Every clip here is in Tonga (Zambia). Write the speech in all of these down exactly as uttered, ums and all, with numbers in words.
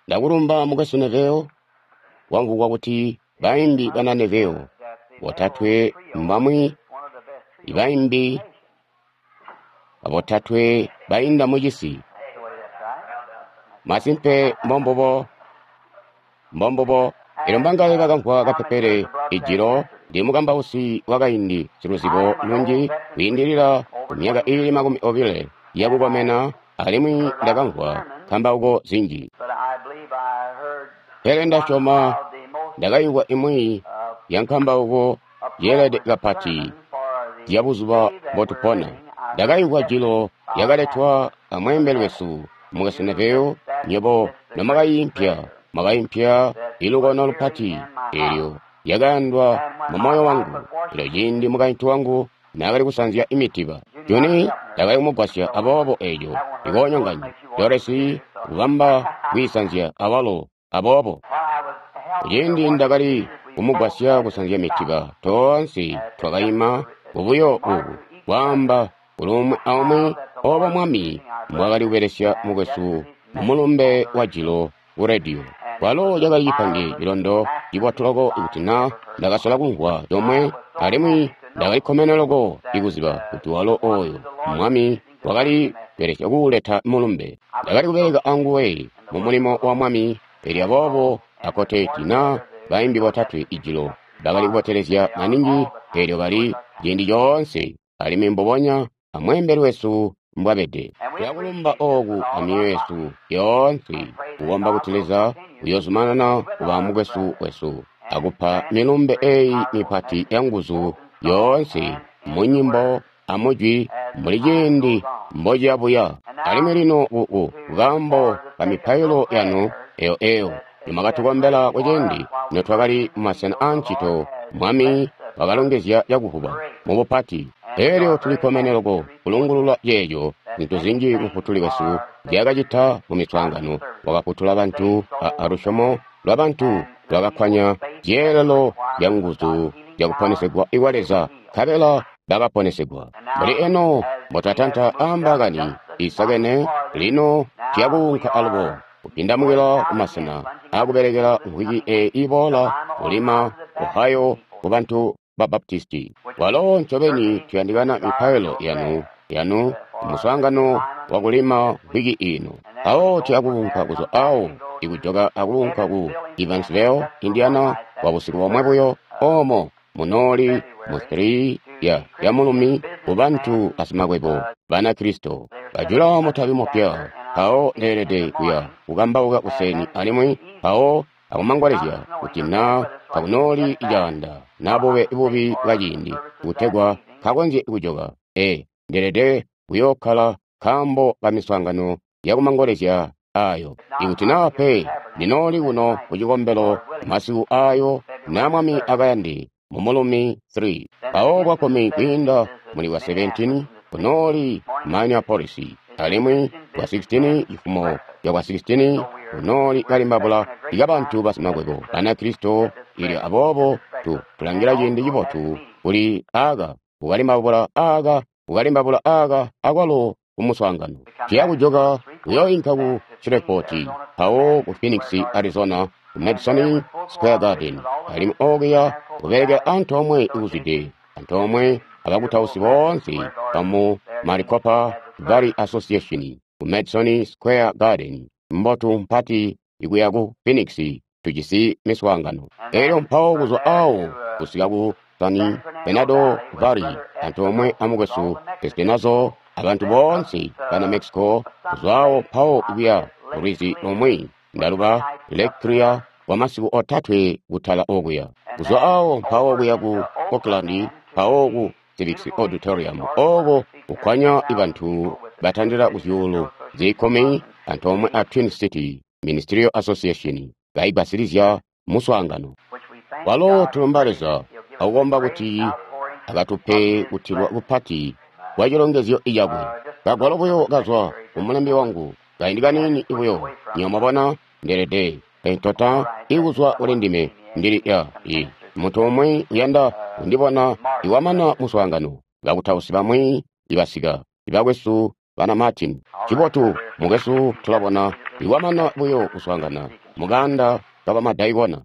Ndakulumba Mukwesu Neville. Wamvwugwa kuti baimbi bana Neville botatwe mbamwi ibaimbi botatwe bainda mucisi. Masimpe mbombubo, mbombubo. Elyo mbangaye bakamvwa kapepele ijilo ndi mukambausi wakaindi siluzibo lunji kwiindilila ku myaka iili makumi obile yakukomena, alimwi ndakamvwa nkambauko zinji. Pele ndasyoma ndakayigwa imwi ya nkambauko yeelede kapati ya buzuba mbotupona. Ndakayigwa jilo yakaletwa amweembeli wesu Mukwesu Neville, nywebo nomwakaimpya, mwakaimpya ilukono lupati eelyo yakayandwa mu moyo wangu. Elyo ciindi mukaintu wangu naakali kusanzya imitiba, Juni ndakali kumugwasya, aboobo eeco ikoonyonganya Doresi kubamba kwiisanzya awalo. Aboobo kuciindi ndakali kumugwasya kusanzya mitiba, toonse twakaima bubuyo ubu kwaamba kuli umwi aumwi obo Mwami mbwaakali kubelesya mukwesu mumulumbe wa jilo ku rediyo. Kwalo cakali cipange cilondo cibotu loko ikuti na ndakasola kumvwa comwe, alimwi ndakali kkomene loko ikuziba kuti walo oyo Mwami wakali kubelesya kuuleta mulumbe. Ndakali kubeleka anguwe mu mulimo wa Mwami, elyo aboobo akoteti na baimbi botatwe ijilo bakali kubotelezya maningi, elyo bali ciindi coonse, alimwi mbubonya amweembeli wesu mbwabede. Tulakulumba oku amyoyo yesu yoonse, kukomba kuti Leza uyozumanana kuba mukwesu wesu akupa milumbe eyi mipati ya nguzu yoonse mu nyimbo amujwi mbuli ciindi mbociyabuya. Alimwi lino ku kaambo ka mipailo yanu eyo eyo nimwakatukombela kuciindi notwakali mumasena aancito, Mwami wakalongezya cakuvuba mubupati. Elyo tulikkomene loko kulungulula ceeco zintu zinji Mufutuli wesu nzyaakacita mu miswaangano. Wakafutula bantu a lusyomo lwa bantu lwakakkwanya zyeelelo zya nguzu zyakuponesegwa kwa Leza, nkabela bakaponesegwa. Mbuli eno mbotwatanta aambaakani isakene, lino tuyakuunka alubo kupindamukila kumasena aakubelekela mvwiki eyi iboola kulima Ohio ku bantu ba Baptisti. Walo ncobeni tuyandikana mipailo yanu yanu muswaangano wa kulima mvwiki ino. Awo tuyakuunka kuzwa awo ikujoka akuunka ku Evansville, Indiana kwa busiku bomwe buyo, omo munooli mu three ya ya mulumi ku bantu basimakwebo Banakristo. Bajula mutabi mupya, mpawo ndeelede kuya kukambauka kuseni alimwi mpawo akumangolezya kuti na takunooli icaanda na bube bubi bwa ciindi kutegwa kakonzye kujoka. E, ndeelede kuyookkala nkaambo ka miswaangano yakumangolezya ayo. Ikuti naa pe ndinooli kuno ku cikombelo masiku ayo na Mwami akayande mu mulumi three. Mpawo bwa kkumi kwiinda muli bwa seventeen kunooli Minneapolis, alimwi bwa sixteen cifumo ya bwa sixteen kunooli kalimbabula ikabantu basimakwebo Banakristo. Ilyo aboobo tu tulangila ciindi cibotu kuli aka kukalimbabula aka kukalimbabula aka akwalo kumuswaangano. Tuya kujoka kuyoinka ku Shreveport, mpawo ku Phoenix, Arizona, ku Madison Square Garden, alimwi okuya kubelekela antoomwe ikuzwide antoomwe abakutausi boonse bamu Maricopa Valley Association ku Madison Square Garden mbotu mpati ikuya ku Phoenix. Tujisi miswaangano. Elyo mpawo kuzwa awo kusika ku San Fernando Valley antoomwe amukwesu Espinoza abantu boonse bana Mexico, kuzwa awo mpawo ikuya kulwizi lumwi ndaluba Lake Clear kwa masiku otatwe kutala okuya. Kuzwa awo mpawo kuya ku Oakland, mpawo ku Civic Auditorium oko kukkwanya bantu batandila ku zyuulu zikumi antoomwe a Twin City Ministerial Association kaigwasilizya muswaangano. Walo tulumba Leza akukomba kuti akatupe kutilwa kupati kwa cilongezyo cakwe. Kagwalo buyo kazwa kumulembi wangu kaindi kaniini buyo, nywebo mwabona, ndeelede entota ikuzwa kuli ndime ndili ya i muntu umwi uyanda kundibona iwamana muswaangano. Bakutausi bamwi ibasika ibakwesu bana Martin. Cibotu, mukwesu, tulabona ikwamana buyo kuswaangana mukanda kabamadaikona.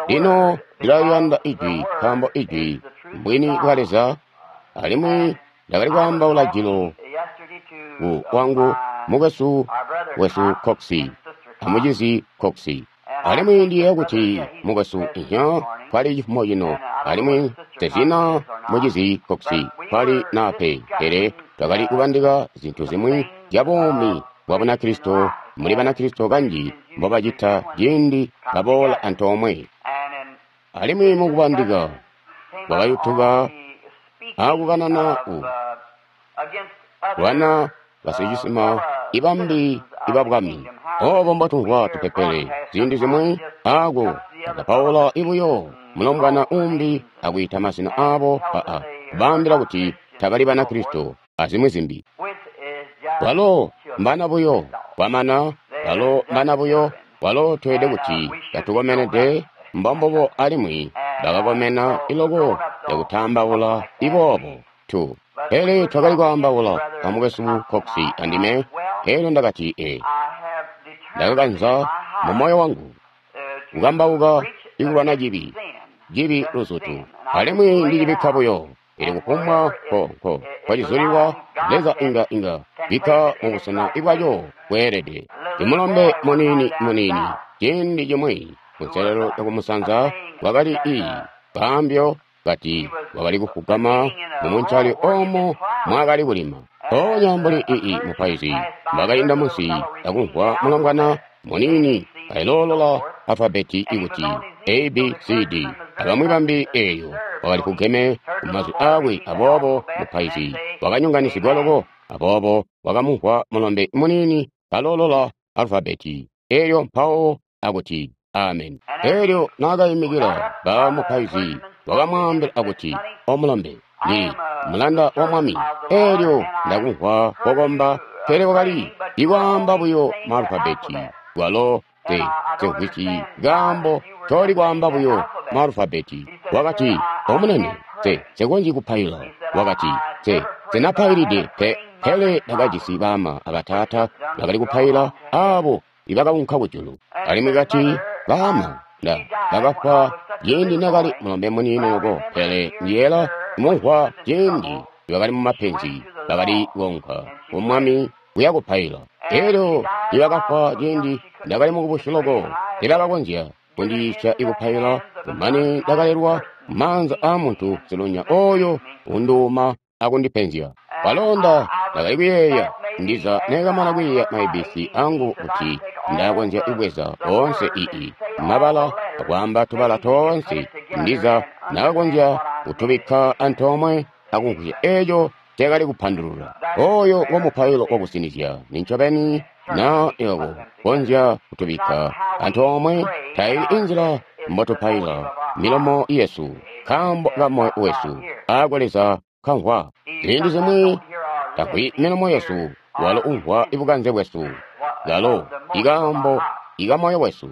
Lino ndilaliyanda Ijwi, nkaambo Ijwi mbwini bwa Leza, alimwi ndakali kwaambaula jilo ku wangu mukwesu wesu Coxi amucizi Coxi. Alimwi ndiyeeya kuti mukwesu ihya kwali cifumo cino, alimwi tezina mucizi Coxi kwali nape, pele twakali kubandika zintu zimwi zya buumi bwa Bunakristo muli Banakristo kanji mbobacita ciindi baboola antoomwe. Alimwi mukubandika kwakayutuka akukanana ku lwana basicisima ibambi ibabwami. Obo mbotumvwa tupepele ziindi zimwi ako akapaula ibuyo mulombwana umbi akwiita mazina abo aa kubaambila kuti tabali Banakristo azimwi zimbi. Walo mbana buyo kwamana, walo mbana buyo, walo tweede kuti katukomenede mbombobo alimwi bakakomena iloko yakutaambaula iboobo tu. Pele twakali kwaambaula amukwesu Coxi andime, elyo ndakati e ndakakanza mu moyo wangu kukambauka ikulwana cibi, cibi luzutu, alimwi ndicibikka buyo. Ili kufumbwa ko ko kwacizulilwa Leza inga inga bikka mubusena bwaco bweelede. Imulombe muniini muniini ciindi cimwi kunselelo yakumusanza wakali ii kaambyo kati wakali kufugama mumuncali omo mwakali kulima. Mpoonya mbuli ii mupaizi mbakainda munsi akumvwa mulombwana muniini kailoolola alfabeti ikuti A B C D abamwi bambi eeyo wakali kugeme kumazwi aakwe, aboobo mupaizi wakanyonganisigwa loko, aboobo wakamumvwa mulombe muniini kaloolola alfabeti eeyo mpawo akuti amen. Eelyo naakayimikila ba mupaizi wakamwaambila akuti, omulombe, ndi mulanda wa Mwami. Eelyo ndakumvwa kokomba, pele wakali ikwaamba buyo maalufabeti walo te semvwisi kaambo ncoli kwaamba buyo maalufabeti. Wakati, omunene, te sekonzyi kupaila. Wakati, te senapailide pe, pele ndakajisi baama abataata bakali kupaila aabo ibakaunka kujulu. Alimwi kati, baama nda bakafwa ciindi nakali mulombe muniini loko, pele ndiyeela mumvwa ciindi bakali mumapenzi bakali kuunka ku Mwami kuya kupaila. Elyo nibakafwa ciindi ndakali mukubusi loko, tebakakonzya kundiyiisya ikupaila, kumane ndakalelwa mumaanza aamuntu silunya oyo unduuma akundipenzya. Kwalonda ndakali kuyeeya ndiza nekamana kwiiya ma A B C angu kuti ndakonzya kubweza oonse ii mabala akwaamba tubala toonse, ndiza ndakakonzya kutubikka antoomwe akumvwisya eeco nceekali kupandulula. Oyo ngo mupailo wakusinizya nincobeni na yoko konzya kutubikka antoomwe taili inzila mbotupaila milomo yesu nkaambo ka moyo wesu aako Leza kamvwa. Ziindi zimwi tamvwi milomo yesu, walo umvwa ibukanze bwesu, kalo ikaambo ikamoyo wesu.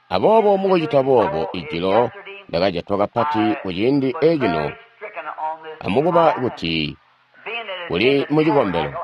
Aboobo mukucita boobo ijilo ndakajatwa kapati kuciindi ecino amukuba kuti kuli mucikombelo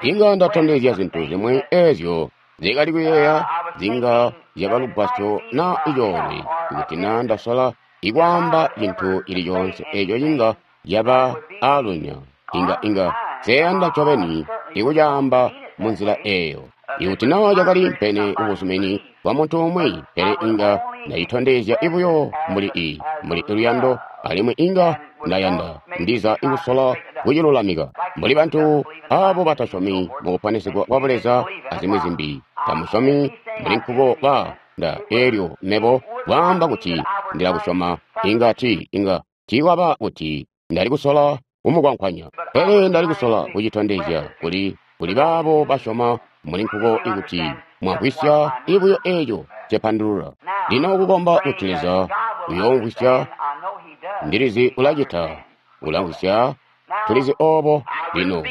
inga ndatondezya zintu zimwi eezyo nzikali kuyeeya zinga zyaba lugwasyo na icoolwe kuti na ndasola ikwaamba cintu cili coonse eeco cinga yaba aalunya inga inga seyanda ncobeni ikucaamba munzila eeyo. Ikuti naa cakali mpene kubuzumini bwa muntu umwi, pele inga ndacitondezya ibuyo mbuli ii mbuli luyando, alimwi inga ndayanda ndiza ikusola kucilulamika mbuli bantu abo batasyomi mukuponesegwa kwa Buleza azimwi zimbi. Tamusyomi mbuli nkuko ba nda elyo mebo kwaamba kuti ndilakusyoma inga ti inga tiikwaba kuti ndali kusola kumukwankwanya, pele ndali kusola kucitondezya kuli kuli baabo basyoma muli nkuko ikuti mwamvwisya ibuyo eeco cepandulula. Lino kukomba kuti Leza uyoomvwisya, ndilizi ulacita, ulamvwisya, tulizi obo. Lino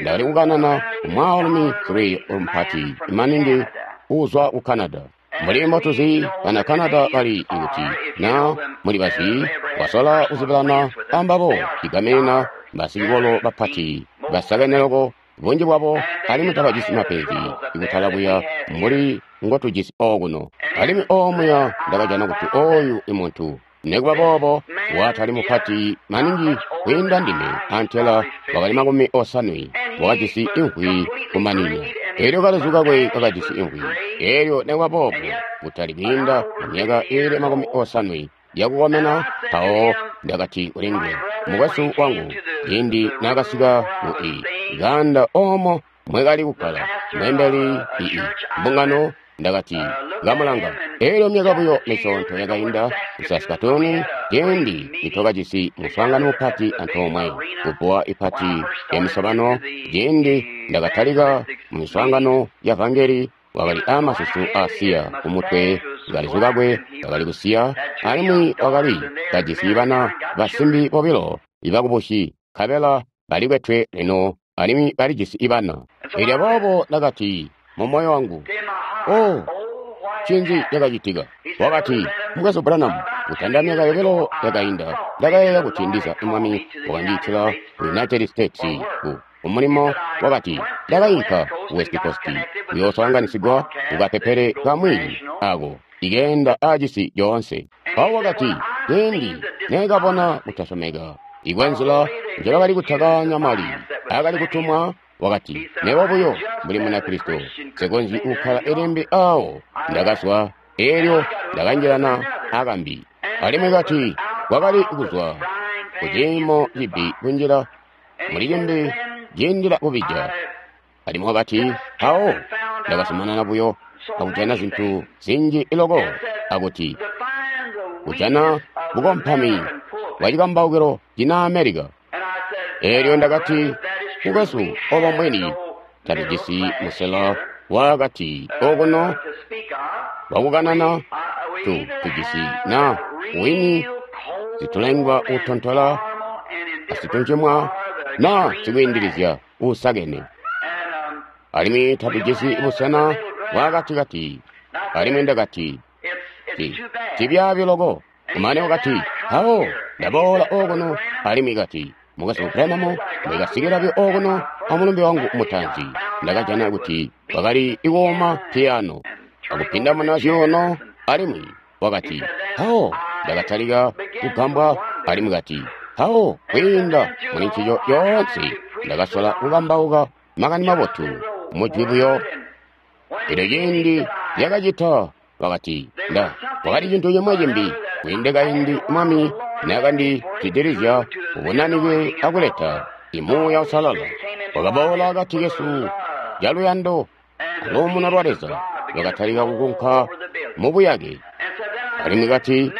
ndakali kukanana kumwaalumi three mupati maningi uzwa ku Canada. Mbuli mbotuzi bana Canada bali ikuti na muli bazi wasola kuzibilana ambabo cigaminina basicikolo bapati basakene loko bunji bwabo alimwi tabajisi mapenzi ikutala kuya mbuli ngotujisi okuno. Alimwi omuya ndakajana kuti oyu imuntu nekuba boobo watali mupati maningi kwiinda ndime antela wakali makumi osanwe wakajisi imvwi kumanina. Elyo kalezu kakwe kakajisi imvwi. Elyo nekuba boobo kutali kwiinda myaka iili makumi osanwe yakukomena. Mpawo ndakati kuli nguwe, mukwesu wangu, ciindi naakasika ku i ganda omo mwekali kukkala mweembeli ii mbungano, ndakati kamulanga. Elyo myaka buyo misyoonto yakainda ku Saskatoon, ciindi nitwakajisi muswaangano mupati antoomwe kubbuwa ipati ya misobano, ciindi ndakatalika mu miswaangano ya vangeli, wakali aamasusu aasiya kumutwe, kalezu kakwe kakali kusiya, alimwi wakali kajisi bana basimbi bobilo ibakubusi, nkabela balikwetwe lino alimwi balijisi ibana. Elyo boobo ndakati mu moyo wangu, oh, ncinzi cakacitika? Wakati, Mukwesu Branham, kutanda myaka yobilo yakainda, ndakayeeya kuti ndiza Mwami wakandiitila ku United States ku mulimo. Wakati, ndakainka ku West Coast kuyooswaanganisigwa kukapepele kamwi ako ikeenda aacisi coonse. Mpawo wakati, ciindi neekabona kutasyomeka ikwenzila njebakali kutakanya mali akali kutumwa, wakati, mebo buyo mbuli Munakristo nsikonzyi kukkala ilimbi awo. Ndakazwa, elyo ndakanjilana akambi. Alimwi kati kwakali kuzwa kuciimo cibi kunjila muli cimbi ciindila kubija. Alimwi wakati, mpawo ndakazumanana buyo akujana zintu zinji loko, akuti kujana bukompami bwa cikambaukilo cina America. Elyo ndakati, mukwesu, obo mbwini tatujisi musela wakati okuno wakukanana, tu tujisi na wini zitulengwa utontola asituncimwa na sikwiindilizya uusakene, alimwi tatujisi busena bwakatikati. Alimwi ndakati, cibyaabi loko. Kumane wakati, mpawo ndaboola okuno. Alimwi kati, Mukwesu Branham, ndakasikila okuno amulumbe wangu mutaanzi, ndakajana kuti wakali ikuuma piyano akupinda muna zyuuno. Alimwi wakati, mpawo ndakatalika kugambwa. Alimwi kati, mpawo kwiinda muli ncico yoonse ndakasola kukambauka makani mabotu mujwi buyo. Elyo ciindi lyakacita, wakati, nda wakali cintu cimwe cimbi kwiinde kaindi Mwami naakandizwidilizya ubunanike akuleta imuuya usalala wakaboola akati kesu caluyando aluumuno lwa Leza lwakatalika kukunka mu buyake. Alimwi kati,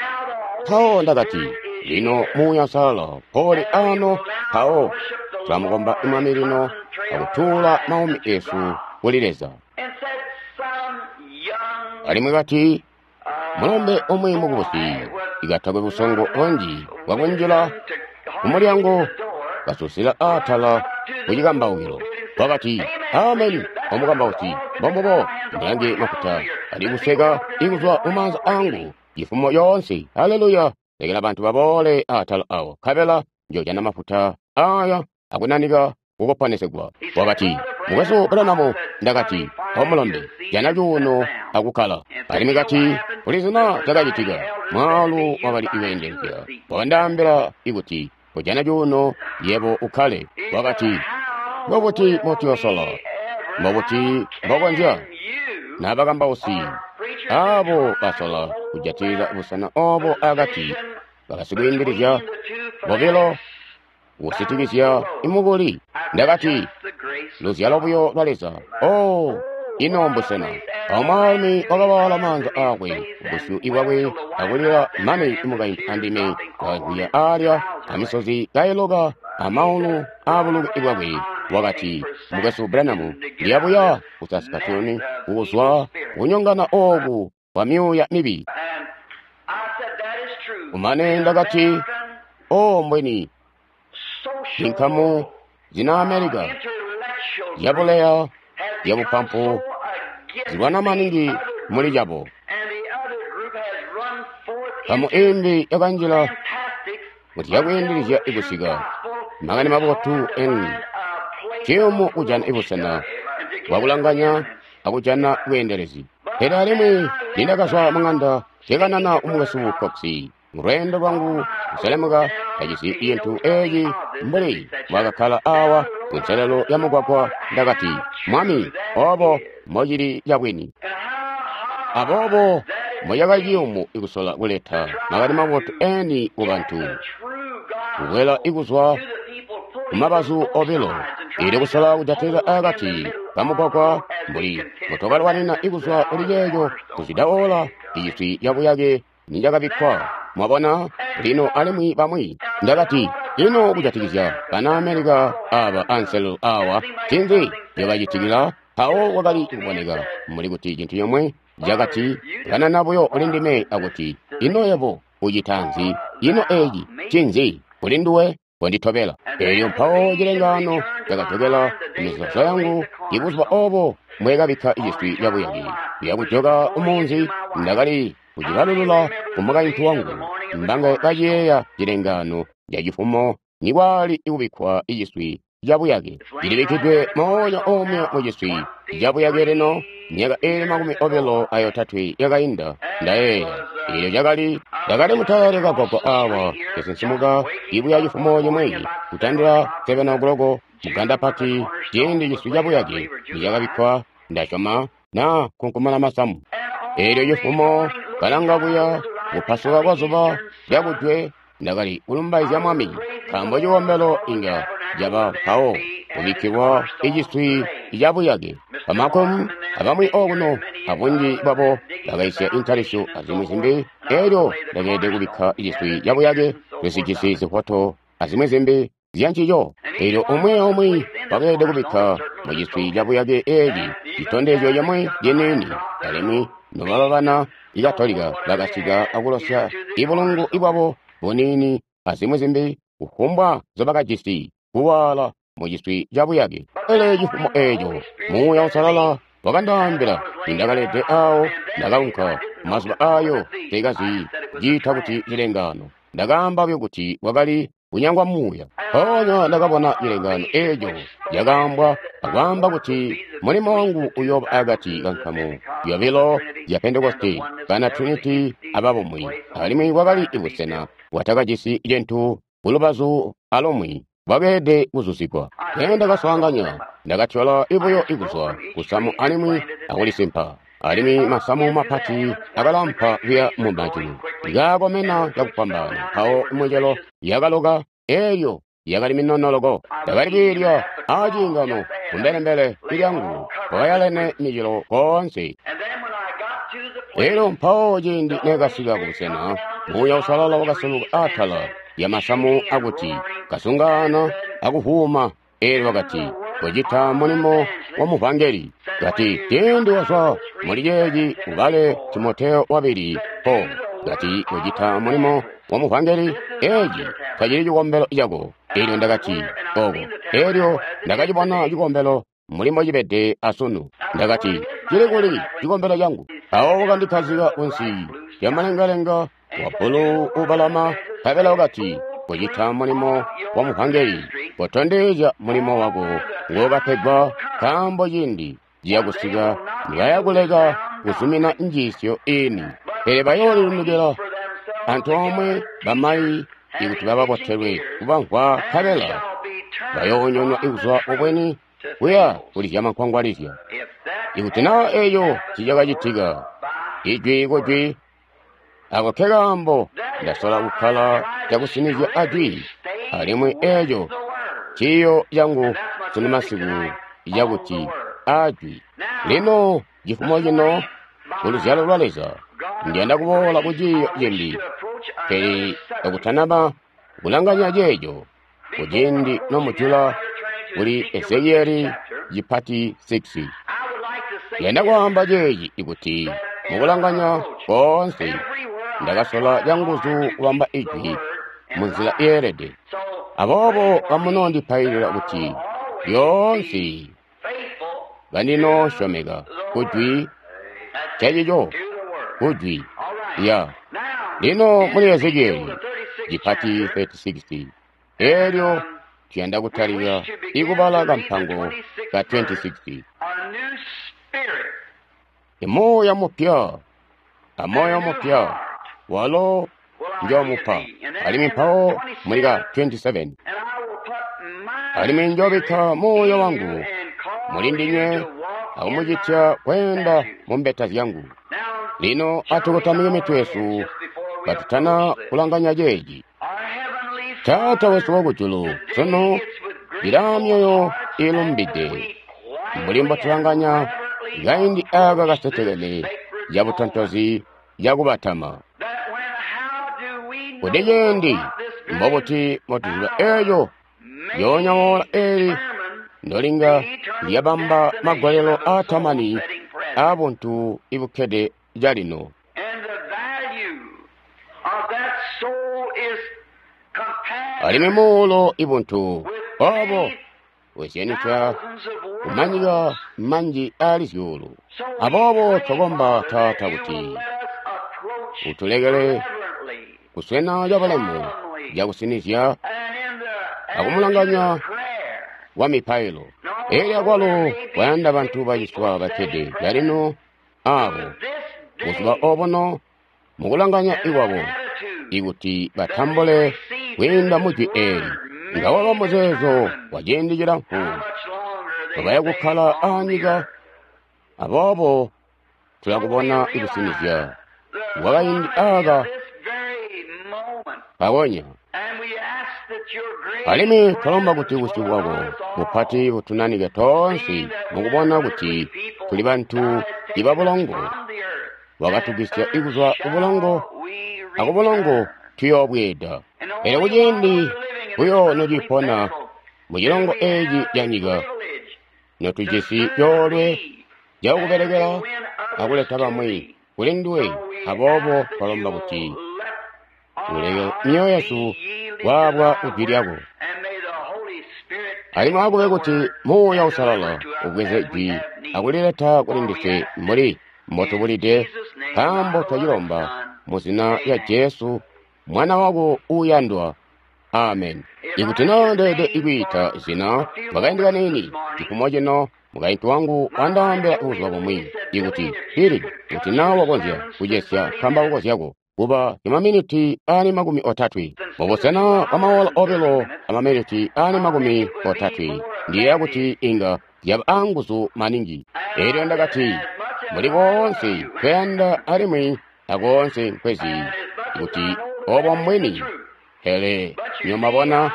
mpawo ndakati, lino muuya usalala poli ano, mpawo tulamukomba Mwami lino akutuula maumi esu kuli Leza. Alimwi kati, mulombe umwi mukubusi ikatakwe busongo bunji bwakunjila kumulyango kasusila aatala kucikambaukilo. Wakati, ameni, omukambausi, mbombubo ndilange mafuta ali kuseka ikuzwa mumaanza angu cifumo yoonse. Haleluya! Lekela bantu baboole aatala awo, nkabela njoojana mafuta aya akunanika kukoponesegwa. Wakati, Mukwesu Branham, ndakati, omulombe, jana cuuno akukkala. Alimwi kati, kuli zina cakacitika, mwaalu wakali iweendelezya wakandaambila ikuti kujana cuuno yebo ukkale. Wakati, mbobuti motiyosola, mbobuti mbokonzya nabakambausi abo basola kujatilila busena obo akati bakasikwiindilizya bobilo kusitikizya imukuli. Ndakati, luzyalo buyo lwa Leza. Oh, ino mbusena. Awo mwaalumi wakawaala maanza aakwe kubusyu bwakwe akulila mane imukaintu andime wakagwiya aalya amisozi kailoka amaulu aabuluke bwakwe. Wakati, Mukwesu Branham, ndiyabuya ku Saskatoon kuzwa kunyongana ooku kwa myuuya mibi. Kumane ndakati, oh, mbweni inkamu zina America zyabuleya zyabupampu zilwana maningi muli cabo. Nkamu imbi yakanjila kuti yakwiindilizya ikusika makani mabotu eni ciyumu kujana ibusena bwakulanganya akujana bweendelezi. Pele alimwi nindakazwa mung'anda nkekanana umukwesu Cox mulweendo lwangu kuselemuka kajisi cintu eeci mbuli mbwakakkala awa kunselelo ya mugwagwa. Ndakati, Mwami, obo mbocili cabwini. Aboobo mbocakali ciyumu ikusola kuleta makani mabotu eni kubantu, kukwela ikuzwa kumabazu obilo, ili kusola kujatilila akati kamugwagwa mbuli mbotokalwanina ikuzwa kuli ceeco kuzwida ola iciswi cabuyake nicakabikkwa. Mwabona lino alimwi bamwi. Ndakati, ino kujatikizya bana Amerika aba anselelo awa, ncinzi ncobacitikila? Mpawo wakali kuboneka mbuli kuti cintu comwe cakati kanana buyo kuli ndime akuti, ino yebo ucita nzi? Ino eci ncinzi kuli nduwe? Konditobela. Elyo mpawo cilengaano cakajokela kumizeezo yangu ibuzuba obo mbwekabikka iciswi cabuyake. Kuya kumunzi ndakali kucibalulula kumukaintu wangu, mbange kaciyeeya cilengaano cacifumo nikwali ikubikkwa iciswi cabuyake. Cilibikkidwe moonya omwe muciswi cabuyake lino myaka iili makumi obilo ayotatwe yakainda. Ndayeeya eelyo cakali ndakali mutale kagwagwa awa kesinsimuka ibuya cifumo cimwi kutandila seven o'clock muganda pati ciindi ciswi cabuyake nicakabikkwa, ndasyoma na kunkumana masamu. Eelyo cifumo kalanga kuya kupasuka kwa zuba lyakujwe, ndakali kulumbaizya Mwami, nkaambo cikombelo inga caba mpawo kubikkilwa iciswi cabuyake. Bamakom abamwi okuno abunji bwabo bakaisya intalisyo azimwi zimbi. Eelyo ndakeelede kubikka iciswi cabuyake, tusijisi zifoto azimwi zimbi zyancico. Eelyo umwi aumwi wakeelede kubikka muciswi cabuyake eeci citondezyo cimwi ciniini. Alimwi nobaba bana Ikatolika bakasika akulosya ibulungu ibwabo buniini azimwi zimbi kufumbwa nzobakajisi kuwaala muciswi cabuyake. Pele cifumo eeco Muuya Uusalala wakandaambila nindakalede aawo. Ndakaunka mazuba aayo teekazi ciita kuti cilengaano. Ndakaamba buyo kuti wakali kunyangwa muuya. Mpoonya ndakabona cilengaano eeco cakaambwa akwaamba kuti mulimo wangu uyooba akati kankamu yobilo ya Pentekoste, bana Trinity ababumwi. Alimwi kwakali ibusena bwatakajisi cintu kulubazu alumwi bwakeelede kuzuzikwa. Ndakaswaanganya, ndakatyola ibuyo ikuzwa kusamu alimwi akulisimpa. Alimwi masamu mapati akalampa kuya mumajulu, ikaakomena cakufwambaana. Mpawo micelo yakaloka, eelyo yakali minonoloko. Ndakali kwiilya aciingano kumbelembele lyangu, kwakayalene micelo koonse. Elyo mpawo ciindi nekasika kubusena, Muuya Uusalala wakasuluka atala lya masamu akuti kasungaana akuvuuma. Eelyo wakati, kocita mulimo wa muvangeli. Kati, ciindi wazwa muli ceeci ubale Timoteo wabili po. Kati, kocita mulimo wa muvangeli, eeci tacili cikombelo cako. Eelyo ndakati, oko. Eelyo ndakacibona cikombelo mbuli mbocibede asunu. Ndakati, cili kuli cikombelo cangu? Mpawo wakandikkazika kunsi lyamalengalenga wa bbulu ubalama, nkabela wakati, kocita mulimo wa muvangeli, kotondezya mulimo wako ngokapegwa, nkaambo ciindi ciyakusika nibayakuleka kuzumina njiisyo iini. Pele bayoolilundukila antoomwe bamayi ikuti bababotelwe kubamvwa, nkabela bayoonyonwa ikuzwa kubweni kuya kulizya mankwangwalizya. Ikuti naa eeco ncicakacitika, ijwi kujwi, ako nkekaambo ndasola kukkala cakusinizya ajwi. Alimwi eeco ciiyo cangu sunu masiku cakuti ajwi. Lino cifumo cino kuluzyalo lwa Leza ndiyanda kuboola ku ciiyo cimbi, pele kakutanaba kulanganya ceeco kuciindi nomujula kuli Ezekieli cipati six. Ndiyanda kwaamba ceeci ikuti mukulanganya koonse ndakasola canguzu kubamba ijwi munzila yeelede. Aboobo kamunoondipailila kuti lyoonse kandinoosyomeka kujwi cacico kujwi ya. Lino muli Ezekieli cipati thirty-six, elyo tuyanda kutalika ikubala kampango ka twenty-six. Imuuya mupya amoyo mupya walo njoomupa. Alimwi mpawo muli ka twenty-seven, alimwi njoobikka muuya wangu muli ndinywe akumucitya kweenda mu mbeta zyangu. Lino atukotamike mitwe yesu katutana kulanganya ceeci. Taata wesu wakujulu, sunu ilaa myoyo iilumbide mbuli mbotulanganya kaindi aaka kasetekene cabutontozi cakubatama. Kuti ciindi mbobuti mbotuziba eeco lyoonya woola eeli ndolinga lyabamba magwalelo aatamani aabuntu ibukkede calino. Alimwi muulo ibuntu obo bwezyanisya kumanyika manji aali zyuulu. Aboobo twakomba Taata kuti utulekele kuswena cabulemu cakusinizya akumulanganya wa mipailo. Elyo akwalo kwayanda bantu baciswa bakkede calino aabo buzuba obuno mukulanganya ikwabo ikuti batambule kwiinda mujwi eeli. Nga waba muzeezo wa ciindi cilamfu babaya kukkala aanyika, aboobo tulakubona ikusinizya kwa kaindi aaka kakonya. Alimwi twalomba kuti busyu bwako bupati butunanike toonse mukubona kuti tuli bantu ibabulongo. Wakatugwisya ikuzwa kubulongo, akubulongo tuyoobweeda. Pele kuciindi buyo nocipona mucilongo eeci canyika, notujisi coolwe cakubelekela akuleta bamwi kuli nduwe, aboobo twalomba kuti uleke myoyo yesu kwaabwa kujwi lyako. Alimwi akube kuti Muuya Uusalala ubweze jwi akulileta kuli ndiswe mbuli mbotubulide, nkaambo twacilomba mu zina lya Jesu Mwana wako uuyandwa. Amen. Ikuti naa ndeelede ikwiita zina mwakaindi kaniini cifumo cino, mukaintu wangu wandaambila buzuba bumwi ikuti Billy, kuti naa wakonzya kucesya nkambauko zyako kuba imaminiti aali makumi otatwe mubusena bwa maola obilo amaminiti aali makumi otatwe, ndiyeeya kuti inga zyaba aanguzu maningi. Elyo ndakati mbuli koonse nkweyanda alimwi akoonse nkwezi kuti obo mbwini, pele nyomabona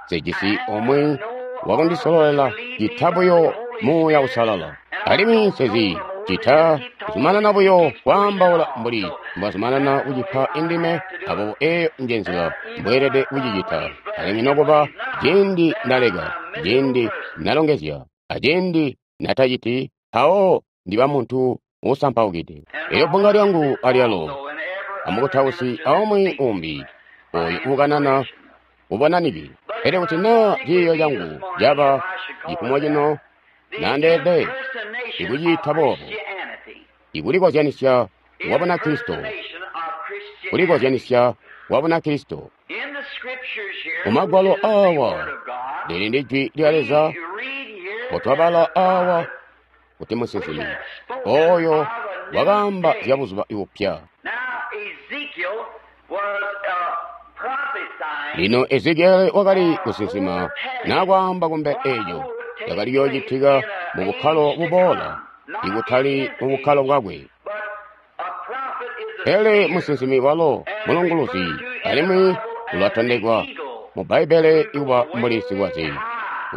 sejisi omwe wakundisololela cita buyo Muuya Uusalala. Alimwi nsezi cita kuzumanana buyo kwaambaula mbuli mbwazumanana kucipa indime, aboobo eeyo nje nzila mbweelede kucicita. Alimwi nokuba ciindi ndaleka, ciindi nalongezya, aciindi nataciti, mpawo ndiba muntu uusampaukide. Elyo bbunga lyangu alyalo amukutausi aumwi umbi oyo uukanana ubonanike. Pele kuti naa ciiyo cangu caba cifumo cino, nandeelede ikuciita boobo, ikulikozyanisya kwa Bunakristo, kulikozyanisya kwa Bunakristo. Mumagwalo aawa lili ndi jwi lya Leza mbotwabala aawa kuti musinsimi oyo wakaamba zya buzuba bupya. Lino Ezekieli wakali kusinsima nakwaamba kumbe eeco cakali kuyoocitika mu bukkalo buboola, ikutali mu bukkalo bwakwe. Pele musinsimi walo mulunguluzi, alimwi ulatondekwa mu Bbaibbele ikuba mbuli sikwaze,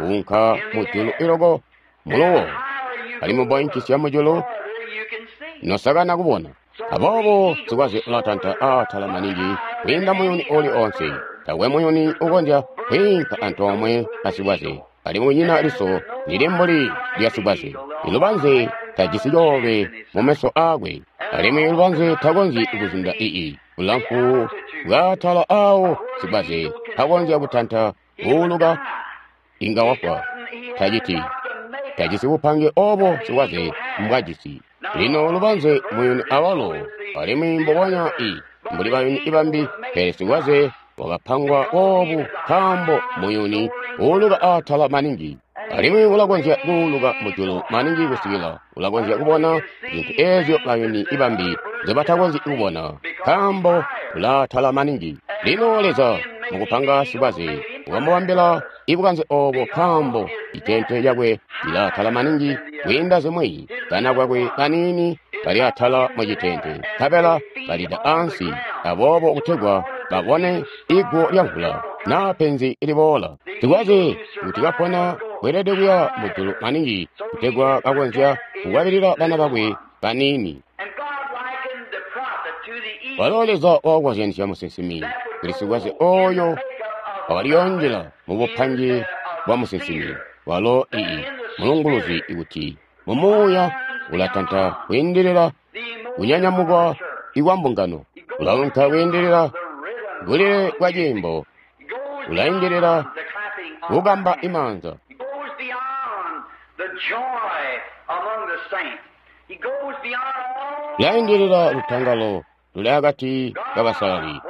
uunka mujulu iloko muluwo, alimwi mboinkisya mujulu nosakana kubona. Aboobo sikwaze ulatanta aatala maningi kwiinda muyuni uuli oonse. Taakwe muyuni ukonzya kwiinka antoomwe asikwaze, alimwi kunyina liso lili mbuli lya sikwaze. Ilubanze tajisi coolwe mumeso aakwe, alimwi lubanze takonzyi kuzunda ii bulamfu bwaatala aawo sikwaze takonzya kutanta kuuluka inga wafwa. Taciti tajisi bupange obo sikwaze mbwajisi. Lino lubanze muyuni awalo, alimwi mbubonya i mbuli bayuni bambi, pele sikwaze wakapangwa boobu nkaambo muyuni uuluka atala maningi. Alimwi ulakonzya kuuluka mujulu maningi kusikila ulakonzya kubona zintu eezyo bayuni bambi nzobatakonzyi kubona, nkaambo ulaatala maningi. Lino Leza mukupanga sikwaze wakamubambila ibukanze oobo, nkaambo itente lyakwe lilaatala maningi kwiinda zimwi. Kana kwakwe kaniini kali atala mucitente, nkabela kalida ansi, aboobo kutegwa babone iguwo lyamvula naa penzi liboola. Sikwaze kuti kapona weelede kuya mujulu maningi kutegwa kakonzya kukwabilila bana bakwe baniini. Walo Leza wakakozyanisya musinsimi kuli sikwaze ooyo wakaliyonjela mubupange bwa musinsimi. Walo ii mulunguluzi kuti mumuuya ulatanta kwiindilila kunyanyamukwa ikwa mbungano, ulaunka kwiindilila bulile bwa ciimbo, ulaindilila kukamba imaanza. Ulaindilila lutangalo luli akati kabasalali,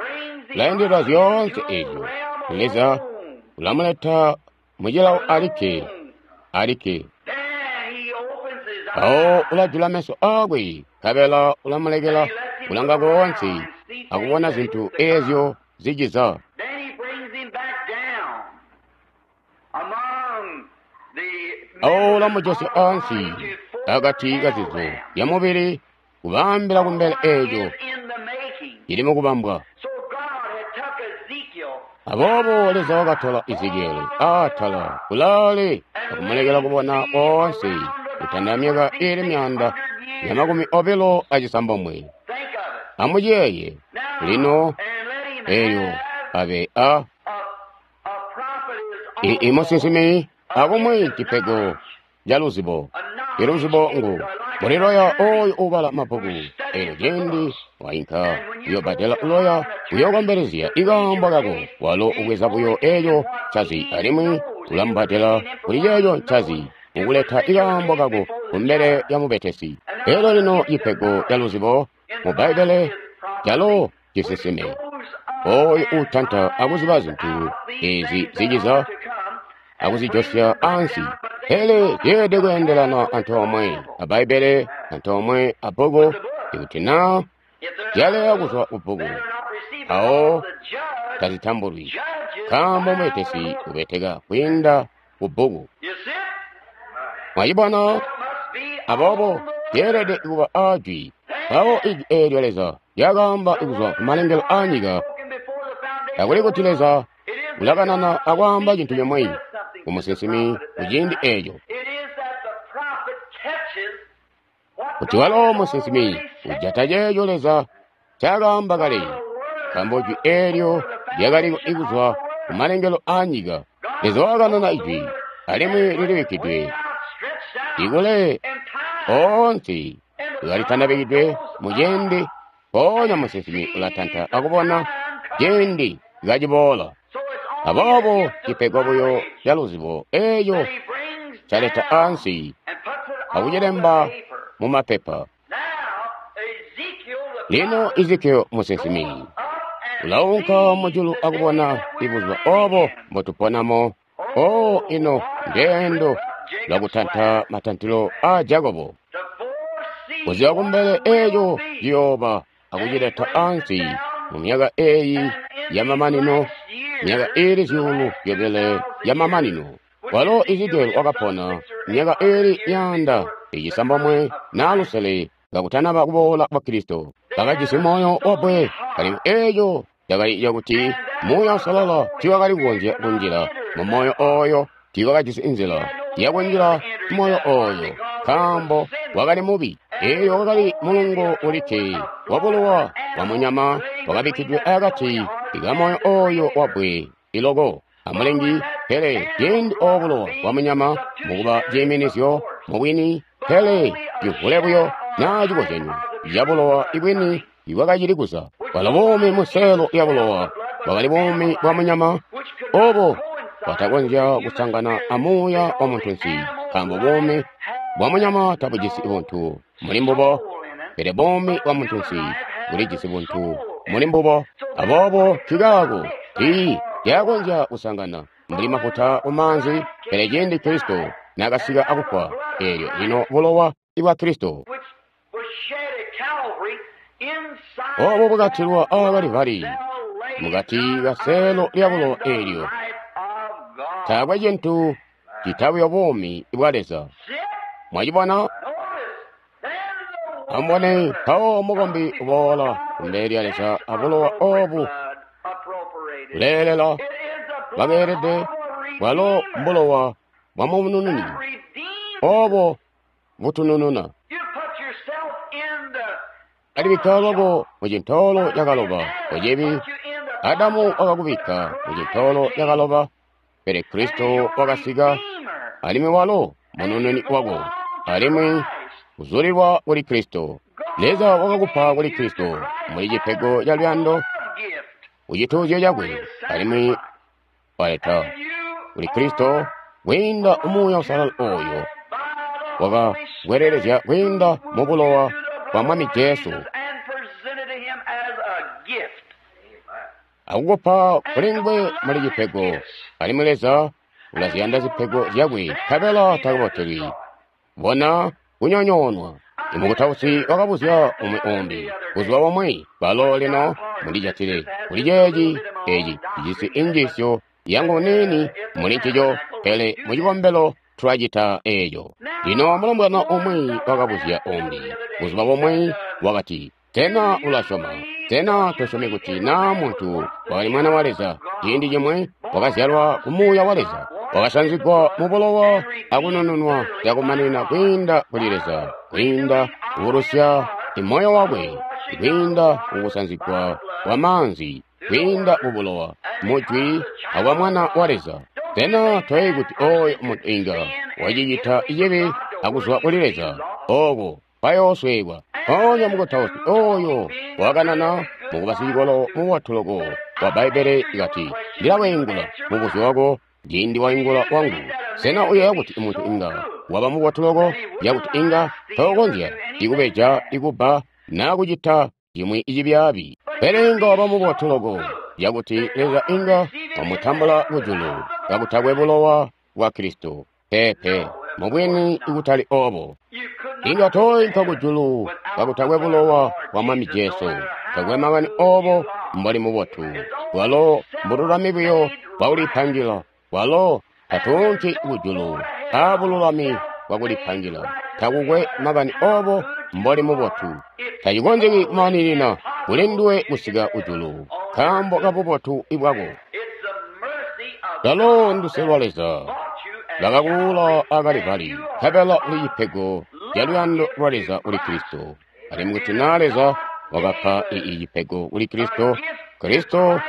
ulaindilila zyoonse eezyo. Leza ulamuleta mucilawo alikke, alikke. Mpawo ulajula meso aakwe, nkabela ulamulekela kulanga koonse akubona zintu eezyo ziciza. Awo ulamujosya ansi akati kazizo zyamubili, kubaambila kumbele eeco cili mukubambwa. Aboobo Leza wakatola Ezekieli atala kulaale akumulekela kubona koonse kutanda myaka iili myaanda ya makumi obilo acisambomwe. Amuciyeeye lino eelyo abe a ii musinsimi akumwi cipego ca luzibo. Iluzibo ngu muliloya ooyo uubala mabbuku. Eelyo ciindi wainka kuyobbadela uloya kuyookombelezya ikaambo kako, walo ubweza buyo eeco ncazi alimwi ulamubbadela kuli ceeco ncazi mukuleta ikaambo kako kumbele lya mubetesi. Eelyo lino cipego ca luzibo mu Bbaibbele calo cisinsime. Ooyo uutanta akuziba zintu eezi ziciza akuzijosya ansi. Pele zyeelede kweendelana antoomwe a Bbaibbele, antoomwe a bbuku. Ikuti naa zyaleya kuzwa kubbuku, mpawo tazitambulwi, nkaambo mubetesi ubeteka kwiinda kubbuku. Mwacibona? Aboobo zyeelede kuba aajwi. Mpawo ijwi eelyo Leza lyakaamba kuzwa kumalengelo aanyika, takuli kuti Leza ulakanana akwaamba cintu cimwi kumusinsimi kuciindi eeco. Kuti walo musinsimi ujata ceeco Leza ncaakaamba kale, nkaambo jwi eelyo lyakali kuzwa kumalengelo aanyika. Leza wakanana ijwi, alimwi lilibikkidwe ikule oonse kalitandabikidwe muciindi, mpoonya musinsimi ulatanta akubona ciindi kaciboola. Aboobo cipego buyo ca luzibo eeco caleta ansi akucilemba mumapepa. Lino Ezekieli musinsimi ulaunka mujulu akubona ibuzuba oobo mbotuponamo. O ino ndeendo lwakutanta matantilo aa Jakobo, kuziba kumbele eeco ciyooba akucileta ansi mu myaka eeyi yamamanino, myaka iili zyuulu zyobile yamamanino. Walo Ezekieli wakapona myaka iili myaanda icisambomwe naa lusele kakutanaba kuboola kwa Kristo. Bakajisi moyo wabbwe, alimwi eeco cakali cakuti Muuya Uusalala tiiwakali kukonzya kunjila mumoyo ooyo, tiiwakajisi nzila yakunjila moyo ooyo, nkaambo wakali mubi. Eelyo wakali mulungo ulikke wabulowa bwamunyama wakabikkidwe akati kamoyo ooyo wabbwe iloko amulengi. Pele ciindi oobo bulowa bwamunyama mukuba ciiminizyo mubwini, pele civule buyo naa cikozyanyo cabulowa ibwini ibwakacili kuza. Bwalo buumi museelo yabulowa bwakali buumi bwa munyama oobo bwatakonzya kusangana amuuya wa muntunsi, nkaambo buumi bwa munyama tabujisi buntu muli mbubo, pele buumi bwa muntunsi bulijisi buntu muli mbubo. Aboobo nkikaako tii lyakonzya kusangana mbuli mafuta ku maanzi, pele ciindi Kristo nakasika akufwa, eelyo lino bulowa bwa Kristo obo bwakatilwa aa Kalivari mukati ka seelo lya bulowa eelyo, taakwe cintu cita buyo buumi bwa Leza. Mwacibona? Amubone, mpawo mukombi uboola kumbele lya Leza abulowa obu buleelela bwakeelede, bwalo mbulowa bwa munununi obo butunununa. Alibikka lwako mu cintoolo cakaloba kucibi. Adamu wakakubikka mu cintoolo cakaloba, pele Kristo wakasika, alimwi walo munununi wako, alimwi kuzulilwa kuli Kristo. Leza wakakupa kuli Kristo muli cipego ca luyando kucituuzyo cakwe, alimwi waleta kuli Kristo kwiinda Muuya Uusalala oyo wakakwelelezya kwiinda mu bulowa bwa Mwami Jesu, akukupa kuli nguwe muli cipego. Alimwi Leza ulaziyanda zipego zyakwe, nkabela takubotelwi bona kunyonyoonwa. Imukutausi wakabuzya umwi umbi buzuba bumwi, balo lino mulijatile kuli ceeci eci cijisi injiisyo yangu niini muli ncico, pele mucikombelo tulacita eeco. Lino mulombwana umwi wakabuzya umbi buzuba bumwi, wakati, sena ulasyoma? Sena tosyomi kuti naa muntu wakali mwana wa Leza ciindi cimwi wakazyalwa ku Muuya wa Leza, wakasanzigwa mu bulowa akunununwa cakumaninina kwiinda kuli Leza, kwiinda kubulusya imoyo wakwe, kwiinda kukusanzigwa kwa maanzi, kwiinda ku bulowa, mujwi akwa Mwana wa Leza? Sena toyeeyi kuti oyo muntu inga wacicita cibi akuzwa kuli Leza, ooko bayoosweekwa? Mpoonya mukutausi oyo wakanana mukuba sicikolo mubotu loko wa Bbaibbele kati, ndilaweingula mubuzyo wako ciindi waingula wangu. Sena uyeeya kuti muntu inga waba mubotu loko cakuti inga tookonzya ikubeja, ikubba, naa kucita cimwi cibyaabi? Pele inga waba mubotu loko cakuti Leza inga wamutambula kujulu kakutakwe bulowa bwa Kristo? Peepe, mubwini ikutali obo. Inga toinka kujulu kakutakwe bulowa bwa Mwami Jesu. Takwe makani obo mboli mubotu, bwalo mbululami buyo bwakulipangila. Bwalo tatuunki kujulu abululami bwakulipangila. Takukwe makani obo mboli mubotu, tacikonzeki kumaninina kuli nduwe kusika kujulu nkaambo kabubotu bwako. Lalo nduse lwa Leza lwakakuula a Kalivari, nkabela uli cipego ca luyando lwa Leza kuli Kristo. Alimwi kuti naa Leza wakapa ii cipego kuli Kristo, Kristo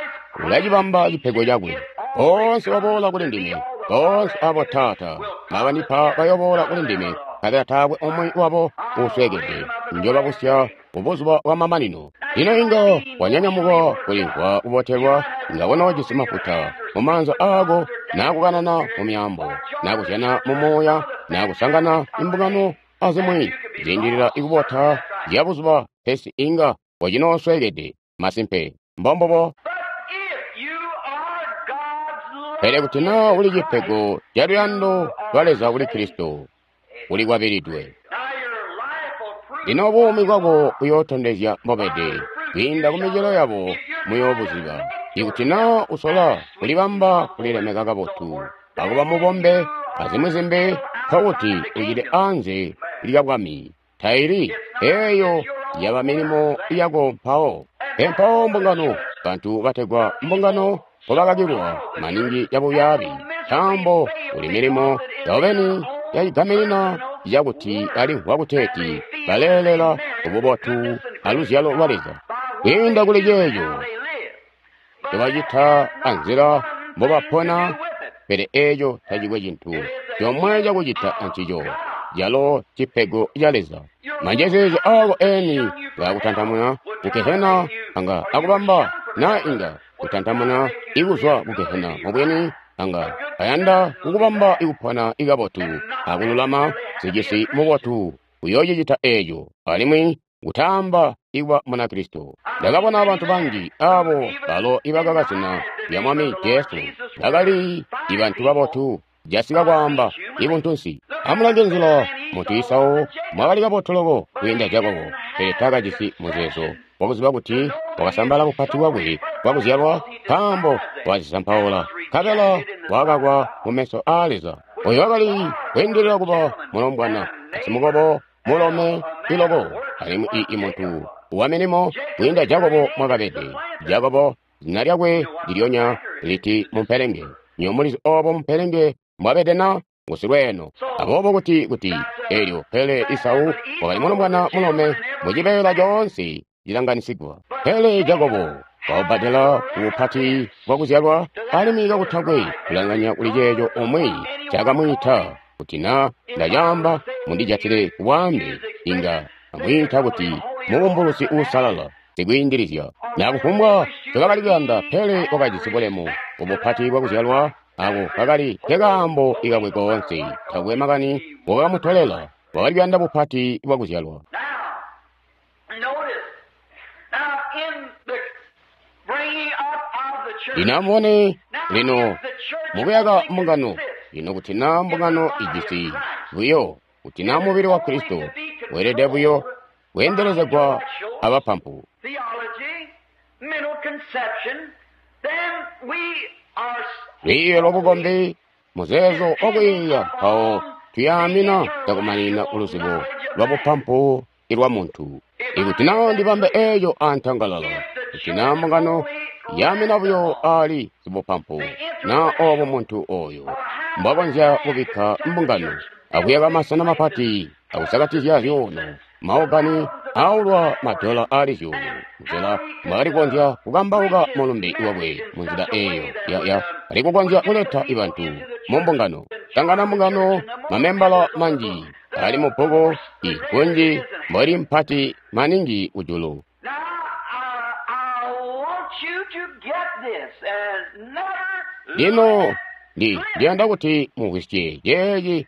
ulacibamba cipego cakwe. Boonse baboola kuli ndime, boonse abo Taata mbabandipa bayoboola kuli ndime, nkabela taakwe umwi wabo uusweekede. Njobabusya mubuzuba bwa mamanino. Lino inga wanyanyamuka kulimvwa kubotelwa, inga konoojisi mafuta mumaanza aako, naa kukanana mu myaambo, naa kuzyana mu muuya, naa kusangana imbungano azimwi ziindilila ikubota zya buzuba, pesi inga wacinoosweekede. Masimpe, mbombubo. Pele kuti naa uli cipego ca luyando lwa Leza kuli Kristo, ulikwabilidwe. Lino buumi bwako buyootondezya mbobede. Kwiinda kumicelo yabo muyoobuziba. Ikuti naa usola kulibamba kulilemeka kabotu, akuba mubombe azimwi zimbi, nkokuti ucili anze lya bwami. Taili eeyo yaba milimo yako mpawo. Pe mpawo mbungano, bantu bategwa mbungano mpobakakilwa maningi cabubyaabi, nkaambo kuli milimo yabo beni yacigaminina cakuti balimvwa kuteeti baleelela kububotu aluzyalo lwa Leza. Kwiinda kuli ceeco ncobacita anzila mbobapona, pele eeco tacikwe cintu comwe cakucita ancico, calo cipego ca Leza. Manjezeezya aako eni ngaakutantamuna kugehena anga akubamba, naa inga kutantamuna ikuzwa kugehena mubwini anga ayanda kukubamba ikupona ikabotu akululama sicisi mubotu uyoocicita eeco, alimwi kutaamba ikuba Munakristo. Ndakabona bantu banji abo balo ibakaka zina lya Mwami Jesu bakali ibantu babotu jasika kwaamba ibuntunsi. Amulange nzila muntu Isau mwakali kabotu loko kwiinda Jakobo, pele taakajisi muzeezo wakuziba kuti wakasambala bupati bwakwe bwakuzyalwa nkaambo wakazisampaula, nkabela wakakwa mumeso aa Leza. Oyo wakali kweendelela kuba mulombwana, asimukobo mulome iloko, alimwi i muntu wa milimo kwiinda Jakobo mwakabede. Jakobo zina lyakwe ndilyonya liti mumpelenge. Nyo mulizi obo mumpelenge mwabede na ngusilweeno. Aboobo kuti kuti elyo pele Isau wakali mulombwana mulome mucibeela coonse cilanganisigwa. Pele Jakobo waubbadela ubupati bwakuzyalwa alimwi kakutakwe kulanganya kuli ceeco umwi ncakamwiita kuti na ndacaamba mundijatile kubwaambe inga amwiita kuti mubumbulusi uusalala sikwiindilizya. Na kufumbwa ncokakali kuyanda, pele wakajisi bulemu ubupati bwakuzyalwa ako kakali kekaambo ikakwe koonse. Takwe makani wakamutolela, wakali kuyanda bupati bwakuzyalwa. Lino amubone lino mukuyaka mbungano lino kuti na mbungano ijisi buyo kuti na mubili wa Kristo weelede buyo kweendelezegwa abapampu. Lwiiyo lwabukombi muzeezo wakwiiya mpawo tuyaamina cakumanina uluzibo lwabupampu ilwa muntu. Ikuti na ndibambe eeco antangalala, kuti na mbungano yaamina buyo ali zibupampu na obo muntu oyo mbwakonzya kubikka mbungano akuyaka masena mapati akusakatizya zyuuno maogani aulwa madola ali zyuulu nzila mbwakali kukonzya kukambauka mulumbe wakwe munzila eyo ya ali kukonzya kuleta ibantu mu mbungano. Tangana mbungano mamembala manji ali mu bbuku ikunji mboli mpati maningi kujulu. Lino ndi ndiyanda kuti mumvwisye ceeci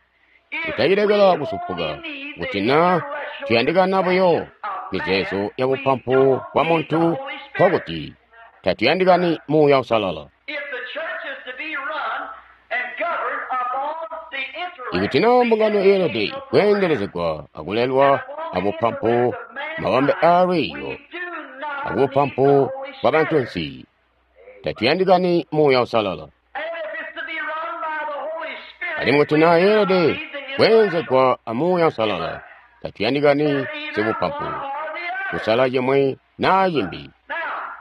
kutacilekela kusupuka kuti na tuyandikana buyo mizeezo ya bupampu bwa muntu nkokuti tatuyandikani Muuya Uusalala. Ikuti na mbungano yeelede kweendelezegwa akulelwa abupampu mabambe aalwiiyo akubupampu bwa bantunsi, tatuyandikani Muuya Uusalala. Alimwi kuti na yeelede kweenzegwa a Muuya Uusalala, tatuyandikani sibupampu kusala cimwi naa cimbi.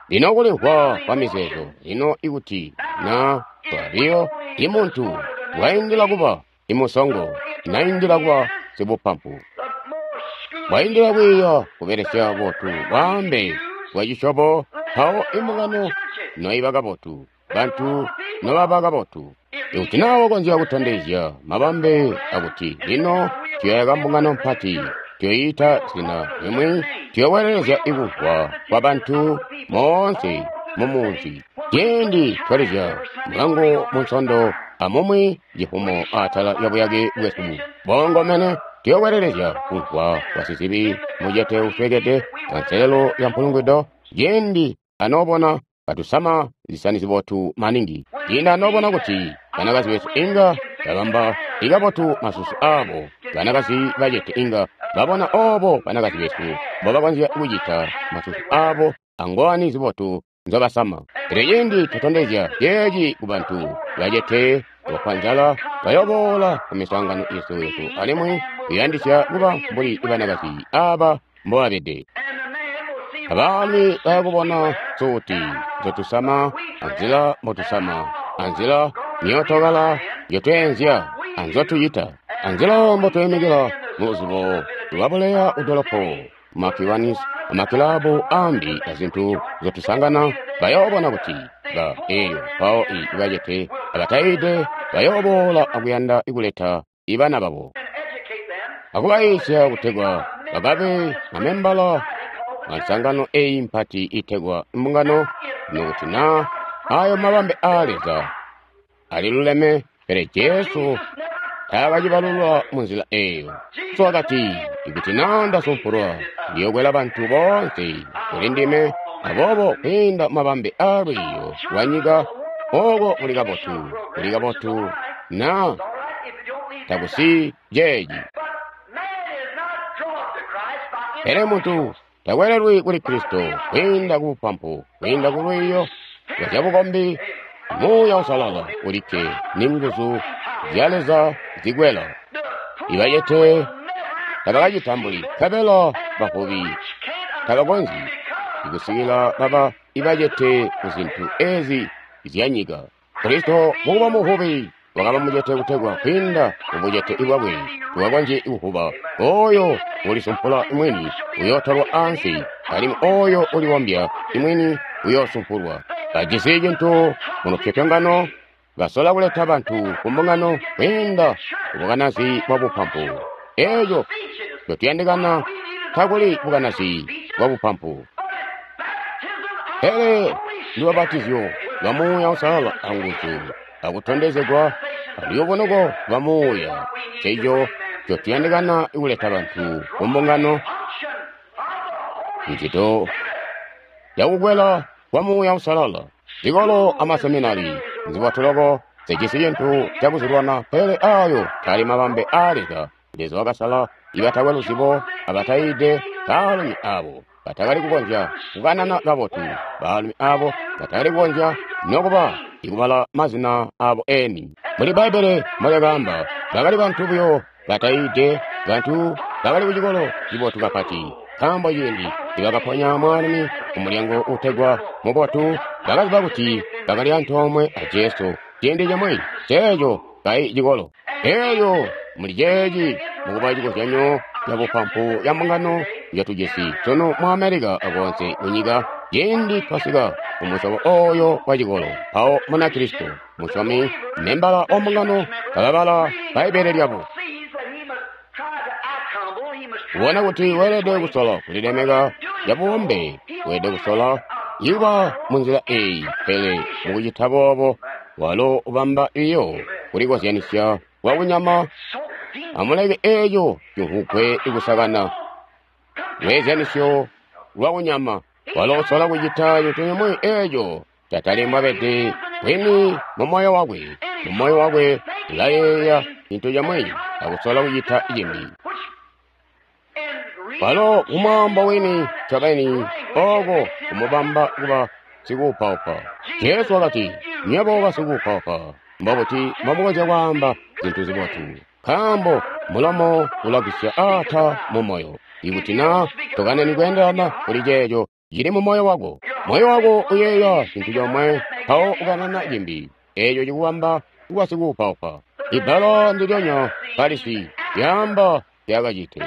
Lino kulimvwa kwa mizeezo lino ikuti na twabiyo imuntu waindila kuba imusongo naindila kuba sibupampu, waindila kwiiya kubelesya botu bwaambe bwa cisyobo, mpawo imbungano noiba kabotu, bantu nobaba kabotu. Ikuti na wakonzya kutondezya mabambe akuti lino tuyaka mbungano mpati, tuyoyita zina limwi, tuyowelelezya ikumvwa kwa bantu moonse mumunzi. Ciindi twalizya mulangu munsondo amumwi cifumo atala yabuyake bwesu boongomene, tuyowelelezya kumvwa kwa sizibi mucete uswekede anselelo ya mpulungwido. Ciindi anoobona katusama zisani zibotu maningi, ciindi anoobona kuti banakazi besu inga babamba ikabotu masusu abo, banakazi bacete inga babona obo banakazi besu mbobakonzya kucita masusu abo angowani zibotu nzobasama. Pele ciindi tutondezya ceeci ku bantu bacete bafwa nzala, bayoboola ku miswaangano yesu yesu alimwi kuyandisya kuba mbuli banakazi aba mbobabede. Abaalumi bayakubona suti nzotusama, anzila mbotusama, anzila myootokala yotweenzya, anzotucita, anzila mbotuyimikila muluzubo lwabuleya kudolopo, makiwanis, amakilabu ambi azintu nzotusangana, bayoobona kuti ba eyo mpawo i bacete abatayide bayooboola akuyanda kuleta ibana babo akubayiisya kutegwa bakabe mamembala ansangano eyi mpati itegwa mbungano. Nokuti na ayo mabambe aa Leza aliluleme, pele Jesu taakacibalulwa munzila eyo. So wakati, Ikuti na ndasumpulwa, ndiyokwela bantu boonse kuli ndime. Aboobo kwiinda mabambe aalwiiyo lwanyika, oko kuli kabotu, kuli kabotu na takusi ceeci. Pele muntu takwelelwi kuli Kristo kwiinda ku bupampu, kwiinda ku lwiiyo lwa zyabukombi. Muuya Uusalala ulikke ni nguzu zya Leza zikwela. Ibacete tabakacitambuli, nkabela bavubi tabakonzyi kusikila baba ibacete ku zintu ezi zyanyika. Kristo mukuba muvubi wakaba mucete kutegwa kwiinda mubucete bwakwe tukakonzye kuvuba. Oyo ulisumpula mwini uyootolwa ansi, alimwi oyo ulibombya mwini uyoosumpulwa. Bajisi cintu mulupyopyongano, basola kuleta bantu ku mbungano kwiinda kubukanazi bwa bupampu. Eeco ncotuyandikana takuli bukanazi bwa bupampu, pele ndubapatizyo lwa Muuya Uusalala anguzu akutondezegwa aluyubunuko lwa Muuya. Nceeco ncotuyandikana kuleta bantu ku mbungano, ncito yakukwela kwa Muuya Uusalala. Zikolo amaseminari nzibotuloko zijisi cintu cakuzilwana, pele ayo tali mabambe aa Leza. Leza wakasala ibatakwe luzibo abatayiide, baalumi abo batakali kukonzya kukanana kabotu, baalumi abo batakali kukonzya nokuba ikubala mazina abo eni. Muli Bbaibbele molyakaamba, bakali bantu buyo batayiide, bantu bakali kucikolo cibotu kapati. Nkaambo ciindi nibakaponya mwaalumi kumulyango uutegwa Mubotu, bakaziba kuti bakali antoomwe a Jesu ciindi cimwi ceeco kayi cikolo. Elyo muli ceeci mukuba cikozyanyo ca bupampu ya mbungano njotujisi sunu mu America akoonse kunyika, ciindi twasika kumusyobo oyo wa cikolo, mpawo Munakristo musyomi membala wa mbungano kababala Bbaibbele lyabo, ubona kuti weelede kusola kulilemeka cabubombe, weelede kusola kuba munzila eyi, pele mukucita boobo walo ubamba biyo kulikozyanisya kwa kunyama. Amuleke eeco cimvugwe kusakana lweezyanisyo lwa kunyama. Walo usola kucita cintu cimwi eeco catali mbwabede bwini mu moyo wakwe. Mu moyo wakwe ulayeeya cintu cimwi akusola kucita cimbi. Walo kumwaambo wini ncobeni oko kumubamba kuba sikuupaupa. Jesu wakati, nywebo basikuupaupa, mbobuti mbomukonzya kwaamba zintu zibotu? Nkaambo mulomo ulagwisya ata mu moyo. Ikuti na tokanani kweendelana kuli ceeco cili mu moyo wako, moyo wako uyeeya cintu comwe mpawo ukanana cimbi, eeco cikubamba kuba sikuupaupa. Ibbala ndilyonya Farisi lyaamba zyakacite.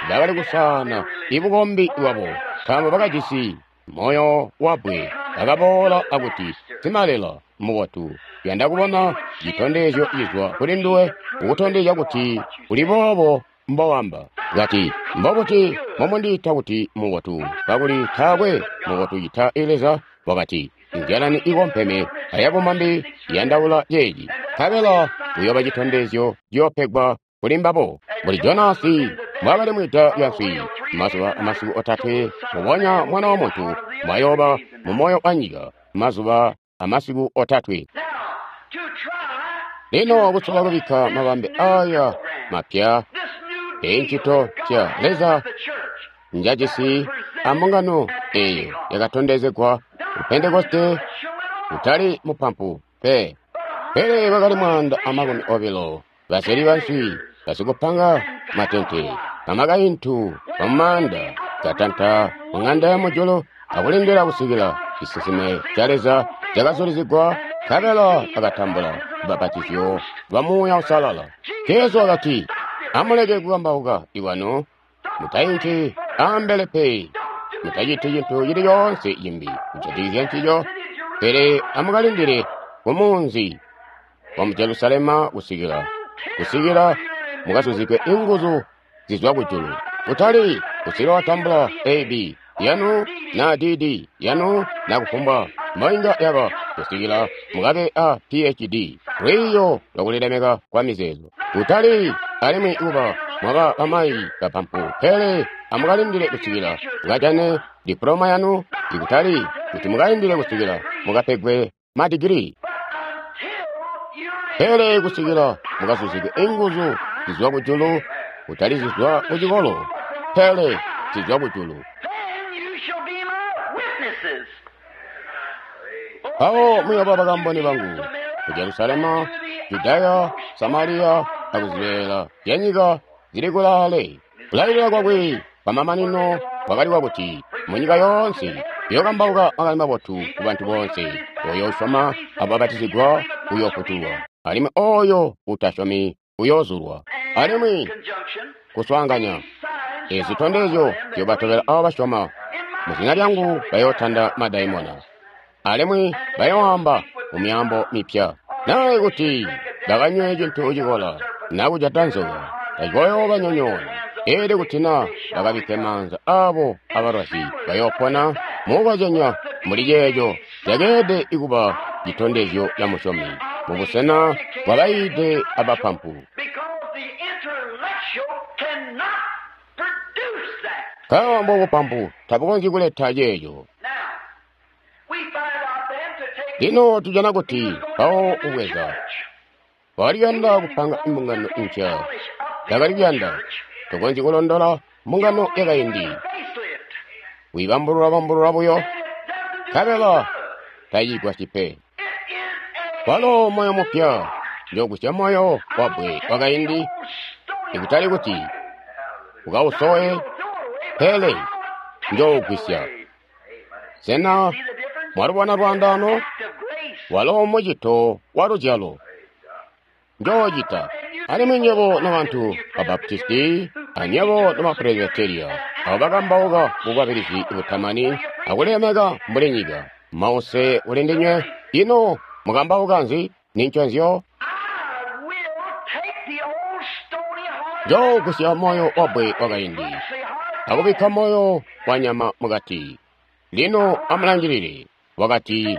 Bakali kusaana ibukombi bwabo, nkaambo bakajisi moyo wabbwe. Bakaboola akuti, Simalela mubotu, tuyanda kubona citondezyo cizwa kuli nduwe kukutondezya kuti uli boobo mbowamba. Kati, mbobuti mbomundiita kuti mubotu, kakuli taakwe mubotu cita Leza? Wakati, inzyalani ikompeme ayabumambi iyandaula ceeci, nkabela kuyooba citondezyo ciyoopegwa kuli mbabo. Mbuli Jonasi mbwaakali mwida lya nswi mazuba amasiku otatwe, mbubonya Mwana wa Muntu mbwayooba mu moyo wa nyika mazuba amasiku otatwe. Lino kusola kubikka mabambe aya mapya encito mpya Leza njajisi ambungano eyo yakatondezegwa ku Pentekoste, kutali mupampu pe, pele bakali mwaanda amakumi obilo baseli banswi, basikupanga matente, bamakaintu bamumaanda, katanta muŋanda ya mujulu akulindila kusikila cisinsime ca Leza cakazulizigwa, nkabela akatambula lubapatizyo lwa Muuya Uusalala. Jesu wakati, amuleke kukambauka iwano, mutainki ambele pe, mutaciti cintu cili coonse cimbi kujatikizya ncico, pele amukalindile kumunzi wa mu Jerusalema kusikila kusikila mukazuzigwe inguzu zizwa kujulu. Kutali kusikila watambula A B yanu na D D yanu na kufumbwa mboinga yaba, kusikila mukabe a P H D, lwiiyo lwakulilemeka kwa mizeezo. Kutali alimwi kuba mwaba bamayi bapampu, pele amukalindile kusikila mukajane dipuloma yanu, ikutali kuti mukalindile kusikila mukapegwe madigiri, pele kusikila mukazuzigwe inguzu zizwa kujulu, kutali zizwa kucikolo, pele zizwa kujulu. Mpawo muyooba bakamboni bangu ku Jerusalema, Judaya, Samariya akuzibeela zyanyika zili kulaale. Kulailila kwakwe kwamamanino kwakali kwakuti munyika yoonse uyookambauka makani mabotu kubantu boonse. Ooyo usyoma akubapatizigwa uyoofutulwa, alimwi ooyo utasyomi uyoozulwa. Alimwi kuswaanganya ezi zitondezyo ziyoobatobela aabo basyoma. Muzina lyangu bayootanda madaimona, alimwi bayooamba mumyaambo mipya. Naa ikuti bakanywe cintu cikola naa kujata nzoka, tacikoyoobanyonyoona. Eelyo kuti naa bakabikke maanza aabo abalwazi, bayoopona. Mukukozyanya muli ceeco cakeelede kuba citondezyo ca musyomi mubusena bwabayiide abapampu. Nkaambo bupampu tabukonzyi kuleta ceeco. Lino tujana kuti mpawo kubweza wakali kuyanda kupanga mbungano mpya, yakali kuyanda tukonzyi kulondola mbungano yakaindi, wiibambulula-bambulula buyo, nkabela tayigwasyi pe. Walo moyo mupya, njoogusya moyo wabbwe wakaindi, ikutali kuti ukausowe, pele njoogwisya. Sena mwalubona lwaandaano? Walo mucito wa luzyalo njoocita. Alimwi nywebo nobantu ba Baptisti anywebo noma Presbyteria, abo bakambauka bukwabilizi butamani akulemeka mbuli nyika, mause kuli ndinywe. Ino mukambauka nzi? Ninconzyo njoogusya moyo wabbwe wakaindi akubikka moyo wanyama mukati. Lino amulangilile, wakati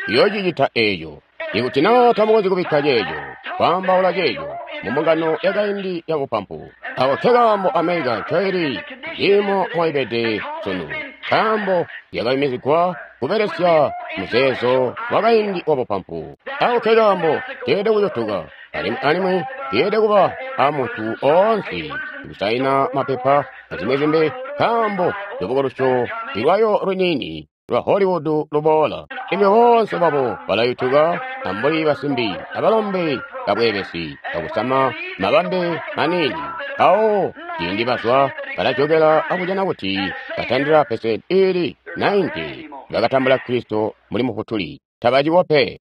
uyoocicita eeco. Ikuti naa tamukonzyi kubikka ceeco, kwaambaula ceeco mumbungano yakaindi yabupampu, ako nkekaambo America ncoili ciimo moibede sunu, nkaambo yakayumizigwa kubelesya muzeezo wakaindi wabupampu. Ako nkekaambo keelede kucutuka, alimwi alimwi keelede kuba amuntu oonse kusaina mapepa azimwi zimbi, nkaambo lubukulusyo lwayo luniini lwa Hollywood luboola. Imwe boonse babo balayutuka ambuli basimbi abalombe babweebesi bakusama mabambe maniini. Mpawo ciindi bazwa balajokela akujana kuti batandila pesenti ili nainti bakatambula Kristo mbuli Mufutuli, tabaciwo pe.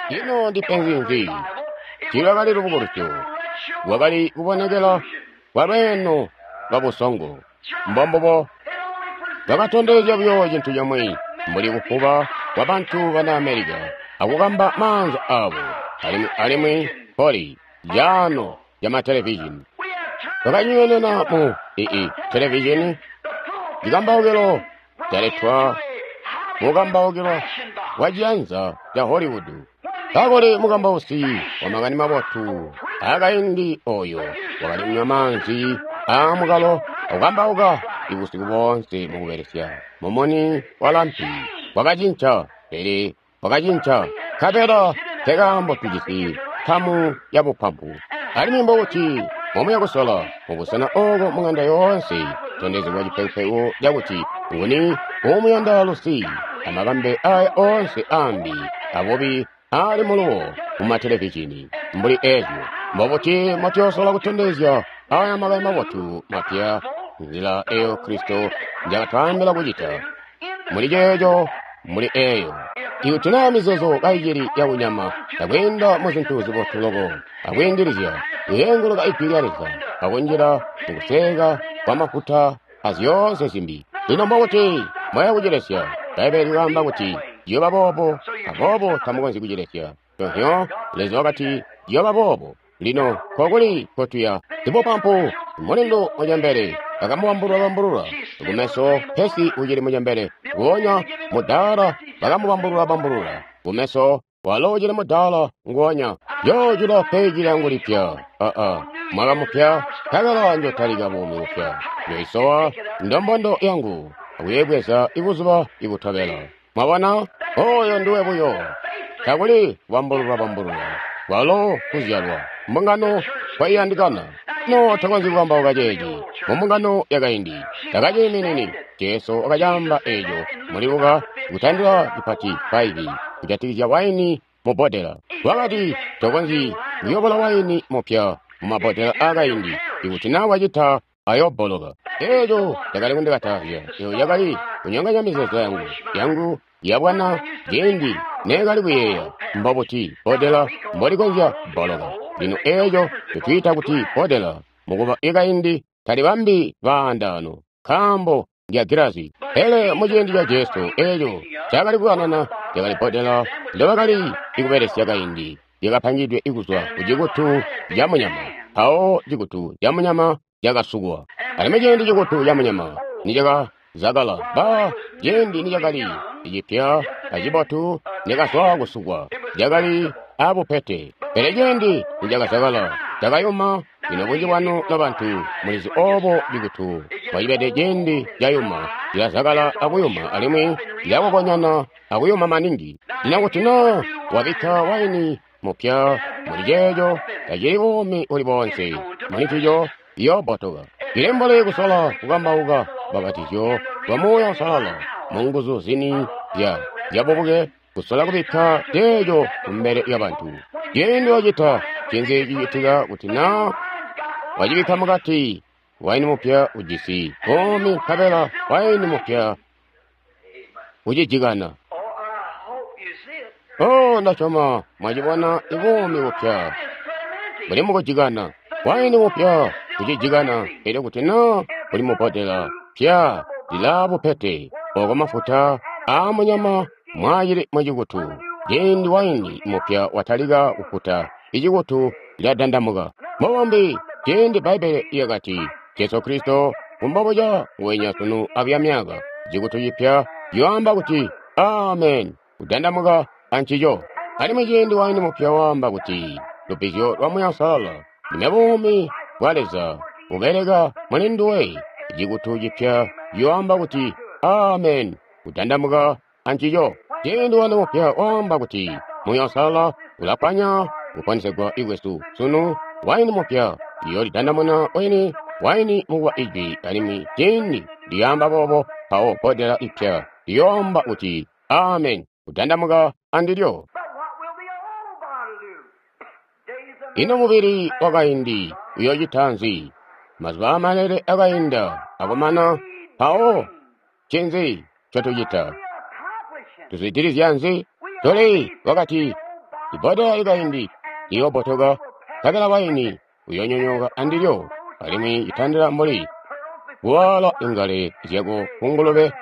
Ino ndipenzi nzi? Tiilwakali lubukulusyo, lwakali kubonekela kwa lweeno lwa busongo. Mbombubo bakatondezya buyo cintu comwe mbuli kufuba kwa bantu bana America akukamba maanza aabo, alimwi alimwi poli yaano ya matelevizhini bakanywenena mu ii televizhini. Cikambaukilo caletwa mukambaukilo wa ciyanza ca Hollywood. Kakuli mukambausi wa makani mabotu akaindi oyo wakali kunywa maanzi aamukalo akukambauka ibusiku boonse mukubelesya mumuni wa lampi. Wakacinca, pele wakacinca, nkabela nkekaambo tujisi nkamu ya bupampu. Alimwi mbokuti momuya kusola mubusena ooko mung'anda yoonse tondezegwa cipekupeku cakuti nguni uumuyanda lusi amabambe aya oonse aambi abubi aali muluwo mumatelevizhini mbuli eezyo. Mbobuti motiyoosola kutondezya aya makani mabotu mapya nzila eyo Kristo njakatwaambila kucita muli ceeco muli eeyo. Ikuti naa mizeezo kaicili yakunyama akwiinda muzintu zibotu loko akwiindilizya kuyeenguluka ijwi lya Leza akunjila mukuseeka kwamafuta azyoonse zimbi. Lino mbokuti mwaya kucilesya? Bbaibbele lyaamba kuti ciyooba boobo, aboobo tamukonzyi kucilesya. Tonhyo Leza wakati ciyooba boobo. Lino nkokuli nkotuya? Sibupampu mulindu mucembele bakamubambulula-bambulula kumeso, pesi ucili mucembele. Nguonya mudaala bakamubambulula-bambulula kumeso, Walo ucili mudaala nguonya. Njoojula peji lyangu lipya. Aa, mwaka mupya, nkabela njotalika buumi bupya. Njoisowa ndombondo yangu akuyibweza ibuzuba ibutobela. Mwabona? Oyo nduwe buyo. Takuli kubambulula bambulula. Kwalo kuzyalwa. Mbungano kwaiyandikana. No takonzyi kukambauka ceeci mu mbungano yakaindi. Takaciiminini. Jesu wakacaamba eeco muli Luka kutandila cipati faivi kujatikizya waini mu bbodela. Wakati tokonzyi kuyobola waini mupya mu mabbodela aakaindi. Ikuti naa wacita ayobboloka. Eeco cakali kundikatazya. Eeco cakali kunyonganya mizeezo yangu yangu yabwana ciindi neekali kuyeeya mbobuti bbodela mbolikonzya kubboloka. Lino eeco ncotwiita kuti bbodela mukuba ikaindi talibambi baandaano nkaambo ndya gilazi. Pele muciindi ca Jesu eeco cakali kukanana lyakali bbodela ndobakali kubelesya kaindi lyakapangidwe kuzwa kucikutu camunyama. Mpawo cikutu camunyama cakasukwa. Alimwi ciindi cikutu camunyama nicakazakala, ba ciindi nicakali cipya acibotu nicakazwa kusukwa, cakali abupete. Pele ciindi nicakazakala cakayuma. Lino bunji bwanu nobantu mulizi oobo cikutu mbocibede ciindi cayuma, cilazakala akuyuma alimwi cilakokonyana akuyuma maningi. Lino kuti naa wabikka waini mupya muli ceeco, tacili buumi buli boonse muli ncico, iyoobbotoka. Cili mbuli kusola kukambauka lubbapatizyo lwa Muuya Uusalala munguzu zini zya zyabubuke, kusola kubikka ceeco kumbele lyabantu. Ciindi wacita, ncinzi cicitika kuti naa wacibikka mukati? Waini mupya ujisi buumi nkabela waini mupya ucijikana. Oh, ndasyoma mwacibona ibuumi bupya buli mukujikana. Waini mupya ucijikana. Elyo kuti naa buli mubbodela pya lilaa bupete oko mafuta aamunyama mwaacili mucikutu. Ciindi waini mupya watalika kufuta, icikutu ciladandamuka. Mubumbi ciindi Bbaibbele lyakati Jesu Kristo mbobuca nguwenya sunu abuya myaka, cikutu cipya ciyoamba kuti amen, kudandamuka ancico. Alimwi ciindi waini mupya waamba kuti lubbizyo lwa Muuya Uusalala ndime buumi bwa Leza bubeleka muli nduwe, cikutu cipya ciyoamba kuti amen, kudandamuka ancico. Ciindi waini mupya waamba kuti Muuya Uusalala ulakwanya kuponesegwa kwesu sunu, waini mupya iyoolidandamuna weni waini mukuba ijwi. Alimwi ciindi lyaamba boobo, mpawo bbodela ipya liyoamba kuti amen, kudandamuka andilyo. Ino mubili wakaindi uyoocita nzi? Mazuba aamalele akainda akumana, mpawo ncinzi ncotucita? Tuzwidilizya nzi? Tuli wakati ibbodela likaindi liyoobbotoka, nkabela waini uyoonyonyooka andilyo, alimwi citandila mbuli kuwaala ingale zyako kungulube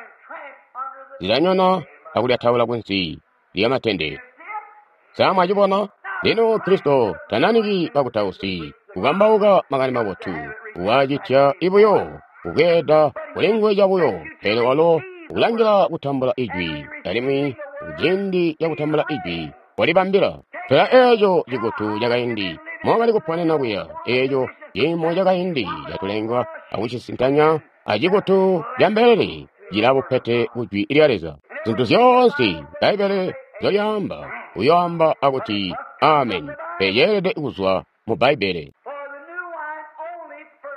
zilanyona akulyataula kunsi lyamatende. Sa mwacibona? Lino Kristo tananiki bakutausi kukambauka makani mabotu, wacitya ibuyo kubweeda kulinguwe cabuyo, pele walo ukulangila kutambula ijwi, alimwi kuciindi cakutambula ijwi walibambila. Tola eeco cikutu cakaindi mokali kuponena kuya, eeco ciimo cakaindi catulengwa akucisintanya acikutu cambelele cilabupete kujwi lya Leza. Zintu zyoonse Bbaibbele nzyolyaamba uyoamba akuti amen, pele ceelede kuzwa mu Bbaibbele.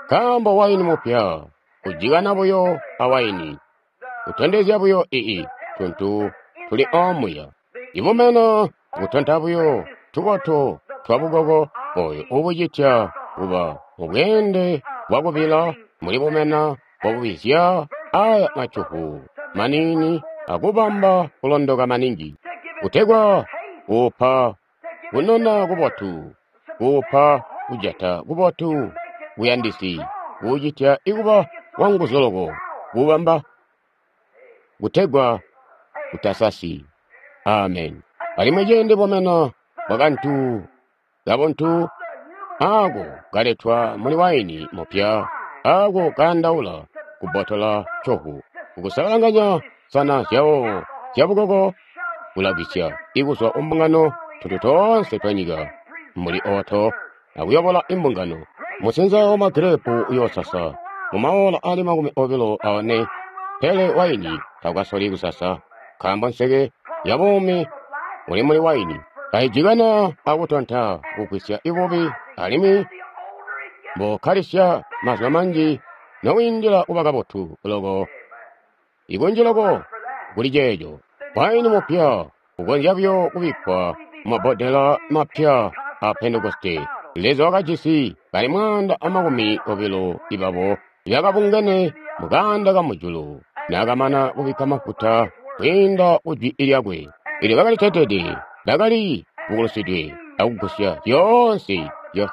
Nkaambo waini mupya ujikana buyo awaini, utondezya buyo ii tuntu tuli omuya. Ibumena butonta buyo tukoto twabukoko oyo ubucitya kuba mubweende bwakubila muli bumena bwakubizya aya macuku maniini akubamba kulondoka maningi, kutegwa kuupa kunona kubotu, kuupa kujata kubotu kuyandisi, kuucitya ikuba wanguzu loko, kuubamba kutegwa kutasasi. Amen. Alimwi ciindi bumena bwakantu kabuntu ako kaletwa muli waini mupya, ako kayandaula kubbotola cohu, kukusalanganya nsana zyawo zyabukoko ulagwisya ikuzwa kumbungano tuntu toonse twa nyika mbuli oto akuyobola imbungano. Musinza wa magirepu uyoosasa mumaola ali makumi obilo aone, pele waini taukasoli kusasa, nkaambo nseke ya buumi uli muli waini. Kaijikana akutonta kugwisya ibubi, alimwi mbokkalisya mazuba manji nowiindila kuba kabotu loko, ikunji loko kuli ceeco. Waini mupya ukonzya buyo kubikkwa mumabbodela mapya a Pentekoste. Leza wakajisi bali mwaanda amakumi obilo ibabo ibakabungene mukaanda kamujulu, naakamana kubikka mafuta kwiinda kujwi lyakwe. Elyo bakali tetede, bakali bukulusidwe akugusya zyoonse zya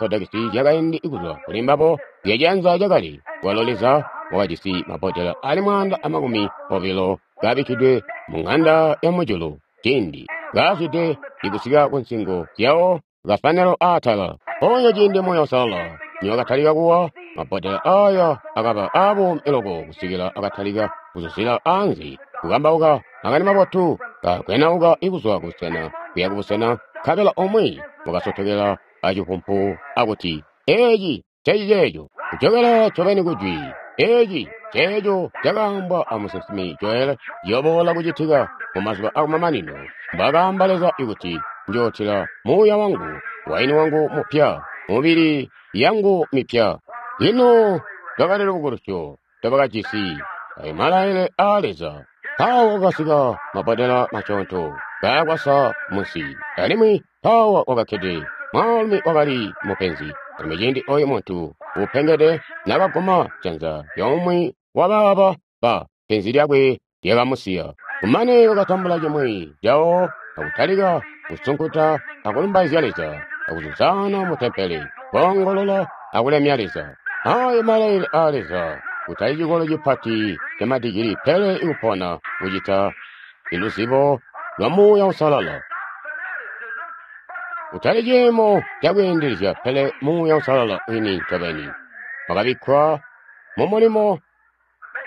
zyakaindi kuzwa kuli mbabo zyacianza cakale. Walo Leza wakajisi mabbodela ali mwaanda amakumi obilo kabikkidwe mu ŋanda ya mujulu ciindi kaazwide ikusika ku nsingo zyawo kafanelo aatala. Mpoonya ciindi Muuya Uusalala niwakatalika kuwa, mabbodela aaya akaba aabuumi loko kusikila akatalika kuzuzila anze kukambauka makani mabotu, kakwenauka ikuzwa kubusena kuya kubusena, nkabela umwi wakasotokela acipumpu akuti, "Eeci ncenciceeco." Kujokela ncobeni kujwi, eeci nceeco cakaambwa amusinsimi Joel ciyoboola kucitika mumazuba akumamanino. Mbwaakaamba Leza ikuti, "Njootila Muuya wangu, waini wangu mupya, mubili yangu mipya." Lino lwakali lubukulusyo ndobakajisi ayo malailile aa Leza. Mpawo kwakasika mabbodela masyoonto kaakwasa munsi, alimwi mpawo kwakakkede mwaalumi wakali mupenzi. Alimwi ciindi oyu muntu uupengede naakaguma janza lyomwe wabaaba ba penzi lyakwe lyakamusiya. Kumane wakatambula cimwi cawo akutalika kusunkuta akulumbaizya Leza, akuzuzana mu tempele, koongolola akulemya Leza. Ayo malailile aa Leza, kutali cikolo cipati camadigili, pele ikupona kucita iluzibo lwa Muuya Uusalala. Kutali ciimo cakwiindilizya, pele Muuya Uusalala wini ncobeni wakabikkwa mumulimo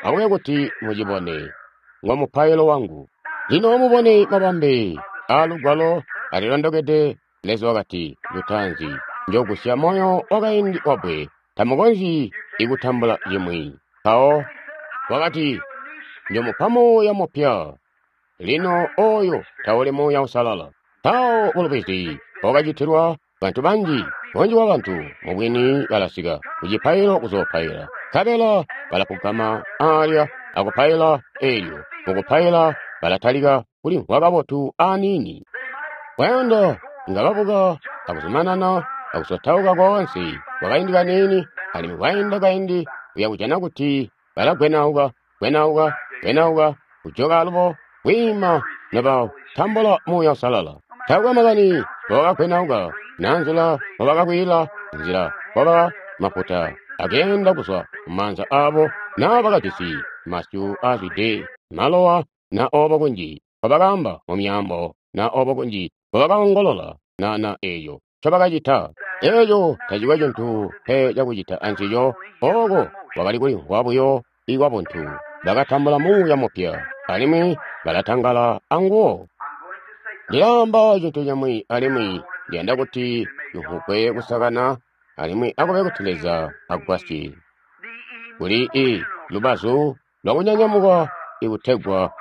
akube kuti mucibone, ngo mupailo wangu. Lino mubone mabambe aa Lugwalo alilondokede. Leza wakati, "Lutaanzi njoogusya moyo wakaindi wabbwe, tamukonzyi ikutambula cimwi." Mpawo wakati, "Njomupa Muuya mupya." Lino oyo tauli Muuya Uusalala. Mpawo bulubizi bwakacitilwa bantu banji, bunji bwa bantu mubwini balasika kucipailo kuzoopaila, nkabela balapugama aalya akupaila. Eelyo mukupaila balatalika kulimvwa kabotu aniini. Kwayanda nga babuka akuzumanana akusotauka koonse kwakaindi kaniini, alimwi kwainda kaindi uya kujana kuti balagwenauka, gwenauka, gwenauka, kujoka alubo kwiima nobatambula Muuya Uusalala. Taakwe makani mbobakagwenauka, na nzila mbobakakwiila, nzila mboba mafuta akeenda kuzwa mumaanza aabo, naa bakajisi masyu aazwide malowa, na oobo kunji mbobakaamba mumyaambo, na oobo kunji mbobakaongolola, na na eeco ncobakacita. Eeco tacikwe cintu pe cakucita ancico. Ooko kwakali kulimvwa buyo ikwabuntu. Bakatambula Muuya mupya, alimwi balatangala anguwo. Ndilaamba cintu cimwi, alimwi ndiyanda kuti limvwugwe kusakana, alimwi akube kuti Leza agwasye. Kuli i lubazu lwakunyanyamuka ikutegwa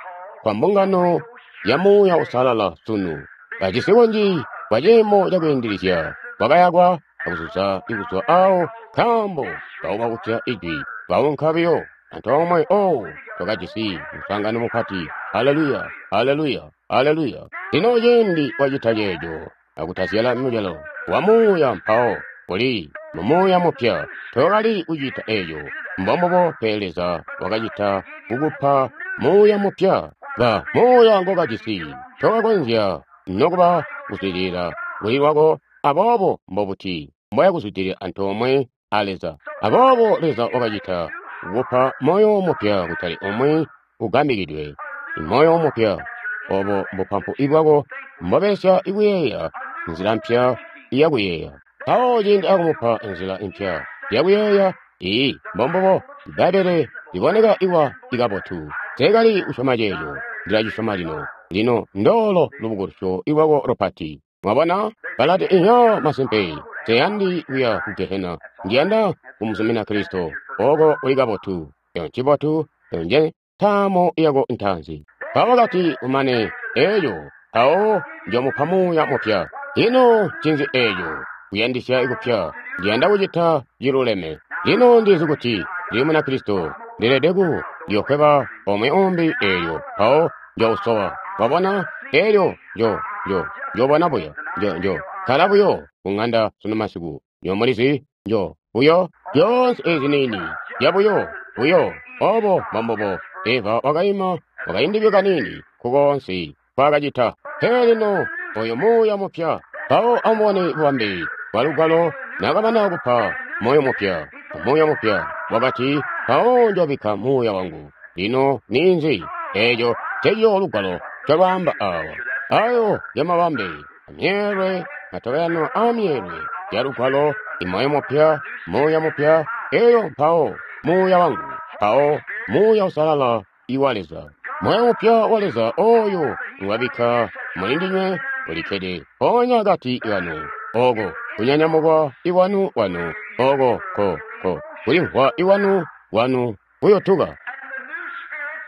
kwa mbungano ya Muuya Uusalala sunu. Bajisi kunji kwa ciimo cakwiindilizya kwakayakwa akuzuza ikuzwa awo, nkaambo bauba kutya ijwi, baunka buyo antoomwe. Oh, twakajisi muswaangano mupati. Haleluya, haleluya, haleluya. Lino ciindi wacita ceeco akutazyala mucelo wa Muuya, mpawo uli mu Muuya mupya. Tokali kucita eeco, mbombubo, pele Leza wakacita kukupa Muuya mupya. Ba Muuya ngokajisi tokakonzya nokuba kuzwidilila kuli lwako, aboobo mbobuti mboya kuzwidilila antoomwe a Leza? Aboobo Leza wakacita kukupa moyo mupya, kutali umwi ugambikidwe, moyo mupya. Obo mbupampu bwako mbobelesya ikuyeeya, nzila mpya yakuyeeya. Mpawo ciindi akumupa nzila impya yakuyeeya, iyi mbombubo. Bbaibbele liboneka iwa ikabotu. Nseekali kusyoma ceeco, ndilacisyoma lino. Lino ndoolo lubukulusyo lwako lupati. Mwabona? Balati, iya, masimpe, nseyandi kuya ku gehena. Ndiyanda kumuzumina Kristo. Oko uli kabotu. Eyo ncibotu, eyo nje ntaamo yako ntaanzi. Mpawo kati umane eyo, mpawo njomupa muuya mupya. Ino ncinzi eco? Kuyandisya kupya. Ndiyanda kucita ciluleme. Lino ndizi kuti ndili Munakristo. Ndeelede ku ndiyokweba omwe umbi eelyo, mpawo njousowa. Wabona? Eelyo njo njo njobona buyo. Njo njo kkala buyo ku ng'anda sunu masiku. Nyo mulizi njo buyo zyoonse ezi niini zyabuyo buyo obo mbombubo. Eva wakaima wakaindibyo kaniini kukoonse nkwaakacita. Pele lino oyo muuya mupya. Mpawo amubone bubambe bwa Lugwalo naakamana kupa moyo mupya, muuya mupya wakati, mpawo njobikka muuya wangu. Lino ninzi? Eeco ncecico Lugwalo ncolwaamba awa. Ayo ngemabambe amyeelwe, matobelano a myeelwe ya Lugwalo, imoyo mupya, muuya mupya, eyo mpawo muuya wangu, mpawo Muuya Uusalala iwa Leza. Moyo mupya wa Leza oyo ngwabikka muli ndinywe ulikkede mpoonya akati kanu, oko kunyanyamukwa iwanu wanu, oko ko ko kulimvwa iwanu wanu kuyotuka.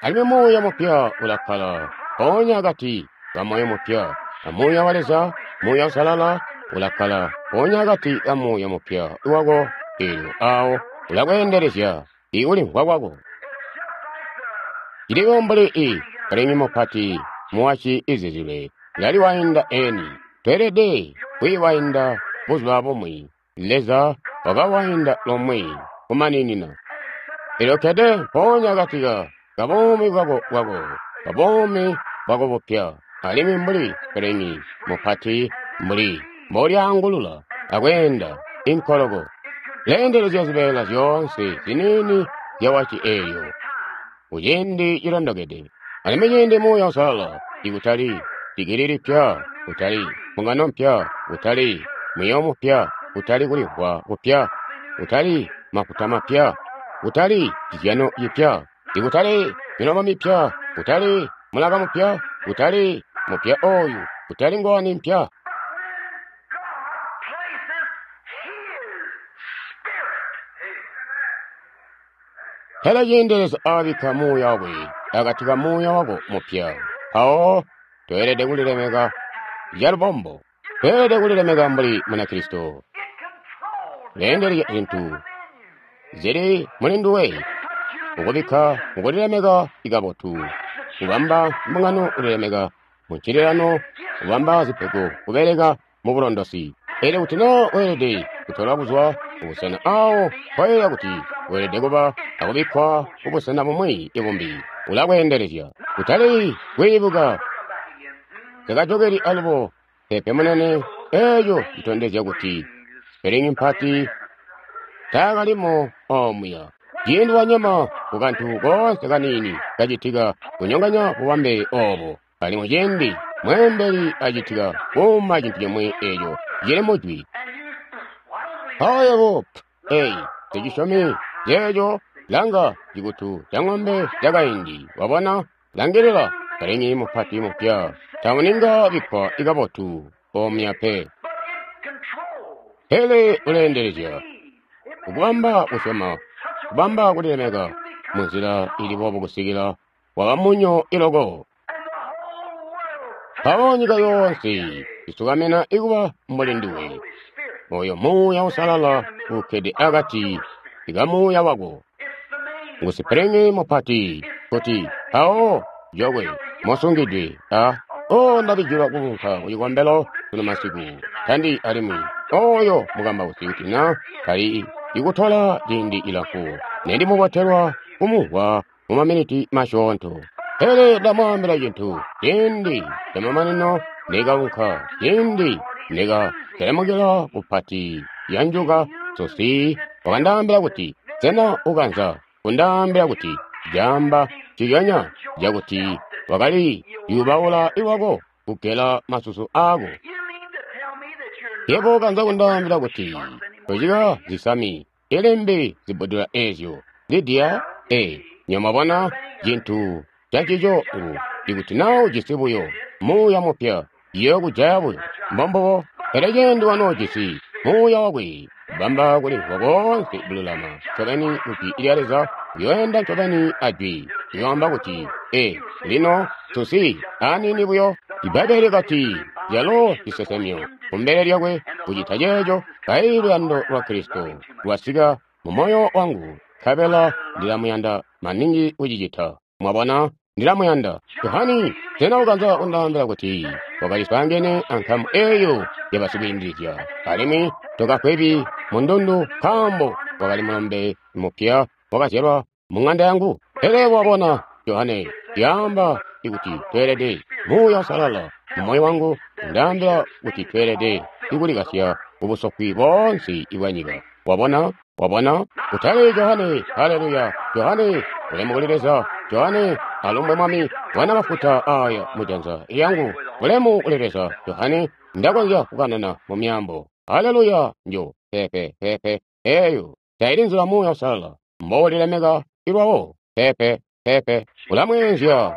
Alimwi muuya mupya ulakkala mpoonya akati ka moyo mupya, a Muuya wa Leza, Muuya Uusalala ulakkala mpoonya akati ka muuya mupya wako, eelyo awo ulakweendelezya ikulimvwa kwako. Ciliwo mbuli i kalimi mupati muwaci izizilwe laliwainda eni. Tweelede kwiiwainda buzuba bumwi. Leza wakawainda lomwe kumaninina. Elyo kkede mpoonya akati ka kabuumi bwako bwako, kabuumi bwako bupya, alimwi mbuli kalimi mupati mbuli mbolyaangulula akweenda inkoloko, leendelezya zibeela zyoonse ziniini zya waci eelyo kuciindi cilondokede. Alimwi ciindi Muuya Uusalala, ikutali digili lipya, kutali mbungano mpya, kutali muyo mupya, kutali kulimvwa kupya, kutali mafuta mapya, kutali cizyano cipya, ikutali milomo mipya, kutali mulaka mupya, kutali mupya oyu, kutali ngowani mpya. Pele ciindi Leza aabikka Muuya wakwe akati ka muuya wako mupya, mpawo toelede kulilemeka calubombo. Toelede kulilemeka mbuli Munakristo. Leendelezya zintu zili muli nduwe, ukubikka mukulilemeka ikabotu, kubamba mbungano kulilemeka muncililano, kubamba zipego kubeleka mubulondosi. Elyo kuti naa weelede kutolwa kuzwa kubusena awo koyeeya kuti weelede kuba akubikkwa kubusena bumwi ibumbi, ulakweendelezya. Kutali kwiibuka takajokeli alubo pepe munene, eeco citondezya kuti sipelingi mpati taakalimo omuya. Ciindi wanyema kukantu koonse kaniini kacitika kunyonganya bubambe obo, alimwi ciindi mweembeli acitika kuuma cintu cimwi eeco cili mujwi. Mpawo yebo, eyi, tecisyomi ceeco, langa cikutu ca ng'ombe cakaindi, wabona, langilila kalimi mupati mupya, tamuninga bikkwa ikabotu omuya pe. Pele uleendelezya ukubamba kusyoma, kubamba kulilemeka munzila ili boobo kusikila waba munyo iloko. Mpawo nyika yoonse isukamena ikuba mbuli nduwe. Oyo Muuya Uusalala ukkede akati ka muuya wako. Ngu sipelingi mupati kuti mpawo jokwe mosungidwe a o ndabijilwa kuunka ku cikombelo sunu masiku tandi alimwi oyo mukambausi kuti na tali ikutola ciindi cilamfu nendimubotelwa kumumvwa mu maminiti masyoonto. Pele ndamwaambila cintu, ciindi camamanino nekaunka, ciindi nekaselemukila kupati ya njuka, Susi wakandaambila kuti, sena ukanza kundaambila kuti jamba nciconya cakuti wakali yubaula iwako kugela masusu aako? Yebo ukanza kundaambila kuti tocika zisami ilimbi zibbudula eezyo. Lidiya, ee, nyamwabona cintu cancico ngu Ikuti na ujisi buyo muuya mupya, iyo kujaya buyo. Mbombubo. Pele cindi wanoojisi muuya wakwe, bamba kulimvwa koonse kululama ncobeni ku Jwi lya Leza, uyoenda ncobeni a Jwi. Uyoamba kuti, Ee, lino, tusi aniini buyo. Ibbaibbele kati, Yalo cisesemyo kumbele lyakwe kucita ceeco, kaili luyando lwa Kristo lwasika mu moyo wangu, nkabela ndilamuyanda maningi kucicita. Mwabona, ndilamuyanda. Johani, sena ukanza kundaambila kuti wakali swaangene ankamu eyo yabasikwiindilizya, alimwi tokafwebi mundundu nkaambo wakali mulombe mupya wakazyalwa mu ng'anda yangu? Pele wabona, Johane, yaamba ikuti tweelede Muuya Uusalala mu moyo wangu undaambila kuti tweelede ikulikasya kubusofwi boonse ibwa nyika. Wabona? Wabona? Kutali Johane, haleluya, Johane, ulemu kuli Leza, Johane, alumbwe Mwami, wana mafuta aya mujanza yangu, ulemu kuli Leza, Johane, ndakonzya kukanana mu myaambo. Haleluya, njo, pepe, pepe, eyo, taili nzila Muuya Uusalala mboulilemeka ilwawo, pepe, pepe, ulamweenzya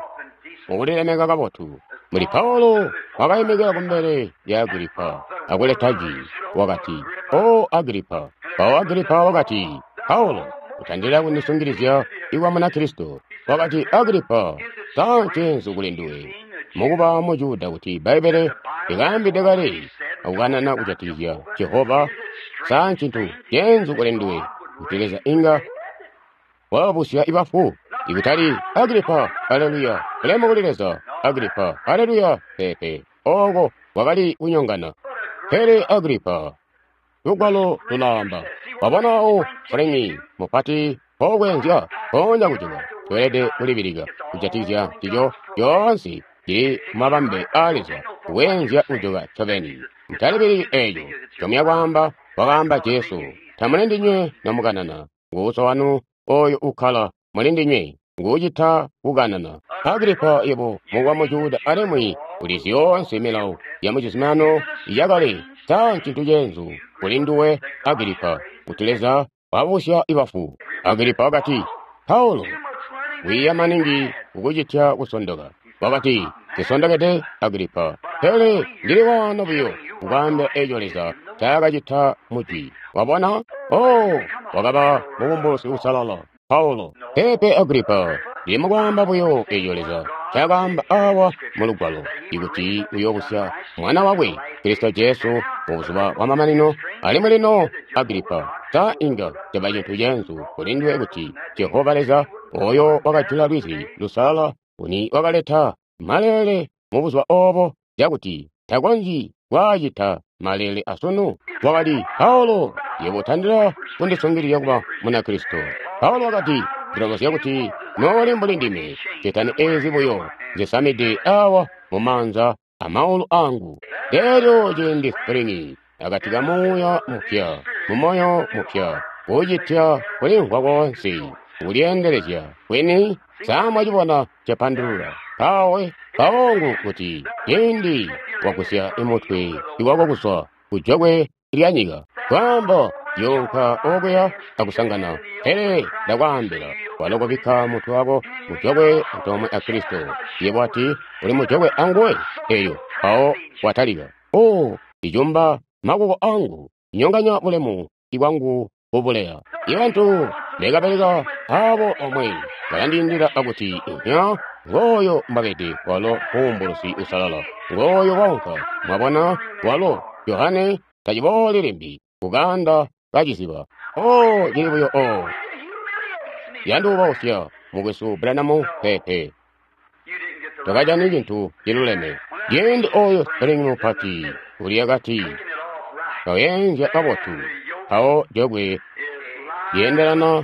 mukulilemeka kabotu. Muli Paulo wakaimikila kumbele lya Agripa akuleta jwi, wakati, O Agripa. Mpawo Agripa wakati, Paulo, utandila kundisungilizya ikwa Munakristo. Wakati, Agripa, sa ncenzu kuli nduwe mukuba Mujuda kuti Bbaibbele likaambide kale akukanana kujatikizya Jehova? Sa ncintu cenzu kuli nduwe kuti Leza inga wabusya ibafu? Ikutali Agripa, haleluya, ulemu kuli Leza, Agripa, haleluya, pepe, oko wakali kunyongana. Pele Agripa, lugwalo lulaamba, wabona o Fulemi mupati pokwenzya ponya kujuka, tweelede kulibilika kujatikizya ncico yoonse cili mumabambe aa Leza kuwenzya kujuka ncobeni. Mutalibiliki eeco ncomuya kwaamba, wakaamba Jesu, tamuli ndinywe nomukanana, nguuso wanu oyo ukkala muli ndinywe nguucita kukanana. Agripa, yebo mukuba Mujuda alimwi uli zyoonse milawo ya mucizuminano yakale, sa ncintu cenzu kuli nduwe Agripa kuti Leza wabusya ibafu? Agripa wakati, Paulo, wiiya maningi kukucitya kusondoka. Wakati, Nsisondokede Agripa, pele ndili waano buyo kukwaambila eco Leza ncaakacita mujwi. Wabona? Oh, wakaba mubumbulusi uusalala Paulo. Pepe Agripa, ndili mukwaamba buyo eco Leza ncaakaamba awa mu lugwalo, ikuti uyoobusya mwana wakwe Kristo Jesu mu buzuba bwamamanino. Alimwi lino Agripa, sa inga caba cintu cenzu kuli nduwe kuti Jehova Leza oyo wakajula lwizi lusalala uni wakaleta maleele mu buzuba obo cakuti takonzyi kwaacita maleele asunu? Wakati, Paulo, yebo utandila kundisungilizya kuba Munakristo. Paulo wakati, ndilomozya kuti nooli mbuli ndime, ketani eezi buyo nzisamide awa mumaanza amaulu angu. Elyo ciindi Springi akati ka muuya mupya, mumoyo mupya, kucitya kulimvwa koonse, kulyeendelezya kwini, sa mwacibona cepandulula? Mpawe mpawo kuti ciindi wagusya imutwe iwako kuzwa kujokwe lya nyika, kwaamba yoonka okuya akusangana. Pele ndakwaambila, walo kubikka mutwe wako mujokwe antoomwe a Kristo. Yebo ati uli mujokwe anguwe, eyo mpawo watalika. O icumba makuko angu, nyonganya bulemu ibwangu kubuleya. Ibantu bekabeleka abo omwe balandiindila akuti inya ngooyo mbabede walo mubumbulusi usalala, ngooyo waunka. Mwabona, walo Johane tacibooli limbi kuganda kaciziba. Oh, cili buyo o yanduubausya mukwesu Branham pepe takajani cintu ciluleme. Ciindi oyo Spring mupati uli akati kawenzya kabotu, mpawo jogwe lyeendelana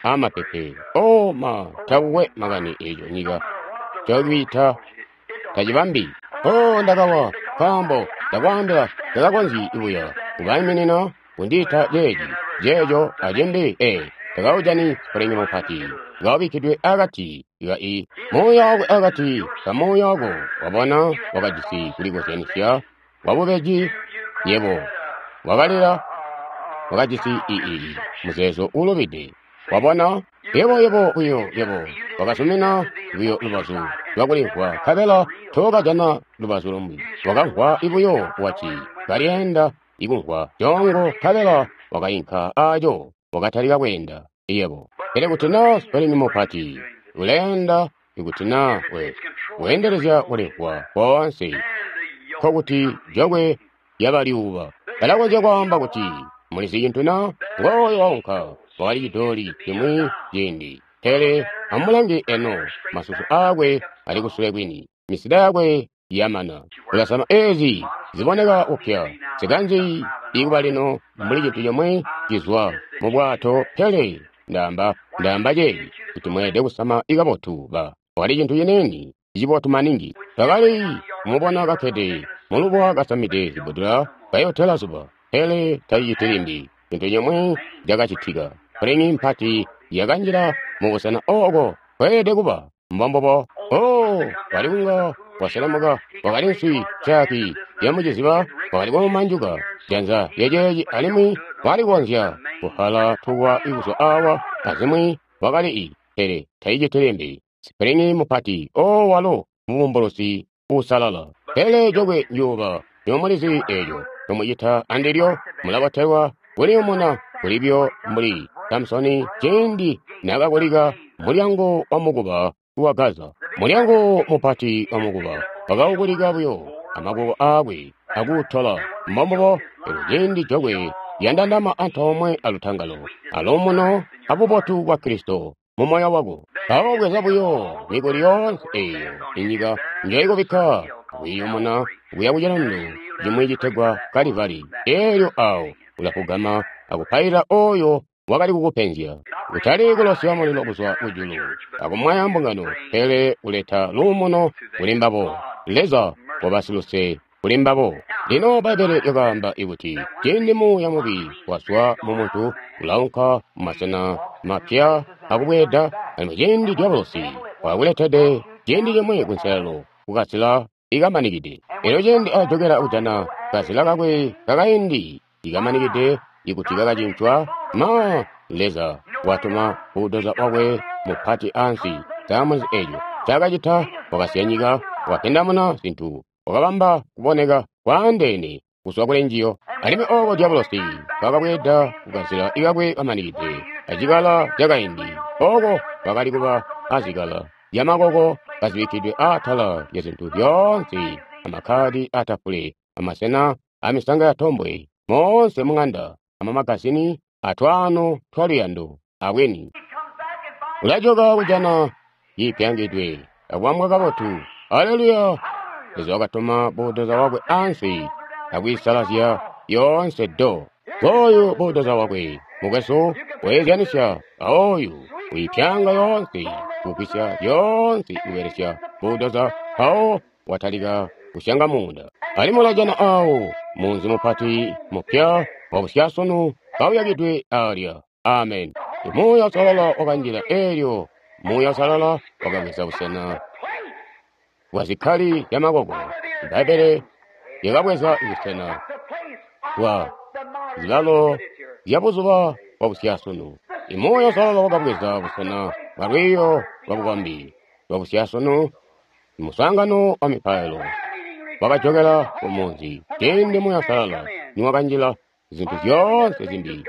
amapepe. O ma, takukwe makani eco nyika cakwiita tacibambi. O ndakawa, nkaambo ndakwaambila ndakakonzyi buya kubaiminina kundiita ceeci ceeco acimbi. E takaujani Spring mupati kawubikkidwe akati ka i muuya wakwe akati ka muuya wako. Wabona, wakajisi kulikozyanisya wabubeji. Yebo wakalila, wakajisi ii muzeezo uulubide. Wabona? Yebo, yebo, buyo, yebo wakazumina buyo lubazu lwakulimvwa, nkabela tookajana lubazu lumwi. Wakamvwa buyo wati kalyeenda ikumvwa coongo, nkabela wakainka aco, wakatalika kweenda. Yebo. Pele kuti naa sipelingi mupati uleenda, ikuti naa we weendelezya kulimvwa koonse, nkokuti jokwe lyabalyuuba. Balakonzya kwaamba kuti mulizi cintu na ngooyo waunka wakali cidooli cimwi ciindi. Pele amulange eno, masusu aakwe ali kusule kwini, misida yakwe yamana. Ulasama eezi ziboneka kupya, sikanzi ikuba lino mbuli cintu comwe cizwa mu bwato. Pele ndaamba ndaamba ceeci kuti mweelede kusama ikabotu ba wakali cintu cinene cibotu maningi. Twakali kumubona kakkede mulubuwa kasamide zibbudula kayotela zuba, pele taciciti limbi. Cintu cimwi cakacitika, pulingi mpati yakanjila mubusena ooko kweelede kuba. Mbombubo. Oh, wali kunga waselemuka, wakali nswi caki yamuciziba, wakali kumumanjuka janza lyaceeci, alimwi wakali kukonzya kuhala tukwa kuzwa awa azimwi wakali i, pele taciciti limbi. Sipulingi mupati, oh, walo mubumbulusi uusalala. Pele jokwe njuuba nyomulizi eeco nyomucita andilyo, mulabotelwa kuliyumuna kulibyo mbuli Samusoni ciindi naakakulika mulyango wa mukuba wa Gaza. Mulyango mupati wa mukuba wakaukulika buyo amaboko aakwe akuutola. Mbombubo. Elyo ciindi jokwe lyandandama antoomwe alutangalo aluumuno abubotu bwa Kristo mu moyo wako, mpawo bweza buyo mikuli yoonse eeyo inyika njoikubikka akwiiyumuna kuya ku cilundu cimwi citegwa Kalivari. Eelyo awo ulafugama akupailila oyo wakali kukupenzya, kutali kulosya mulilo kuzwa kujulu akumwaya mbungano, pele kuleta luumuno kuli mbabo. Leza wabasiluse kuli mbabo. Lino Bbaibbele lyakaamba ikuti ciindi muuya mubi wazwa mumuntu ulaunka mumasena mapya akubweeda, alimwi ciindi diabolosi wakuletede ciindi cimwi kunselelo kukazila ikamanikide. Elyo ciindi ajokela kujana kazila kakwe kakaindi ikamanikide, ikuti kakacincwa, ma Leza watuma bulldozer wakwe mupati ansi. Samuzi eco cakacita, wakasiya nyika, wakapindamuna zintu, wakabamba kuboneka kwaandeene kuzwa kuli njiyo. Alimwi ooko diabolosi kakabweeda kukazila ikakwe kamanikide acikala cakaindi, ooko kwakali kuba azikala zyamakoko kazibikkidwe atala lya zintu zyoonse, amakkadi atafule, amasena amisanga yatombwe, moonse mung'anda, amamagazini atwaano twaluyando abweni. Ulajoka kujana ciipyangidwe akubambwa kabotu. Aleluya! Leza wakatuma bulldozer wakwe ansi akwiisalazya yoonse do. Ngooyu bulldozer wakwe, mukwesu, weezyanisya aoyu wiipyanga yoonse, kugwisya zyoonse kubelesya bulldozer, mpawo watalika kusyanga muunda. Alimwi ulajana awo munzi mupati mupya wabusyasunu kawuyakidwe alya. Amen. Muuya Uusalala wakanjila eelyo Muuya Uusalala wakabweza busena bwa zikkali zyamakoko. Bbaibbele lyakabweza busena bwa zilalo zyabuzuba bwa busyasunu. Muuya Uusalala wakabweza busena bwa lwiiyo lwa bukombi lwa busyasunu. Muswaangano wa mipailo wakajokela kumunzi ciindi Muuya Uusalala niwakanjila, zintu zyoonse zimbi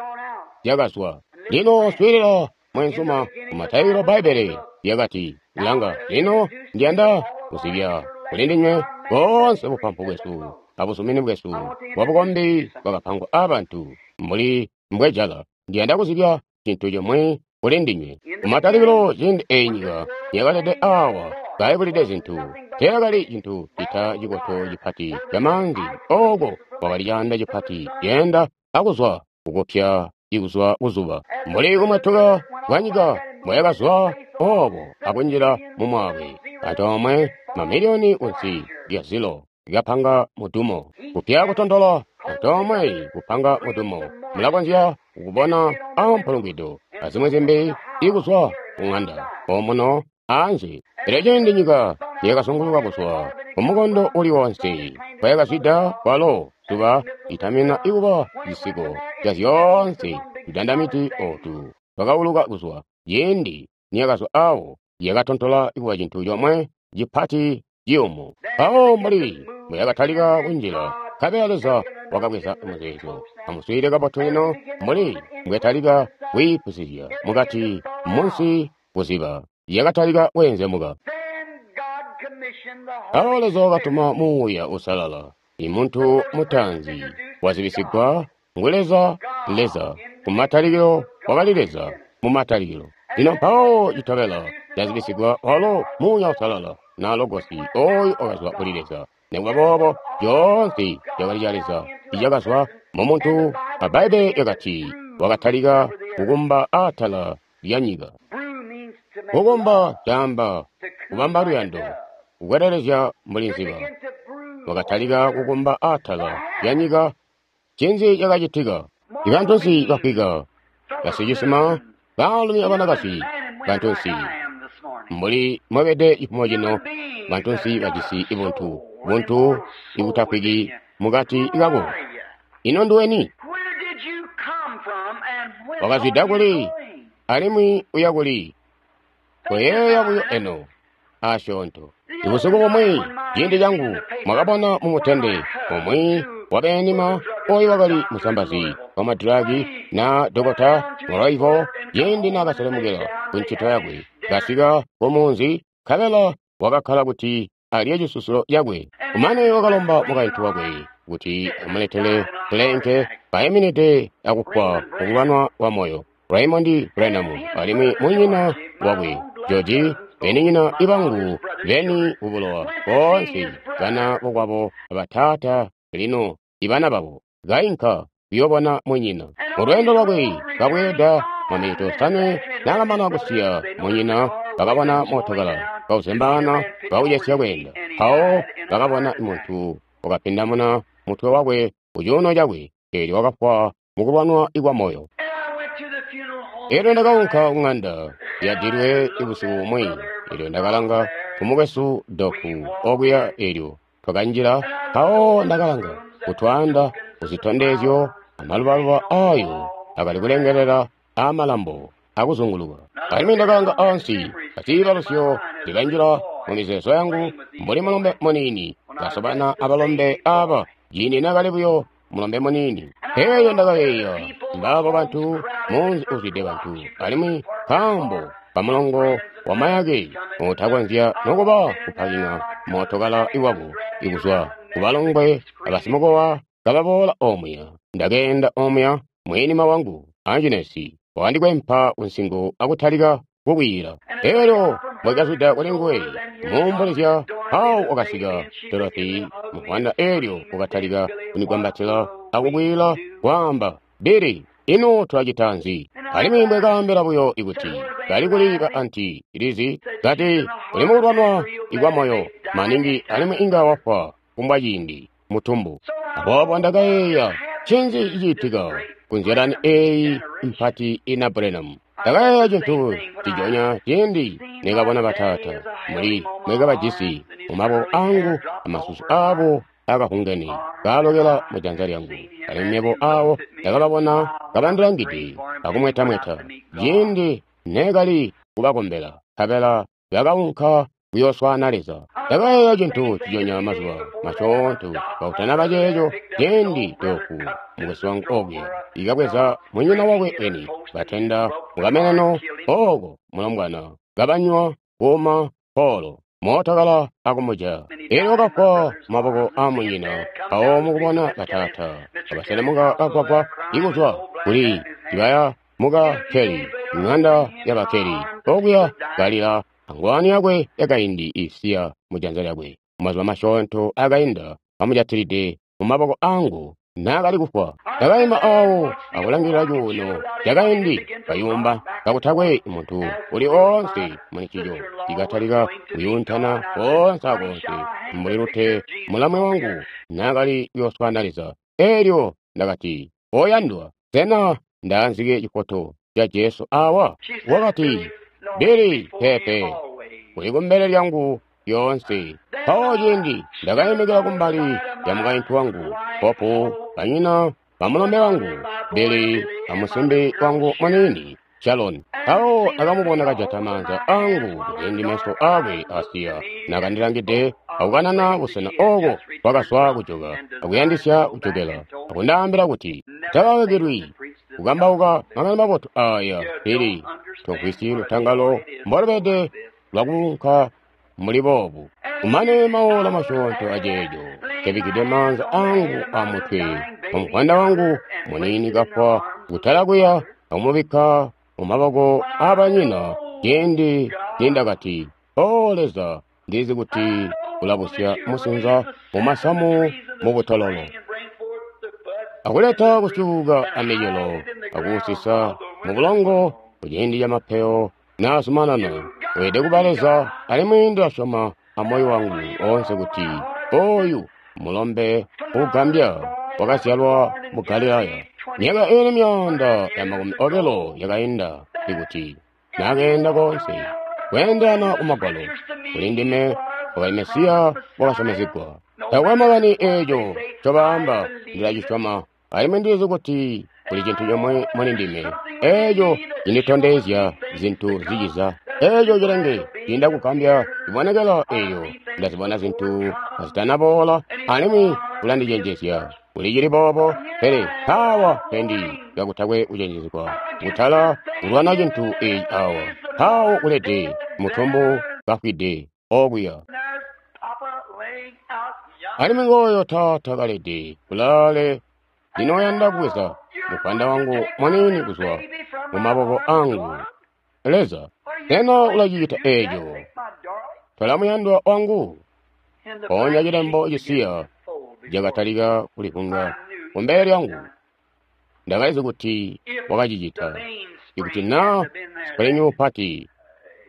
zyakazwa. Lino swiilila mweenzuma, kumatalikilo Bbaibbele lyakati, langa, lino ndiyanda kuzibya kuli ndinywe boonse bupampu bwesu abuzumini bwesu bwa bukombi bwakapangwa aabantu mbuli mbwejala. Ndiyanda kuzibya cintu comwe kuli ndinywe. Kumatalikilo ciindi eeyi nyika yakalede awa kaibulide zintu, teeyakali cintu cita cikoto cipati camaanzi. Ooko kwakali caanda cipati ceenda akuzwa kukupya ikuzwa kuzuba, mbuli kumwatuka kwa nyika mbwayakazwa oobo akunjila mumwaakwe, antoomwe mamiliyoni kunsi lya zilo likapanga mudumo. Kupya kutontola antoomwe kupanga mudumo. Mulakonzya kukubona ampulungwido azimwi zimbi ikuzwa kung'anda omuno anze. Pele ciindi nyika yakazunguluka kuzwa kumukondo uli wonse kwayakazwida kwalo zuba litamina ikuba cisiko ca zyoonse tudandamiti ootu twakauluka kuzwa Ciindi niyakazwa awo, yakatontola kuba cintu comwe cipati ciyumu. Mpawo mbuli mbuyakatalika kunjila, nkabela Leza wakabweza muzeezo. Amuswiilile kabotu lino mbuli mbwetalika kwiipusizya mukati munsi kuziba, yakatalika kweenzemuka. Mpawo Leza wakatuma Muuya Uusalala. I muntu mutaanzi wazibisigwa ngu Leza, Leza. Kumatalikilo wakali Leza, mumatalikilo. Lino mpawo citobela cazibisigwa walo Muuya Uusalala na Logosi oyo wakazwa kuli Leza. Nikuba boobo coonse cakali ca Leza icakazwa mu muntu, a Bbaibbele lyakati wakatalika kukumba atala lya nyika. Kukumba caamba kubamba luyando, kukwelelezya mbuli nziba. Wakatalika kukumba atala lya nyika. Ncinzi cakacitika? Ibantunsi bafwika, basicisima, baalumi abanakazi, bantunsi mbuli mwebede cifumo cino, bantunsi bajisi ibuntu, buntu ibutafwiki mukati kako. Ino nduweni? Wakazwida kuli, alimwi uya kuli? Koyeeya buyo eno asyoonto. Ibusiku bumwi ciindi cangu mwakabona mumutende umwi wabeenima oyo wakali musambazi wa madiragi na dokota Moraivo, ciindi naakaselemukila ku ncito yakwe, kasika kumunzi, nkabela wakakkala kuti alye cisusulo cakwe. Kumane wakalomba mukaintu wakwe kuti amuletele pulenke kayiminide akufwa kukulwanwa kwa moyo. Raymond Branham alimwi munyina wakwe George, beninyina ibangu beni kubulowa boonse bana bokwabo abataata lino ibana babo kainka kuyoobona munyina. Mulweendo lwakwe kabweeda maminiti osanwe naakamana kusiya munyina, bakabona mootokala kauzembaana kaucesya kweenda. Mpawo bakabona muntu wakapindamuna mutwe wakwe kucuuno cakwe, eelyo wakafwa mukulwanwa kwa moyo. Eelyo ndakaunka kuŋanda yadilwe ibusiku bumwi, eelyo ndakalanga kumukwesu Doku okuya, eelyo twakanjila. Mpawo ndakalanga kutwaanda kuzitondezyo amalubaluba aayo akali kulengelela aamalambo akuzunguluka. Alimwi ndakalanga ansi aciibalusyo likanjila mumizeezo yangu mbuli mulombe muniini kasobana abalombe aaba ciindi naakali buyo mulombe muniini. Eelyo ndakayeeya mbaabo bantu, munzi uzwide bantu, alimwi nkaambo kamulongo wamayake utakonzya nokuba kupaking'a mootokala iwabo ikuzwa kubalongwe abasimukowa kababoola omuya. Ndakeenda omuya, mweenima wangu Anjinesi wakandikwempa kunsingo akutalika kukwiila. Eelyo mbwekazwida kuli nguwe kumuumbulizya, mpawo wakasika Dorothy muvwanda, eelyo wakatalika kundigwambatila akukwiila kwaamba, Billy, ino tulacita nzi? Alimwi mbwekaambila buyo ikuti kali kuli ba anti Lizi, kati uli mukulwanwa ikwa moyo maningi alimwi inga wafwa kumbwa ciindi mutumbu. Aboobo ndakayeeya, ncinzi cicitika kunzyalani eeyi mpati ina Branham? Ndakayeeya cintu cijonya ciindi nekabona bataata muli mwekabajisi mumaboko angu amasusu aabo akahungene kaalokela mujanza lyangu, alimwi mebo awo ndakababona kabandilangide akumwetamweta ciindi neekali kubakombela, nkabela bakaunka kuyooswaana Leza. Ndakayeeya cintu cijonya mazuba masyoonto kautanaba ceeco ciindi Doku mukwesu wangu okuya ikabweza munyina wakwe eni batenda mukameneno ooko mulombwana kabanywa kuuma polo mootokala akumuja. Eelyo wakafwa mumaboko aamunyina. Mpawo mukubona bataata kabaselemuka kagwagwa ikuzwa kuli cibaya muka Keli, ŋanda yaba Keli, okuya kalila angwani yakwe yakaindi isiya mujanza lyakwe. Mumazuba masyoonto akainda kamujatilide mumaboko angu naakali kufwa. Ndakaima awo akulangilila cuuno cakaindi kayumba kakutakwe muntu uli oonse mulincico, cikatalika kuyuntana koonse akoonse mbuli lute mulamwe wangu naakali kuyooswaana Leza. Eelyo ndakati, oyandwa, sena ndaanzike cifoto ca Jesu awa? Wakati, Billy, peepe, uli kumbele lyangu lyoonse. Mpawo ciindi ndakaimikila kumbali ya mukaintu wangu Popu, banyina bamulombe wangu Billy amusimbi wangu muniini Shaloni. Mpawo ndakamubona kajata maanza angu kuciindi meso aakwe asiya nakandilangide akukanana busena ooko bwakazwa kujoka akuyandisya kujokela akundaambila kuti takakakilwi kukambauka makani mabotu aaya pili tomvwisyi lutangalo mbolubede lwakuunka muli boobu. Kumane maola masyoonto aceeco nkebikkide maanza angu amutwe wamuvwanda wangu muniini kafwa kutala kuya akumubikka mumaboko aabanyina ciindi nindakati, O Leza, ndizi kuti ulabusya musinza mumasamu mubutololo akuleta kusyuuka amicelo akuusisa mubulongo kuciindi camapeyo naazumanana. Weelede kuba Leza, alimwi ndilasyoma amoyo wangu oonse kuti oyu mulombe uugambya wakazyalwa mu Galilaya myaka iili myaanda ya makumi obilo yakainda ikuti naakeenda koonse kweendelana kumagwalo kuli ndime wakali Mesiya wakasyomezegwa. Taakwe makani eeco ncobaamba, ndilacisyoma, alimwi ndizi kuti kuli cintu comwe muli ndime eeco cinditondezya zintu ziciza. Eeco cilenge ciinda kugambya cibonekela eeyo ndazibona zintu kazitanaboola, alimwi ulandicenjezya kuli cili boobo. Pele mpaawa pendi kakutakwe kucenjezegwa kutala kulwana cintu eeci awa, mpaawo kulede mutumbu kafwide okuya. Alimwi ngooyo taata kalede kulaale ndinoyanda kubweza muvwanda wangu muniini kuzwa mumaboko angu. Leza, sena ulacicita eeco? Tola muyandwa wangu. Mpoonya cilembo cisiya cakatalika kulivunga kumbele lyangu. Ndakalizi kuti wakacicita. Ikuti naa sipulingi mupati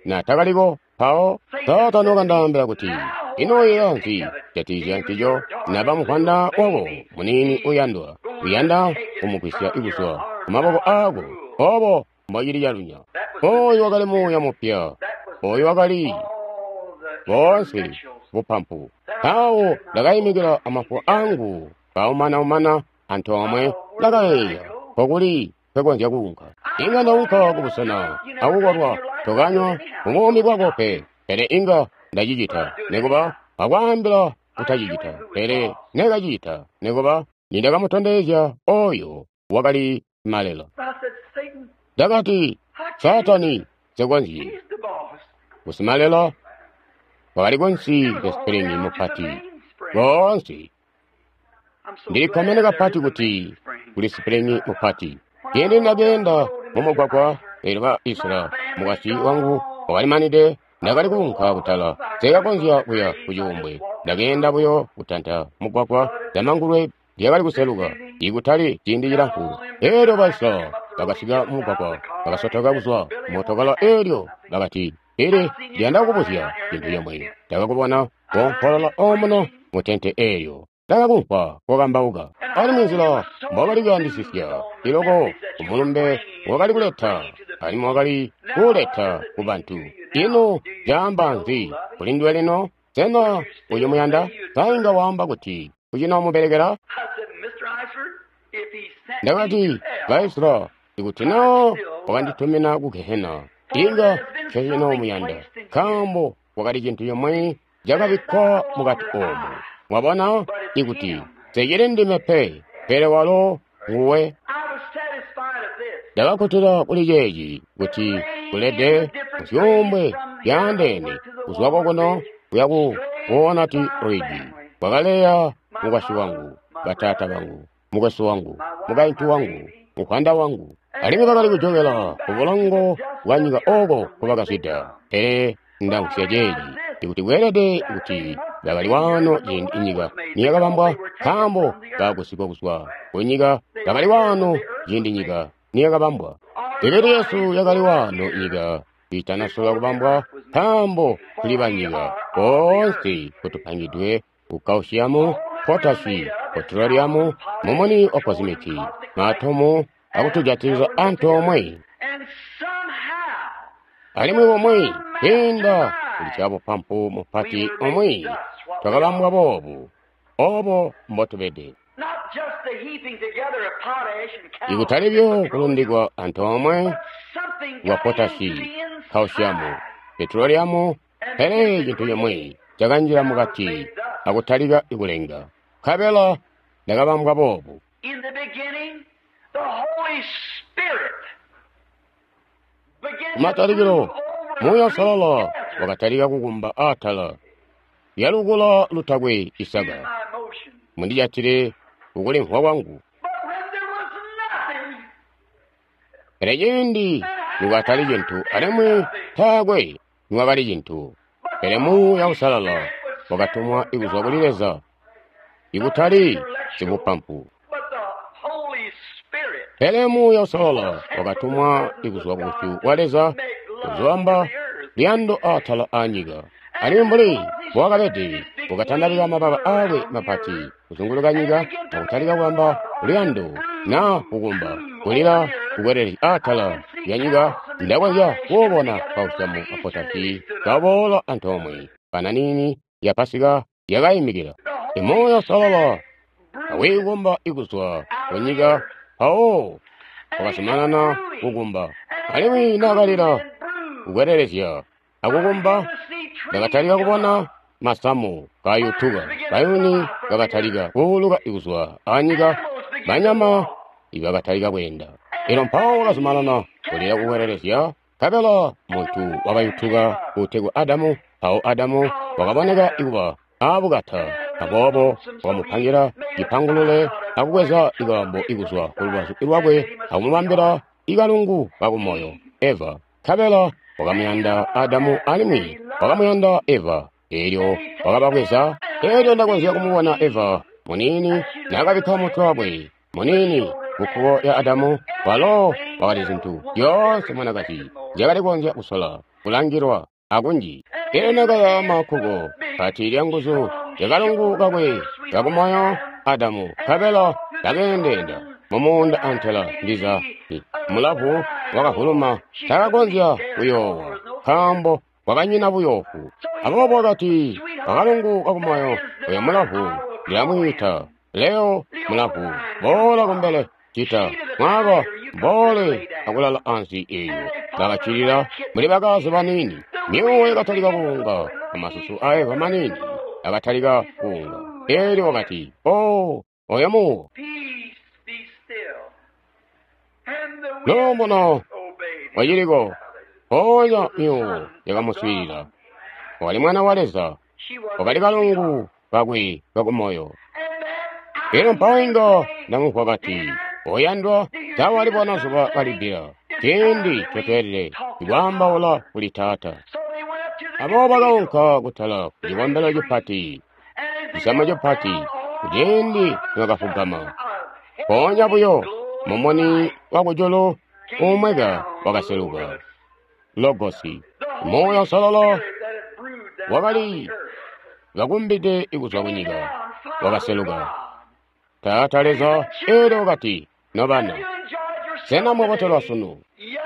naatakaliko, mpawo taata nokandaambila kuti, ino uyeeya nzi kujatikizya ncico naba muvwanda wako muniini uyandwa, uyanda kumugwisya kuzwa kumaboko aako? Oobo mbocili calunya. Ooyu wakali muuya mupya. Ooyu wakali boonse bupampu. Mpawo ndakayimikila amafuwa angu kaumana-umana antoomwe, ndakayeeya, nkokuli nkwekonzya kuunka. Inga ndaunka kubusena akukolwa tokanywa mubuumi bwako pe, pele inga ndacicita nikuba akwaambila kutacicita, pele nekacicita nikuba nindakamutondezya oyo wakali malela. Ndakati, Saatani, nsekonzyi. Kusimalela wakali kunsi lya sipulingi mupati boonse. Ndilikkomene kapati kuti kuli sipulingi mupati. Ciindi ndakeenda mumugwagwa eelyo ba Isla mukwasyi wangu wakalimanide, ndakali kuunka kutala, nseekakonzya kuya kucuumbwe. Ndakeenda buyo kutanta mugwagwa zamangulwe lyakali kuseluka ikutali ciindi cilamfu. Eelyo ba Isla bakasika mumugwagwa, bakasotoka kuzwa mootokala eelyo bakati, Pele ndiyanda kukubuzya cintu comwe. Ndakakubona koompolola omuno mutente eelyo. Ndakakumvwa kokambauka. Alimwi nzila mbwakali kuyandisisya iloko kumulumbe wakali kuleta, alimwi wakali kuuleta kubantu. Ino caamba nzi kuli nduwe lino? Sena ucimuyanda? Sa inga waamba kuti ucinoomubelekela? Ndakati, Baisra, ikuti naa wakanditumina ku Gehena, inga ncecinoomuyanda, nkaambo kwakali cintu comwe cakabikkwa mukati oomu. Mwabona, ikuti nsecili ndime pe, pele walo nguwe. Ndakakkutila kuli ceeci kuti kulede muzyuumbwe zyaandeene kuzwa kokuno kuya ku Walnut Ridge. Kwakaleya mukwasyi wangu, bataata bangu, mukwesu wangu, mukaintu wangu, muvwanda wangu, alimwi bakali kujokela kubulongo bwa nyika ooko nkobakazwida. Pele ndamvwisya ceeci, ikuti kweelede kuti bakali waano ciindi inyika niyakabambwa, nkaambo baagusigwa kuzwa kunyika bakali waano ciindi nyika niyakabambwa. Mibili yesu yakali waano nyika kiitanasola kubambwa, nkaambo tuli banyika boonse kutupangidwe ku calcium, potashi, petroleum, mumuni wa kozimiki, maatomu akutujatiliza antoomwe. Alimwi bomwe kwiinda kuli cabupampu mupati omwe twakabambwa boobu, obo mbotubede. Ikutali byo kulundikwa antoomwe bwa potashi, kkalsiamu, petroliamu, pele cintu cimwi cakanjila mukati akutalika kulenga. Nkabela ndakabambwa boobu. Kumatalikilo, Muuya Uusalala wakatalika kukumba atala lyalukula lutakwe isaka. Mundijatile kukulimvwa kwangu. Pele ciindi nikwatali cintu alimwi taakwe nikwakali cintu, pele Muuya Uusalala wakatumwa kuzwa kuli Leza, ikutali sibupampu. Pele Muuya Uusalala wakatumwa kuzwa kubusyu bwa Leza kuzooamba luyando atala aanyika. Alimwi mbuli mbowakabede, wakatandabika mababa aakwe mapati kuzunguluka nyika akutalika kwaamba luyando naa kukumba, kulila kukwelelezya atala lyanyika. Ndakonzya kuubona kkalsiamu a potashi kaboola antoomwe. Kana niini ya Pasika yakayimikila. Muuya Uusalala awiikumba kuzwa kunyika mpawo wakazumanana kukumba. Alimwi naakalila kukwelelezya akukumba, ndakatalika kubona masamu kayutuka, bayuni bakatalika kuuluka kuzwa anyika, banyama ibakatalika kweenda. Elyo mpawo wakazumanana kulila kukwelelezya, nkabela muntu wakayutuka uutegwa Adamu. Mpawo Adamu wakaboneka kuba aabukata, aboobo wakamupangila cipangulule akubweza ikaambo kuzwa kulubazu lwakwe akumubambila ikalungu kakumoyo Eva. Nkabela wakamuyanda Adamu alimwi wakamuyanda Eva, eelyo wakababweza. Eelyo ndakonzya kumubona Eva muniini naakabikka mutwe wakwe muniini kukkuko lya Adamu, walo wakali zintu zyoonse mwanakazi nzyakali kukonzya kusola kulangilwa akunji. Eelyo naakayaama kkuko pati lyanguzu lyakalungu kakwe kakumoyo Adamu, nkabela kakeendeenda mumuunda antela ndiza mulavu wakavuluma, taakakonzya kuyoowa nkaambo kwakanyina buyoofu. Aboobo wakati akalungu kakumoyo, oyo mulavu ndilamwiita Leo mulavu, boola kumbele cita mwaaba boole akulala ansi eeyo. Bakacilila muli bakazi baniini. Myuuwo yakatalika kuunga amasusu a Eva maniini akatalika kuunga. Eelyo wakati, "Oo, oyo muwo." Luumuno waciliko. Mpoonya myuuwo yakamuswiilila. Wakali mwana wa Leza, wakali kalungu kakwe kakumoyo. Elyo mpawo inga ndamumvwa kati, "Oyandwa, tawalibona zuba kalibbila, ciindi ncotweelede ikwaambaula kuli Taata." Aboobo bakaunka kutala ku cikombelo cipati, cisamu cipati, kuciindi nibakafugama. Mpoonya buyo mumuni wakujulu uumweka wakaseluka. Logosi, Muuya Uusalala wakali kakumbide kuzwa kunyika, wakaseluka. Taata Leza eelyo wakati, "Nobana, sena mwabotelwa sunu?"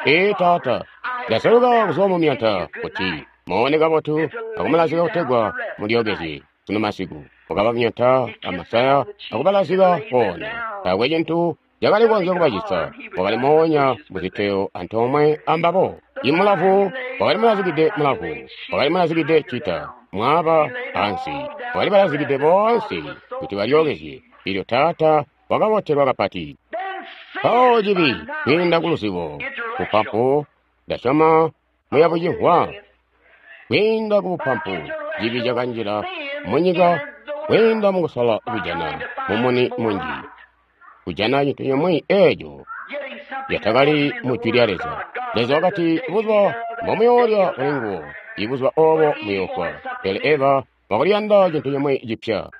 "Ee Taata, ndaseluka kuzwa mumyata kuti muone kabotu akumulazika kutegwa mulyookezye sunu masiku." Wakaba myata amasaya akubalazika koona. Taakwe cintu cakali kukonzya kubacisa. Wakali moonya muziteyo antoomwe ambabo. Imulavu wakali mulazikide mulavu, wakali mulazikide cita, mwaaba ansi, wakali balazikide boonse kuti balyookezye. Elyo Taata wakabotelwa kapati. Mpawo cibi kwiinda kuluzibo, bupampu, ndasyoma muyabucimvwa. Kwiinda kubupampu, cibi cakanjila munyika kwiinda mukusola kujana mumuni munji, kujana cintu cimwi eeco catakali mu Jwi lya Leza. Leza wakati, "Buzuba mbomuyoolya kuli nguwo, ibuzuba oobo muyoofwa." Pele Eva wakaliyanda cintu cimwi cipya.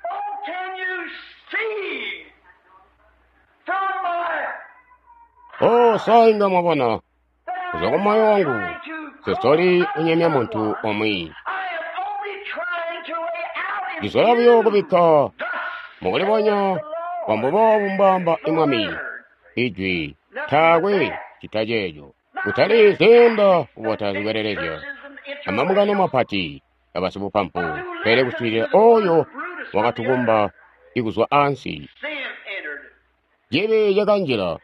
Oh, sa inga mwabona kuzwa kumoyo wangu, sesoli kunyemya muntu omwe. Ndisola buyo kubikka mukulibonya kwa mbuboobu mbwaamba Mwami, Ijwi taakwe cita ceeco. Kutali ziinda kubota zikwelelezya amamukano mapati abasibupampu, pele kuswiilila oyo wakatukumba ikuzwa ansi. Cibi cakanjila.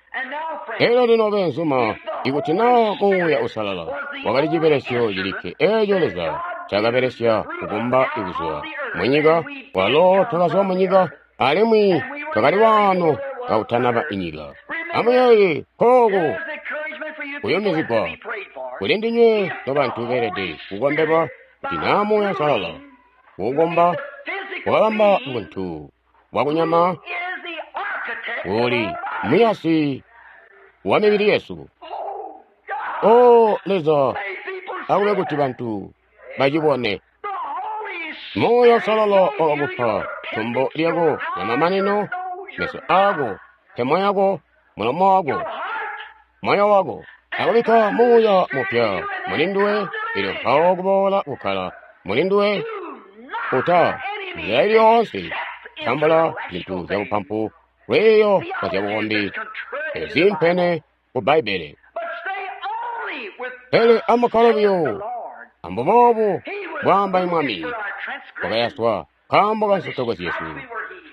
Elyo lino beenzuma, Ikuti naa Muuya Uusalala wakali cibelesyo cilikke eeco Leza ncaakabelesya kukumba kuzwa munyika, walo twakazwa munyika alimwi twakali waano kakutanaba inyika. Amuyeeye kooku kuyumizigwa kuli ndinywe nobantu beelede kukombelwa kuti naa Muuya Uusalala kuukomba wakabamba buntu bwakunyama uli muyasi wa mibili yesu. O Leza, akube kuti bantu bacibone. Muuya Uusalala wakakupa tombo lyako lyamamanino, meso aako, mpemo yako, mulomo wako, moyo wako. Akubikka muuya mupya muli nduwe, elyo mpawo kuboola kukkala muli nduwe. Uta nzila ili yoonse tambula zintu zyabupampu, lwiiyo lwa zyabukombi eziimpene ku Bbaibbele. Pele amukkale buyo ambuboobu bwaamba Mwami, wakayaswa nkaambo ka nsotoko zyesu,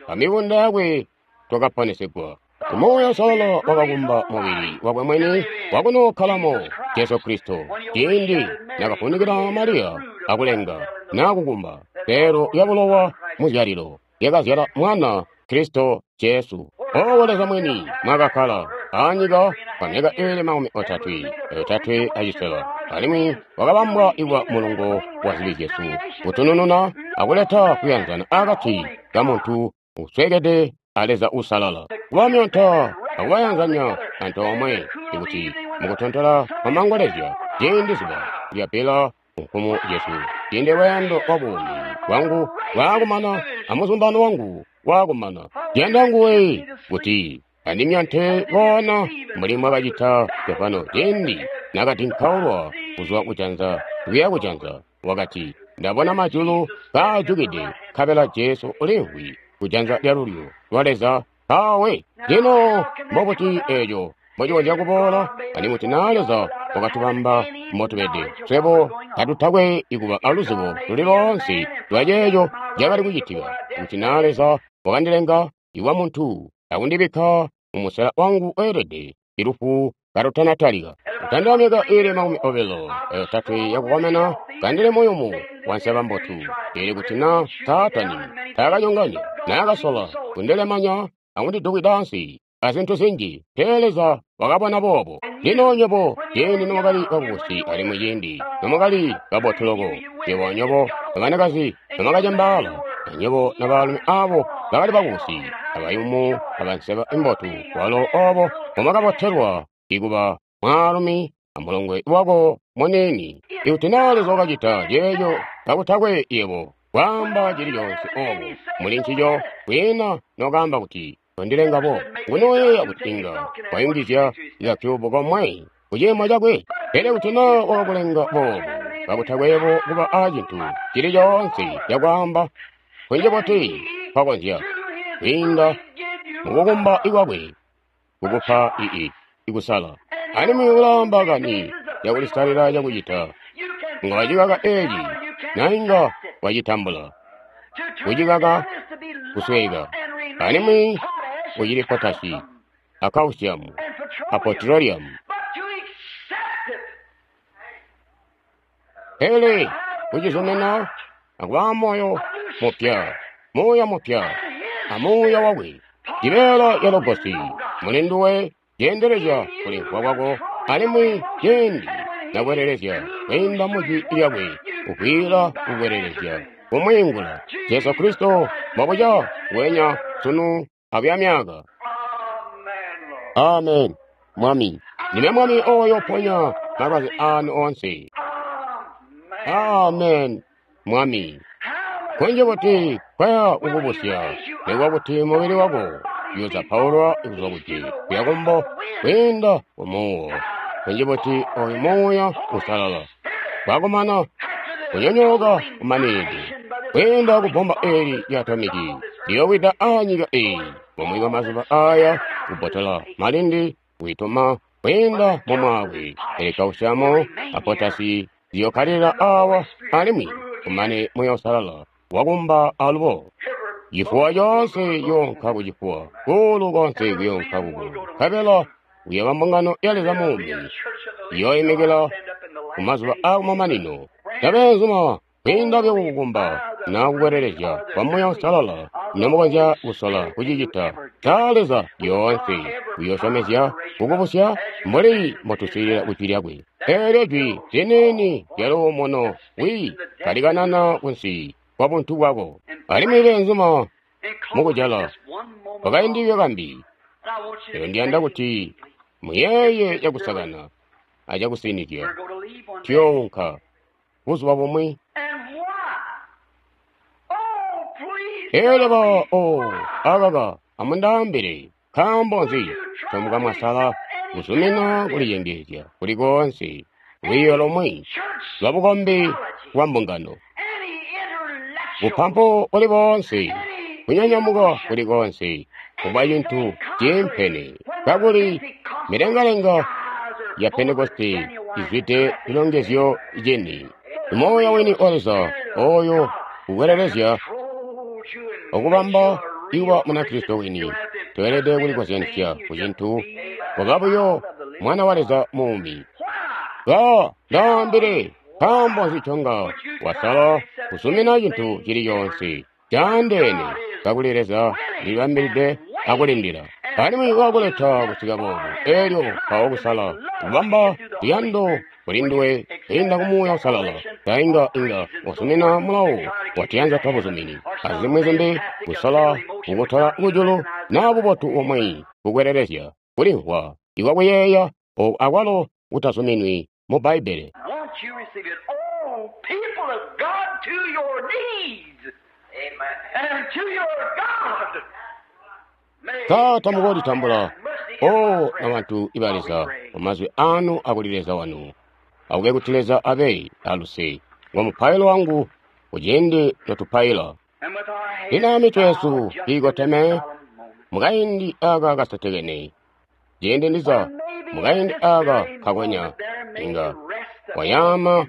amibunda yakwe twakaponesegwa. Muuya Uusalala wakakumba mubili wakwe mwini wakunookkalamo Jesu Kristo ciindi nakafunikila Mariya akulenga naa kukumba seelo lya bulowa muzyalilo lyakazyala mwana Kristo Jesu. Owo Leza mwini mwakakkala anyika kwa myaka iili makumi otatwe otatwe acisela, alimwi wakabambwa kuba mulungo wa zibi zyesu, kutunununa akuleta kuyanzana akati ka muntu uswekede a Leza Uusalala, kubamyonta akubayanzanya antoomwe, ikuti mukutontola kwamangolezya ciindi zuba lyabbila nkumu zyesu, ciindi lweendo lwa buumi bwangu lwaakumana amuzumbano wangu waakumana, ndiyanda nguwe kuti andimyonte koona mbuli mwakacita Stefano ciindi nakadinkaulwa kuzwa kujanza kuya kujanza, wakati, ndabona majulu kaajukide, nkabela Jesu uliimvwi kujanza lyalulyo lwa Leza kawe. Lino mbobuti eeco mbocikonzya kuboola? Alimwi kuti naa Leza wakatubamba mbotubede, swebo katutakwe ikuba aluzibo luli loonse lwa ceeco cakali kucitika. Kuti naa Leza wakandilenga iwa muntu akundibikka mumusela wangu weelede, ilufu kalutanatalika, kutandila myaka iili makumi obilo ayotatwe yakukomena, kandili muyumu wanseba mbotu. Pele kuti naa Saatani taakanyonganya, naakasola kundilemanya akundidukwida ansi azintu zinji, pele Leza wakabona boobo. Lino nywebo ciindi nomwakali bakubusi alimwi ciindi nomwakali kabotu loko, nywebo nywebo abanakazi nomwakacembaala, anywebo nabaalumi aabo bakali bakubusi abayumu abanseba imbotu, walo oobo mbomwakabotelwa ikuba mwaalumi amulongwe wako muniini. Ikuti naa Leza wakacita ceeco kakutakwe yebo kwaamba cili coonse oobo muli ncico, kwiina nokaamba kuti tondilenga bo. Ngunoyeeya kuti inga wayungizya kakyubu komwe kuciimo cakwe. Pele kuti naa wakakulenga boobo kakutakwe yebo kuba aacintu cili coonse cakwaamba, kunji buti kwakonzya kwiinda mukukumba kwakwe kukupa ii ikusala. Alimwi ulaamba kani yakulisalila cakucita, nga wacikaka eeci na inga wacitambula. Kucikaka kusweka, alimwi kucili potashi a calcium a petroleum. Pele kucizumina akuba moyo mupya, muuya mupya, amuuya wakwe, cibeela ca Logosi muli nduwe ceendelezya kulimvwa kwako, alimwi ciindi nakwelelezya kwiinda mujwi lyakwe, kukwiila kukwelelezya kumwiingula. Jesu Kristo mbobuca wenya sunu abuya myaka. Amen. Mwami, ndime Mwami oyo ponya malwazi anu onse. Amen. Mwami, kunji kuti kwaya kukubusya, nikuba kuti mubili wako uyozapaulwa kuzwa kuti kuya kumbo kwiinda kumuuwo. Kunji kuti oyu Muuya Uusalala kwakumana kunyonyooka kumaninide kwiinda kubomba eeli lya atomiki liyowida anyika eeyi mumwi wa mazuba aya, kubbotola malindi kwiituma kwiinda mumwaakwe. Pele kausiamu a potasi ziyokkalilila awa, alimwi kumane Muuya Uusalala wakumba alubo. Chifuwa coonse yoonka kucifuwa, kuulu konse kuyoonka kukuulu, nkabela Kuyooba mbungano ya Leza muumi iyooimikila ku mazuba aakumamanino. Tabeenzuma kwiinda buyo kukukumba na kukwelelezya kwa Muuya Uusalala nomukonzya kusola kucicita ca Leza lyoonse uyoosyomezya kukubusya mbuli mbotuswiilila ku Jwi lyakwe. Eelyo Jwi liniini lya luumuno wi kalikanana kunsi kwa buntu bwako. Alimwi beenzuma mukujala kwakaindi kambi, pele ndiyanda kuti muyeeye cakusakana acakusinizya. Tuyounka buzuba bumwi. Eelyo ba o akaka amundaambile, nkaambo nzi ncomukamwasala kuzumina kulicengeezya kuli koonse lwiiyo lomwe lwa bukombi bwa mbungano, bupampu buli boonse, kunyanyamuka kuli koonse, kuba cintu ciimpene, kakuli milengalenga ya Pentekoste izwide cilongezyo cini. Muuya wini wa Leza oyo ukwelelezya okubamba iwa Munakristo wini, tweelede kulikozyanisya ku cintu kuba buyo mwana wa Leza muumi. Ba ndaambile, nkaambo nzi nconga wasala kuzumina cintu cili coonse caandeene kakuli Leza ulibambilide akulindila alimwi wakuleta kusika boobu, eelyo mpawo kusala kubamba luyando kuli nduwe kwiinda ku Muuya Uusalala, tainga inga wasumina mulawo watiyanza twa buzumini azimwi zimbi, kusola kukutola kujulu naa bubotu bumwi kukwelelezya kulimvwa ikwakuyeeya oku akwalo kutazuminwi mu Bbaibbele. Won't you receive it? Oh, people of God, to your knees. Amen. And to your God. May Sa tamukoolitambula God have mercy o upon na bantu iba Leza mumazwi anu akuli Leza wanu. Akube kuti Leza abe aluse ngo mupailo wangu kuciindi notupaila. And with our heads Lino mitwe yesu bowed just in this iikoteme solemn moment. mukaindi aka kasetekene, ciindi ndiza Maybe mukaindi at this aka very kakonya moment there may inga rest upon wayama you,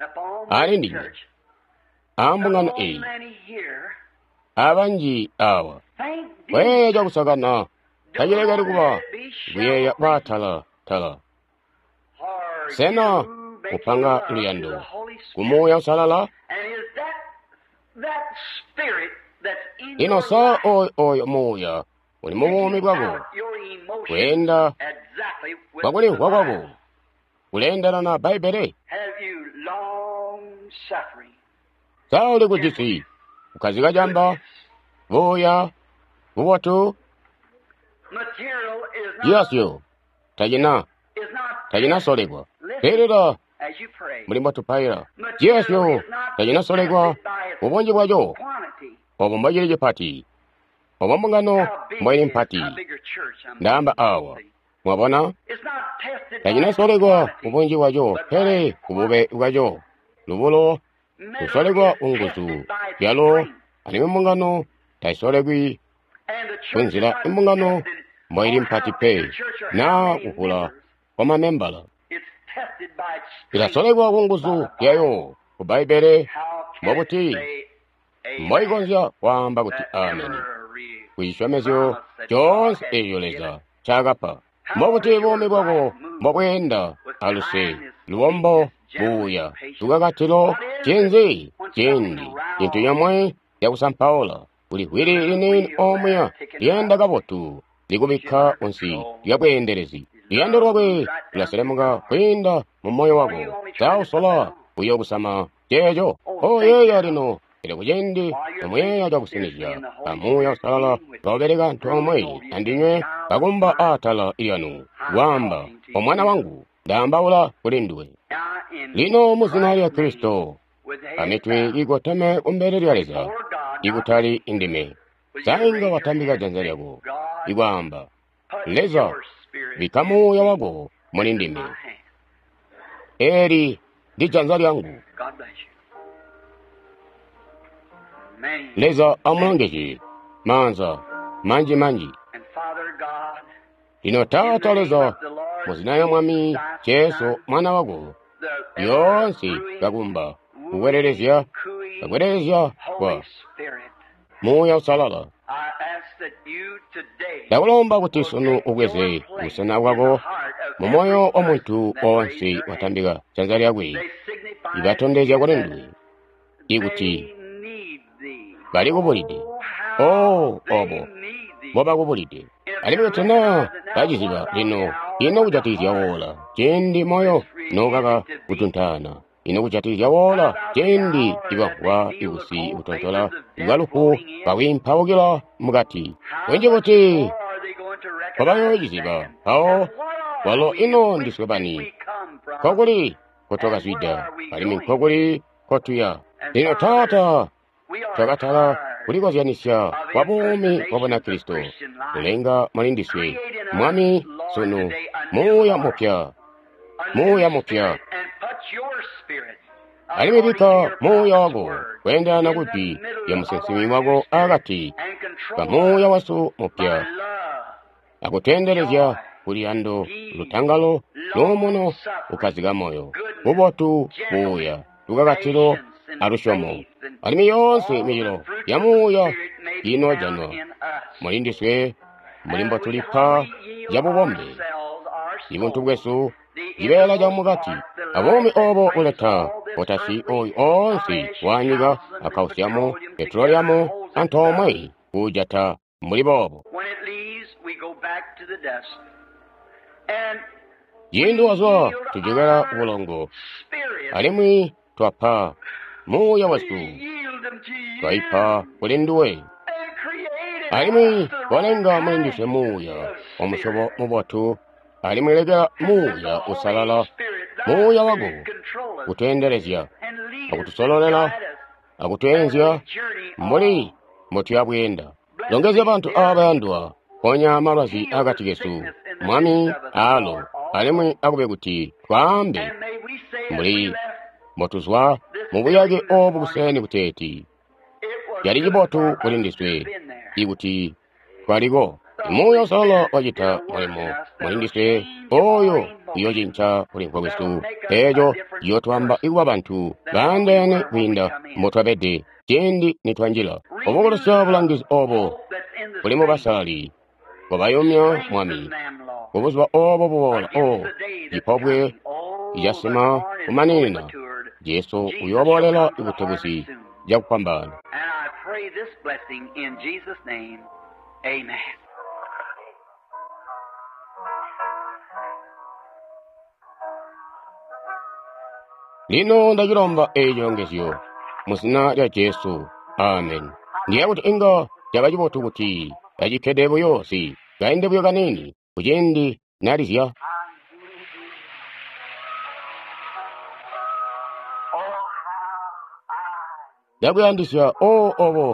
upon ali this ndinywe church, ambungano upon eyi many here. abanji awa Think kuyeeya deep. cakusakana tacilekeli Don't kuba let it be kuyeeya shallow kwaatala tala. Are Sena you making kupanga love to luyando the Holy ku Spirit? Muuya Uusalala? And is that that spirit that's in Lino your sa life oyo oyo Muuya uli mu buumi picking bwako out your emotions kweenda exactly with kwa the kulimvwa kwako Bible? kuleendana na Bbaibbele? Have you long suffering, Sa uli kujisi kukhazika camba, goodness? buya, bubotu? Material is not Ciyasyo tacina is not tacinasolekwa. Listen Swiilila as you pray. mbuli mbotupaila. Material Ciyasyo is not tacinasolekwa tested by its ubunji bwaco, quantity. obo mbocili cipati, obo mbungano How big mboili is mpati. how big your church? I'm Ndaamba awa, see. mwabona? It's not tested by its Tacinasolekwa quantity, ubunji bwaco, but by pele its kubube quality. bwaco. Lubulo Metal lusolekwa is kunguzu tested by its zyalo, strength, alimwi mbungano tayisolekwi and the church is kunzila not imbungano tested mboili on mpati how big pe your church or how naa many kuvula members. kwa mamembala. It's tested by its strength Ilasolekwa by kunguzu the Bible. yayo ku Bbaibbele, How can it mbobuti say amen mboikonzya kwaamba kuti that ameni every ku cisyomezyo promise that God coonse has eeco given? Leza ncaakapa? How Mbobuti does your buumi bwako life move mbobweenda with aluse, kindness, lubombo, meekness, gentleness, buuya, patience? lukakatilo? What is it Cinzi when cindi something cintu round, comwe cakusampaula kuli the hwili little liniini wheel there omuya ticking lyeenda up, kabotu she's likubikka under kunsi control. lya bweendelezi. His Luyando love lwakwe moves right down through lulaselemuka your heart. kwiinda mu moyo What are you wako. only trying to put that Sausola on? uyokusama ceeco. Oh, think Oyeeya now. lino, pele kuciindi While you're nomuyeeya thinking cakusinizya, seriously in the Holy amuuya Spirit Uusalala dealing with you, kaubeleka antoomwe ruling over you, saying, andinywe Child of kakumba mine, aatala lyanu, I'm kwaamba, talking to omwana you. wangu, ndaambaula kuli nduwe. Now in Lino mu zina lya Christ's name, Kristo, with the heads amitwe bowed, ikoteme kumbele lya Leza, before God, not ikutali me, indime. will you Sainga raise your watambika hand and janza say, lyako, God, ikwaamba, put Leza, your spirit bikka in muuya me. wako muli This is ndime. my hand. Eli ndi janza lyangu. God bless you. Many, Leza many. amulongezye maanza manji manji. And Father God, Lino in the Taata name Leza, of the Lord mu zina lya Jesus Mwami Christ, Jesu Son, mwana wako, the ever lyoonse brewing, kakumba wooing, kukwelelezya cooing kakwelelezya Holy kwa Spirit, Muuya Uusalala. I ask that you today Ndakulomba kuti sunu ubweze busena bwako mu moyo wa muntu wonse watambika janza lyakwe, ibatondezya kuli nduwe ikuti bali kubulide. Oh, obo mbobakubulide. Alimwi kuti naa baciziba lino, ino kujatikizya woola ciindi moyo nokaka kutuntaana, ino kujatikizya woola ciindi ibamvwa ikusi kutontola bwa lufu kakwiimpaukila mukati kunji kuti kwabayoociziba mpawo walo ino ndiswe bani, nkokuli nkotwakazwida alimwi nkokuli nkotuya. Lino Taata, twakatala kulikozyanisya kwa buumi bwa Bunakristo kulenga muli ndiswe Mwami sunu muuya mupya, muuya mupya, alimwi bikka muuya wako kweendelana ku jwi lya musinsimi wako akati ka muuya wasu mupya akuteendelezya kuluyando, lutangalo, luumuno, kukkazika moyo, bubotu, buuya, lukakatilo alusyomo. Alimwi yoonse micelo ya muuya inojanwa muli ndiswe mbuli mbotulipa cabubombe ibuntu bwesu, cibeela camukati, abuumi obo buleta potasi oyu oonse wanyika a kausiamu, petroliamu antoomwe kuujata mbuli boobo. Ciindi wazwa tujokela kubulongo, alimwi twapa muuya wesu, twaipa kuli nduwe, alimwi walenga muli ndiswe muuya wa musyobo mubotu, alimwi lekela muuya usalala, muuya wako kutweendelezya akutusololela akutweenzya mbuli mbotuyabweenda. Longezya bantu aaba bayandwa, ponya malwazi akati kesu, Mwami, aalo, alimwi akube kuti twaambe mbuli mbotuzwa mubuyake obu kuseni kuteeti cali cibotu kuli ndiswe ikuti twaliko. Muuya Usalala wacita mulimo muli ndiswe oyo uyocinca kulimvwa kwesu, eeco ciyootwaamba ikuba bantu baandeene kwiinda mbotwabede ciindi nitwanjila. Obukulusya bulangizi obo buli mubasalali, kobayumya Mwami kubuzuba obo buboola. O cipobwe icasima kumaninina, Jesu uyooboolela butebuzi cakufwambaana. Lino ndacilomba eeci cilongezyo muzina lya Jesu, amen. Ndiyeeya kuti inga caba cibotu kuti kacikkede buyo si kaindi buyo kaniini kuciindi nalizya. Ndakuyandisya, o obo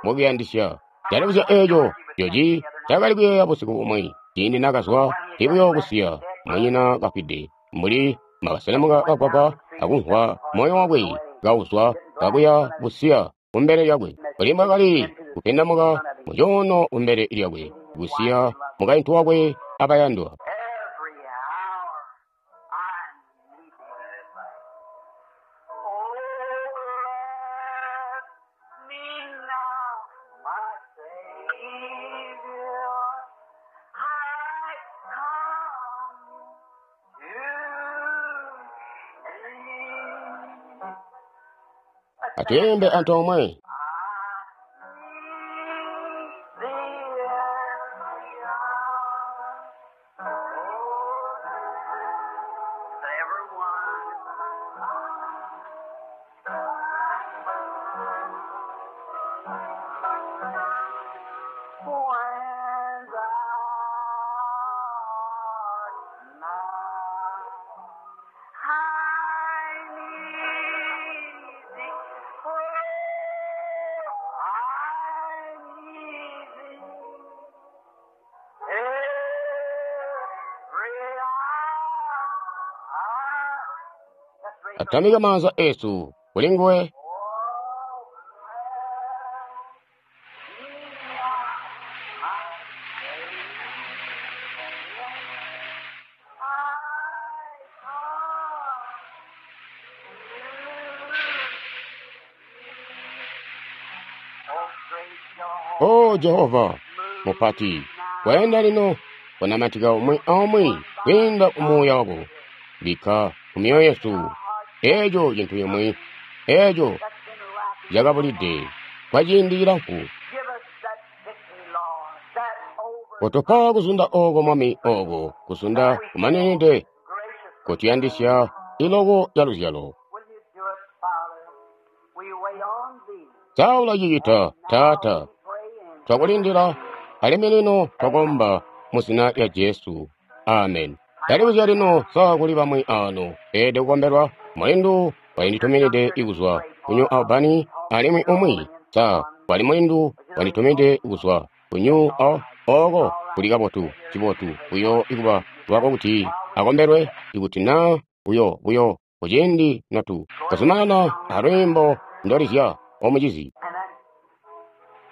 mbokuyandisya. Ndalibuzya eeco Joji ncaakali kuyeeya busiku bumwi ciindi naakazwa buyo kusiya munyina kafwide, mbuli mbakaselemuka kagwagwa akumvwa moyo wakwe kauzwa kakuya busiya kumbele lyakwe, mbuli mbwaakali kupindamuka mucuuno kumbele lyakwe, kusiya mukaintu wakwe abayandwa. Atuyimbe antoomwe. Atamika maanza esu kuli nguwe. O Jehova mupati, Kweenda lino kunamatika umwi aumwi kwiinda ku Muuya wako. Bikka ku myoyo yesu eeco cintu cimwi eeco cakabulide kwa ciindi cilamfu. Give us that victory, Lord, that over Kotupa kuzunda ooko Mwami ooko kuzunda kumaninide gracious. kutuyandisya iloko lya luzyalo. Will you do it, Father? We wait on thee. Sa ulacicita, Taata? Pray in Twakulindila alimwi lino twakomba mu zina lya Jesu. Amen. Ndalibuzya lino sa kuli bamwi ano beelede kukombelwa mulindu walindituminide ikuzwa ku New Albany alimwi umwi sa wali mulindu wanditumide kuzwa ku New Al ooko kuli kabotu cibotu buyo ikuba lwako kuti akombelwe ikuti naa buyo buyo kuciindi notu kazumanana alwiimbo ndolizya omucizi. And then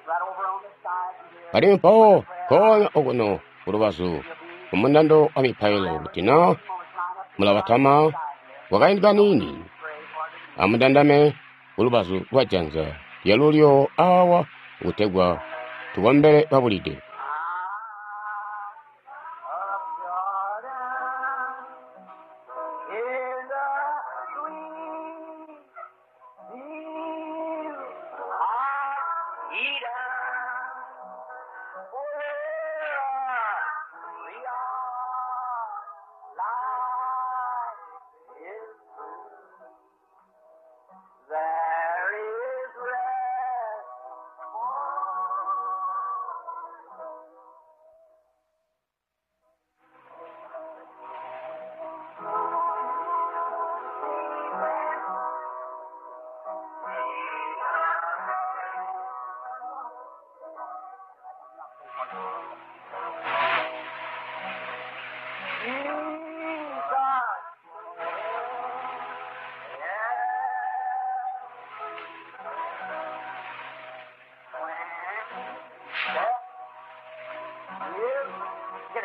right over on the side here, Alimwi mpawo nkoonya okuno kulubazu kumundando wa mipailo kuti naa mulabatama kwakaindi kaniini amundandame kulubazu lwa janza lyalulyo awa kutegwa tukombele babulide. of Jordan in the sweet field of Eden, where we are, life is true. There is rest for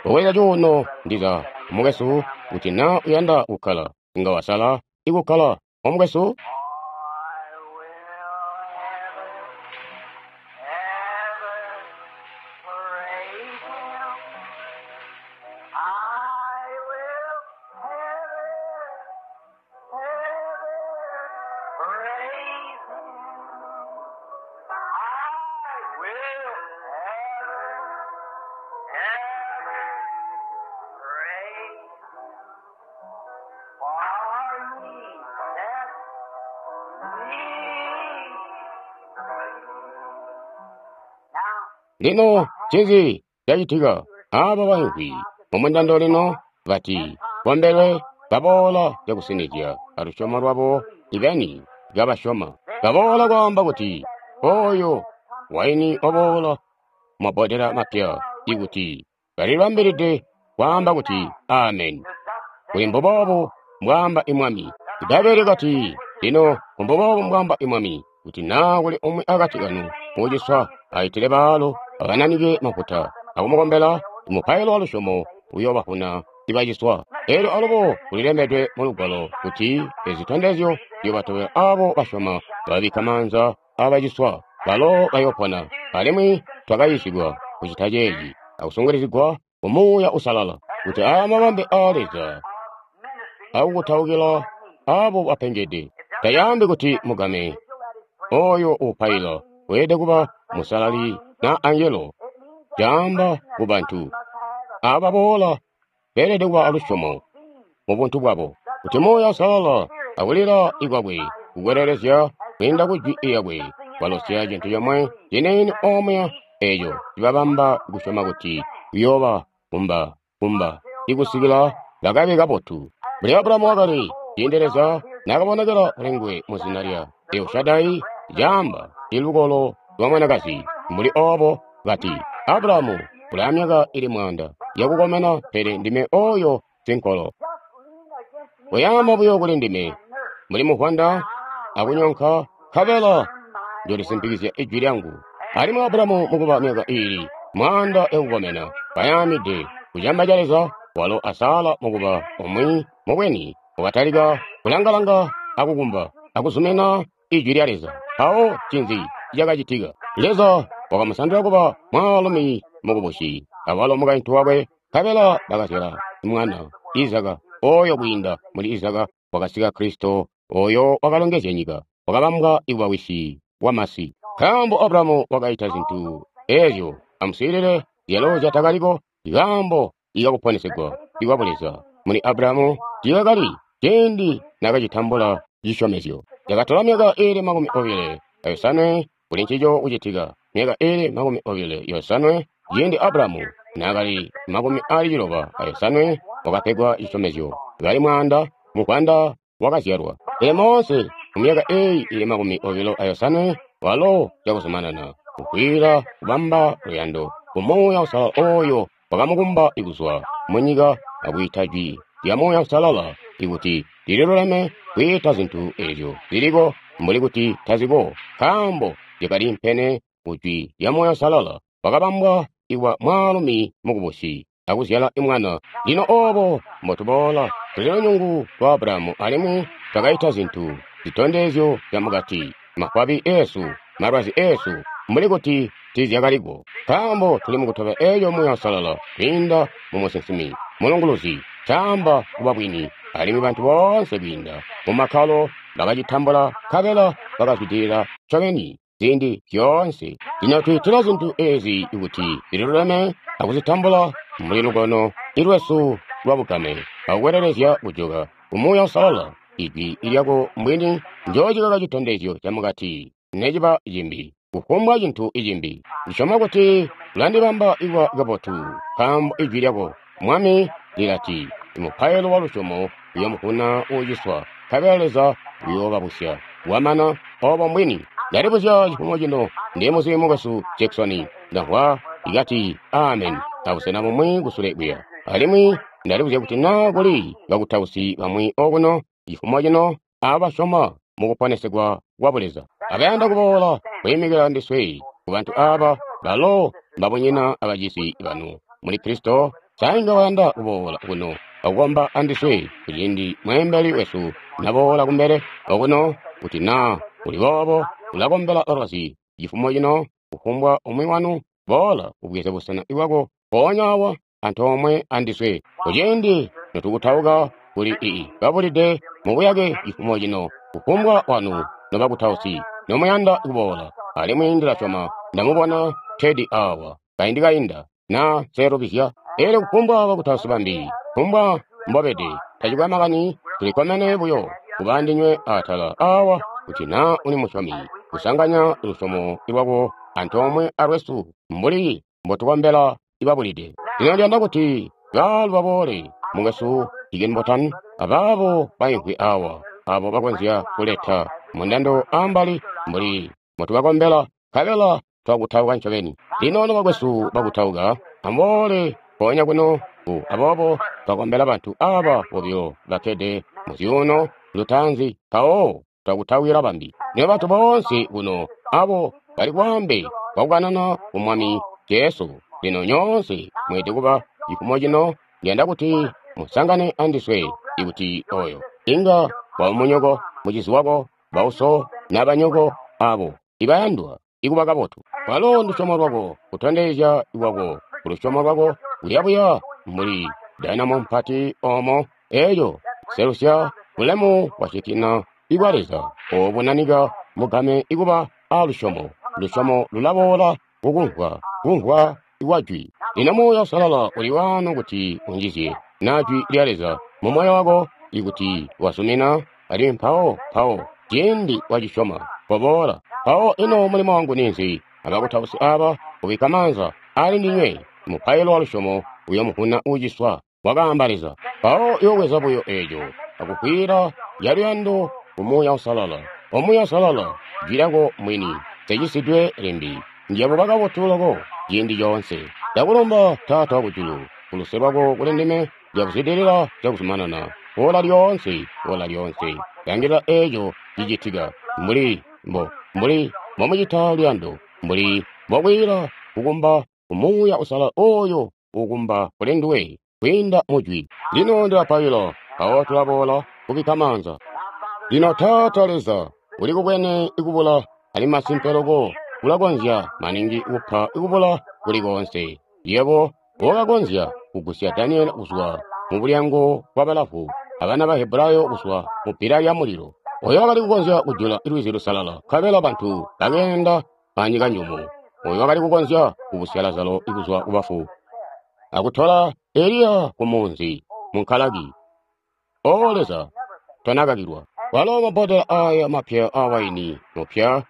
Pokweza cuuno ndiza omukwesu kuti naa uyanda kukkala inga wasala ikukkala omukwesu. I will ever, ever praise Him. I will ever, ever praise Him. I will ever, ever praise Him. For He set me free. Now, Lino ncinzi cacitika aaba baimvwi mumundando lino bati kombelwe baboola cakusinizya alusyomo lwabo ibeni kabasyoma. Baboola kwaamba kuti oyo waini waboola mabbodela mapya ikuti balibambilide kwaamba kuti ameni. Kuli mbuboobu mbwaamba imwami. Ibbaibbele kati lino mbuboobu mbwaamba imwami kuti naa kuli umwi akati kanu uuciswa aitile baalu akananike mafuta akumukombela mupailo wa lusyomo uyoobavuna ibaciswa. Eelyo alubo kulilembedwe mu lugwalo kuti ezi zitondezyo ziyoobatobela aabo basyoma babikka maanza aabaciswa balo bayoopona. Alimwi twakayiisigwa kucita ceeci akusungilizigwa ku Muuya Uusalala kuti aya mabambe aa Leza akukutaukila aabo bapengede. Tayaambi kuti mugame oyo uupaila weelede kuba musalali na angelo. Caamba ku bantu aaba boola beelede kuba alusyomo mu buntu bwabo kuti Muuya Uusalala akulila ikwakwe kukwelelezya kwiinda ku jwi lyakwe kwalosya cintu comwe ciniini omuya eeco cibabamba kusyoma kuti kuyooba kumba kumba ikusikila bakabe kabotu. Mbuli Abulahamu wakali ciindi Leza naakabonekela kuli nguwe mu zina lya Elshadai caamba ilukolo lwa mwanakazi mbuli oobo kati Abulahamu uli myaka ili mwaanda yakukomena pele ndime oyo sinkolo. Koyaama buyo kuli ndime mbuli muvwanda akunyonka nkabela njolisimpikizya ijwi lyangu. Alimwi Abulahamu mukuba myaka iili mwaanda yakukomena kayaamide kucamba ca Leza walo asala mukuba umwi mubweni wakatalika kulangalanga akukumba akuzumina ijwi lya Leza. Mpawo ncinzi cakacitika? Leza wakamusandula kuba mwaalumi mukubusi awalo mukaintu wakwe, nkabela bakazyala mwana Izaka. Oyo kwiinda muli Izaka wakasika Kristo, oyo wakalongezya nyika, wakabambwa ikuba wisi wamasi. Nkaambo Abrahamu wakaita zintu ezyo, amuswiilile, zyalo zyatakaliko, nkaambo ikakuponesegwa ikwa Buleza muli Abrahamu tiikakali ciindi nakacitambula cisyomezyo. Yakatola myaka iili makumi obile ayosanwe kuli ncico kucitika, myaka iili makumi obile yosanwe ciindi Abrahamu naakali makumi aali ciloba ayosanwe wakapegwa cisyomezyo, kali mwaanda muvwanda wakazyalwa. Pele Mose mumyaka eeyi ili makumi obilo ayosanwe walo cakuzumanana kukwiila kubamba luyando ku Muuya Uusalala oyo wakamukumba kuzwa munyika akwiita jwi lya Muuya Uusalala ikuti lililuleme kwiita zintu ezyo ziliko mbuli kuti taziko, nkaambo zyakaliimpene ku jwi lya Muuya Uusalala. Wakabambwa ikuba mwaalumi mukubusi akuzyala mwana. Lino oobo mbotuboola tuli lunyungu lwa Abrahamu alimwi twakaita zintu zitondezyo zyamukati, mafwabi eesu, malwazi eesu, mbuli kuti tiizyakaliko, nkaambo tuli mukutobela eeco Muuya Uusalala kwiinda mumusinsimi mulunguluzi caamba kuba bwini, alimwi bantu boonse kwiinda mumakkalo bakacitambula nkabela bakazwidilila ncobeni ziindi zyoonse. Lino twiitila zintu ezi kuti zililuleme akuzitambula mbuli lukono lwesu lwabugame akukwelelezya kujoka ku Muuya Uusalala. Ijwi lyako mbwini njoocikaka citondezyo camukati neciba cimbi, kufumbwa cintu cimbi. Ndisyoma kuti ulandibamba ikuba kabotu, nkaambo ijwi lyako Mwami lilati, mupailo wa lusyomo uyoomuvuna uuciswa, nkabela Leza uyoobabusya. Wamana oobo mbwini. Ndalibuzya cifumo cino ndi muzi mukwesu Jackson, ndamvwa ikati amen abusena bumwi kusule kuya. Alimwi ndalibuzya kuti naa kuli bakutausi bamwi okuno cifumo cino abasyoma mukuponesegwa kwa Buleza, abayanda kuboola kwiimikila ndiswe kubantu aaba balo mbabunyina abacisi banu muli Kristo. Sainga bayanda kuboola kuno akukomba andiswe kuciindi mweembeli wesu naboola kumbele okuno. Kuti naa uli boobo ulakombela balwazi cifumo cino, kufumbwa umwi wanu boola ubweze busena bwako mpoonya awa antoomwe andiswe kuciindi notukutauka kuli ii babulide mubuyake cifumo cino. Kufumbwa wanu nobakutausi nomuyanda kuboola, alimwi ndilasyoma ndamubona Teddy awa kaindi kainda naa nselubizya. Eelyo kufumbwa bakutausi bambi, kufumbwa mbobede, tacikwe makani, tulikkomene buyo kuba andinywe atala awa kuti naa uli musyomi, kusanganya lusyomo lwako antoomwe alwesu mbuli mbotukombela ibabulide. Lino ndiyanda kuti baalu baboole, mukwesu Higginbotham abaabo baimvwi awa, abo bakonzya kuleta mundando ambali mbuli mbotubakombela, nkabela twakutauka ncobeni. Lino nobakwesu bakutauka, amuboole mpoonya kuno ku aboobo twakombela bantu aaba bobilo bakkede muzyuuno lutaanzi, mpawo twakutawila bambi. Lino bantu boonse kuno abo bali kwaambe kwakukanana ku Mwami Jesu, lino nyoonse mweelede kuba cifumo cino. Ndiyanda kuti musangane andiswe ikuti oyo inga waba munyoko, mucizi wako, bauso nabanyoko abo ibayandwa ikuba kabotu. Walo ndusyomo lwako, kutondezya lwako kulusyomo lwako kuyabuya mbuli dainamo mpati omo eeyo selusya bulemu bwa Shekinah ibwa Leza obunanika mugame ikuba alusyomo. Lusyomo lulaboola kukumvwa, kumvwa kwa jwi. Lino Muuya Uusalala uli waano kuti unjizye na jwi lya Leza mu moyo wako ikuti wazumina, alimwi mpawo mpawo ciindi wacisyoma koboola. Mpawo ino mulimo wangu ninzi? Abakutausi aaba kubikka maanza ali ndinywe, mupailo wa lusyomo uyoomuvuna uuciswa, wakaamba Leza. Mpawo uyoobweza buyo eeco akukwiila yaluyando ku Muuya Uusalala. O Muuya Uusalala, jwi lyako mwini nseecisidwe limbi, ndiyabuba kabotu loko ciindi coonse. Ndakulumba Taata wakujulu kuluse lwako kuli ndime, ndiyakuzwidilila cakuzumanana ola lyoonse, ola lyoonse. Langilila eeco cicitika mbuli mbo mbuli mbomucita luyando, mbuli mbokwiila kukumba ku Muuya Uusalala oyo ukumba kuli nduwe kwiinda mujwi. Lino ndilapaila, mpawo tulaboola kubikka maanza. Lino Taata Leza, uli kubwene ikubula alimwi masimpe loko ulakonzya maningi kupa ikubula kuli koonse. Yebo Wakakonzya kugusya Daniele kuzwa mu bulyango bwa balavu, abana ba Hebrayo kuzwa mu bbila lya mulilo. Oyo wakali kukonzya kujula lwizi lusalala, nkabela bantu bakeenda anyika njumu. Oyo wakali kukonzya kubusya Lazaro kuzwa ku bafu, akutola Eliya ku munzi mu nkalaki. O Leza, tonakakilwa. Walo mabbodela aya mapya a waini mupya,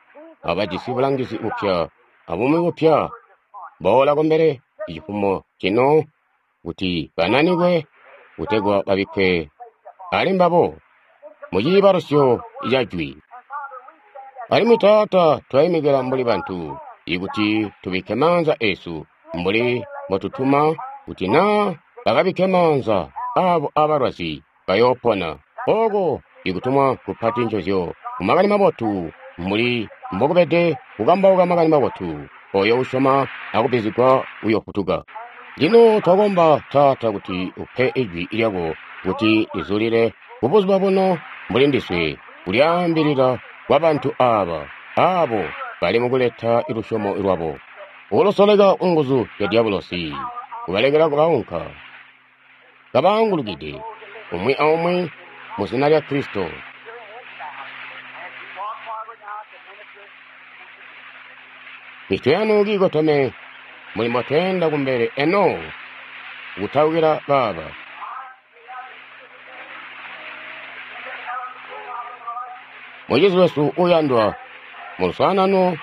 abajisi bulangizi bupya, abumi bupya. Boola kumbele cifumo cino kuti bananikwe kutegwa babikkwe ali mbabo mu ciibalusyo ca Jwi. Alimwi Taata, twaimikila mbuli bantu, ikuti tubikke maanza esu mbuli mbotutuma kuti naa bakabikke maanza abo abalwazi bayoopona. Oko ikutumwa kupati ncozyo ku makani mabotu mbuli mbokubede kukambauka makani mabotu. Oyo usyoma akubbizigwa uyofutuka. Lino twakomba Taata kuti upe ijwi lyako kuti lizulile kubuzuba buno mbuli ndiswe kulyaambilila kwa bantu aba, abo bali mukuleta lusyomo lwabo. Ulusoleka nguzu zya dyabulosi, kubalekela baunka, kabaangulukide, umwi aumwi mu zina lya Kristo. Mitwe yanu kiikoteme muli mbotweenda kumbele eno kutaukila baaba. Mucizi wesu uyandwa mu luswaanano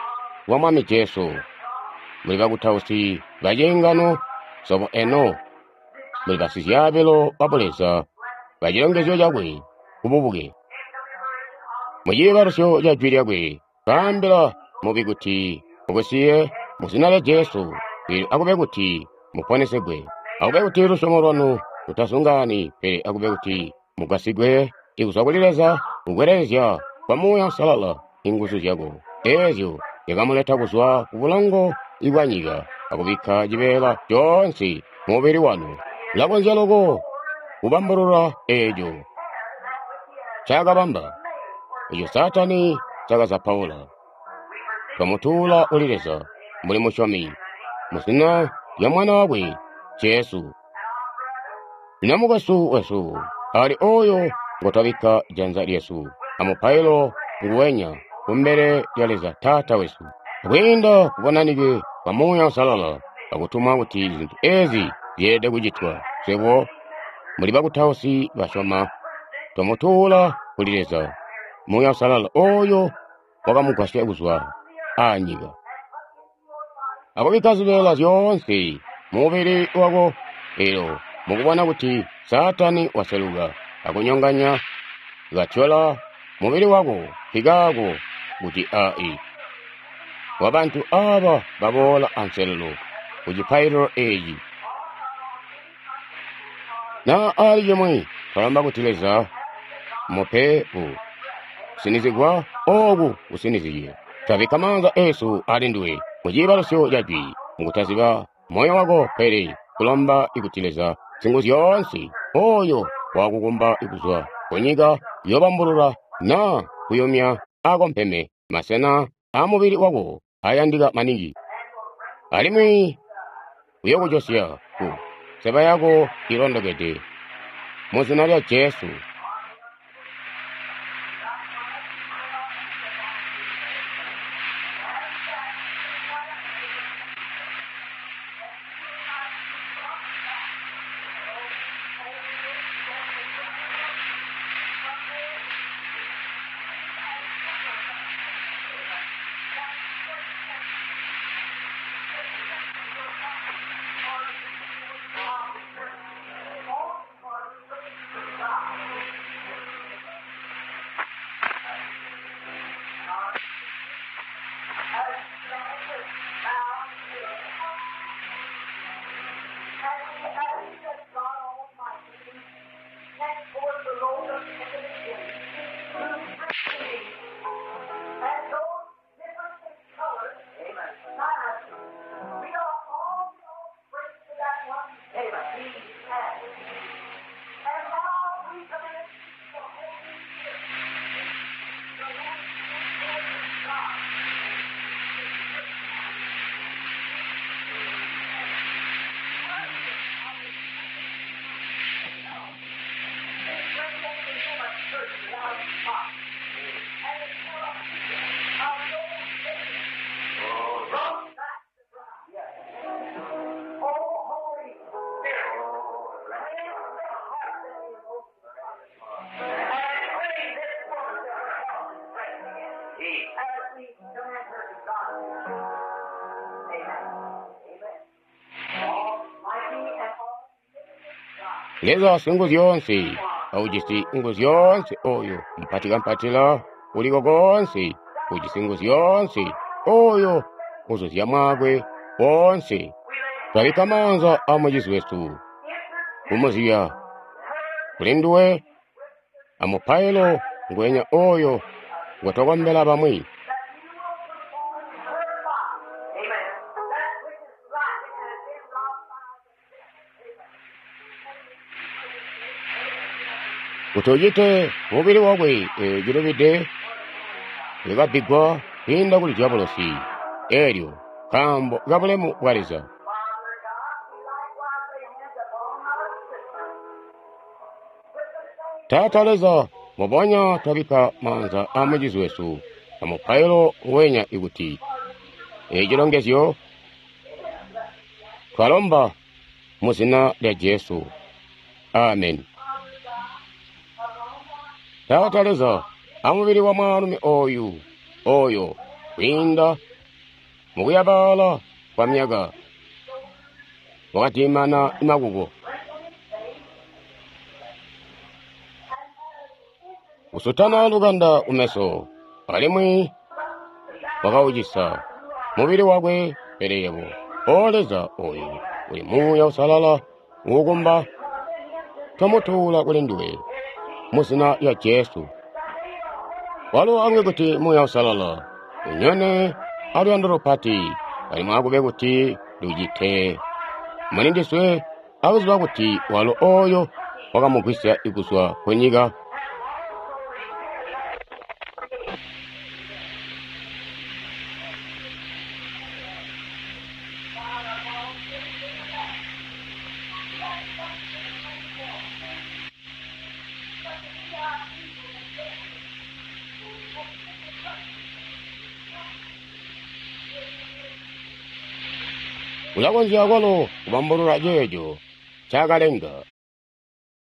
lwa Mwami Jesu, muli bakutausi baciingano sobo eno, muli basizyaabilo ba Buleza ba cilongezyo cakwe kububuke. Mu ciibalusyo ca Jwi lyakwe, kaambila mubi kuti mukusiye mu zina lya Jesu, pele akube kuti muponesegwe. Akube kuti lusyomo lwanu lutazungaani, pele akube kuti mugwasigwe ikuzwa kuli Leza kukwelelezya kwa Muuya Uusalala inguzu zyako eezyo zyakamuleta kuzwa ku bulongo bwa nyika akubikka cibeela coonse mu mubili wanu. Ulakonzya loko kubambulula eeco ncaakabamba, eco Saatani ncaakazapaula. Twamutuula kuli Leza mbuli musyomi, mu zina lya Mwana wakwe Jesu. Lino mukwesu wesu ali oyo ngotwabikka janza lyesu amupailo nguwenya kumbele lya Leza Taata wesu, kwiinda kubonanike kwa Muuya Uusalala akutumwa kuti zintu ezi zyeelede kucitwa. Swebo muli bakutausi basyoma, twamutuula kuli Leza Muuya Uusalala oyo wakamugwasya kuzwa anyika akubikka zibeela zyoonse mu mubili wako. Elo mukubona kuti Saatani waseluka akunyonganya katyola mubili wako nkikaako kuti ai wabantu aba baboola anselelo ku cipaililo eci. Na ali cimwi twalomba kuti Leza mupe ku kusinizigwa oku kusinizye. Twabikka maanza esu ali nduwe mu ciibalusyo ca Jwi, mukutaziba moyo wako, pele kulomba ikuti Leza Singuzyoonse oyo wakukumba kuzwa kunyika yobambulula na kuyumya akompeme masena amubili wako ayandika maningi, alimwi uyokujosya ku seba yako ilondokede mu zina lya Jesu. her to God. Amen. Amen. Almighty and all Leza Singuzyoonse aujisi nguzyoonse oyo mpatikampatila uliko koonse ujisi nguzyoonse oyo uzuzya mwakwe woonse. Twabikka maanza a mucizi wesu kumuzibya kuli nduwe amupailo ngwenya oyo ngwe twakombela bamwi. that you will perform her part. Amen. That which is right and has been wrought by the kuti ucite mubili wakwe eh, cilubide likabbigwa kwiinda kuli diabolosi eelyo nkaambo kabulemu bwa Leza. Father God, we likewise lay hands upon our sister. With the same Taata Leza, mubonya twabikka maanza a mucizi wesu amupailo ngwenya ikuti ecilongezyo twalomba mu zina lya Jesu. Amen. Taata Leza, amubili wa mwaalumi oyu oyo kwiinda mukuyabaala kwa myaka wakatiimana makuko kusutana lukanda kumeso alimwi wakaucisa mubili wakwe. Pele yebo o Leza oyu uli Muuya Usalala uukumba twamutuula kuli nduwe mu zina lya Jesu. Walo akube kuti Muuya Usalala unyone aluyando lupati alimwi akube kuti lucite muli ndiswe akuziba kuti walo oyo wakamugwisya kuzwa ku nyika. Ulakonzya kwalo kubambulula ceeco ncaakalenga.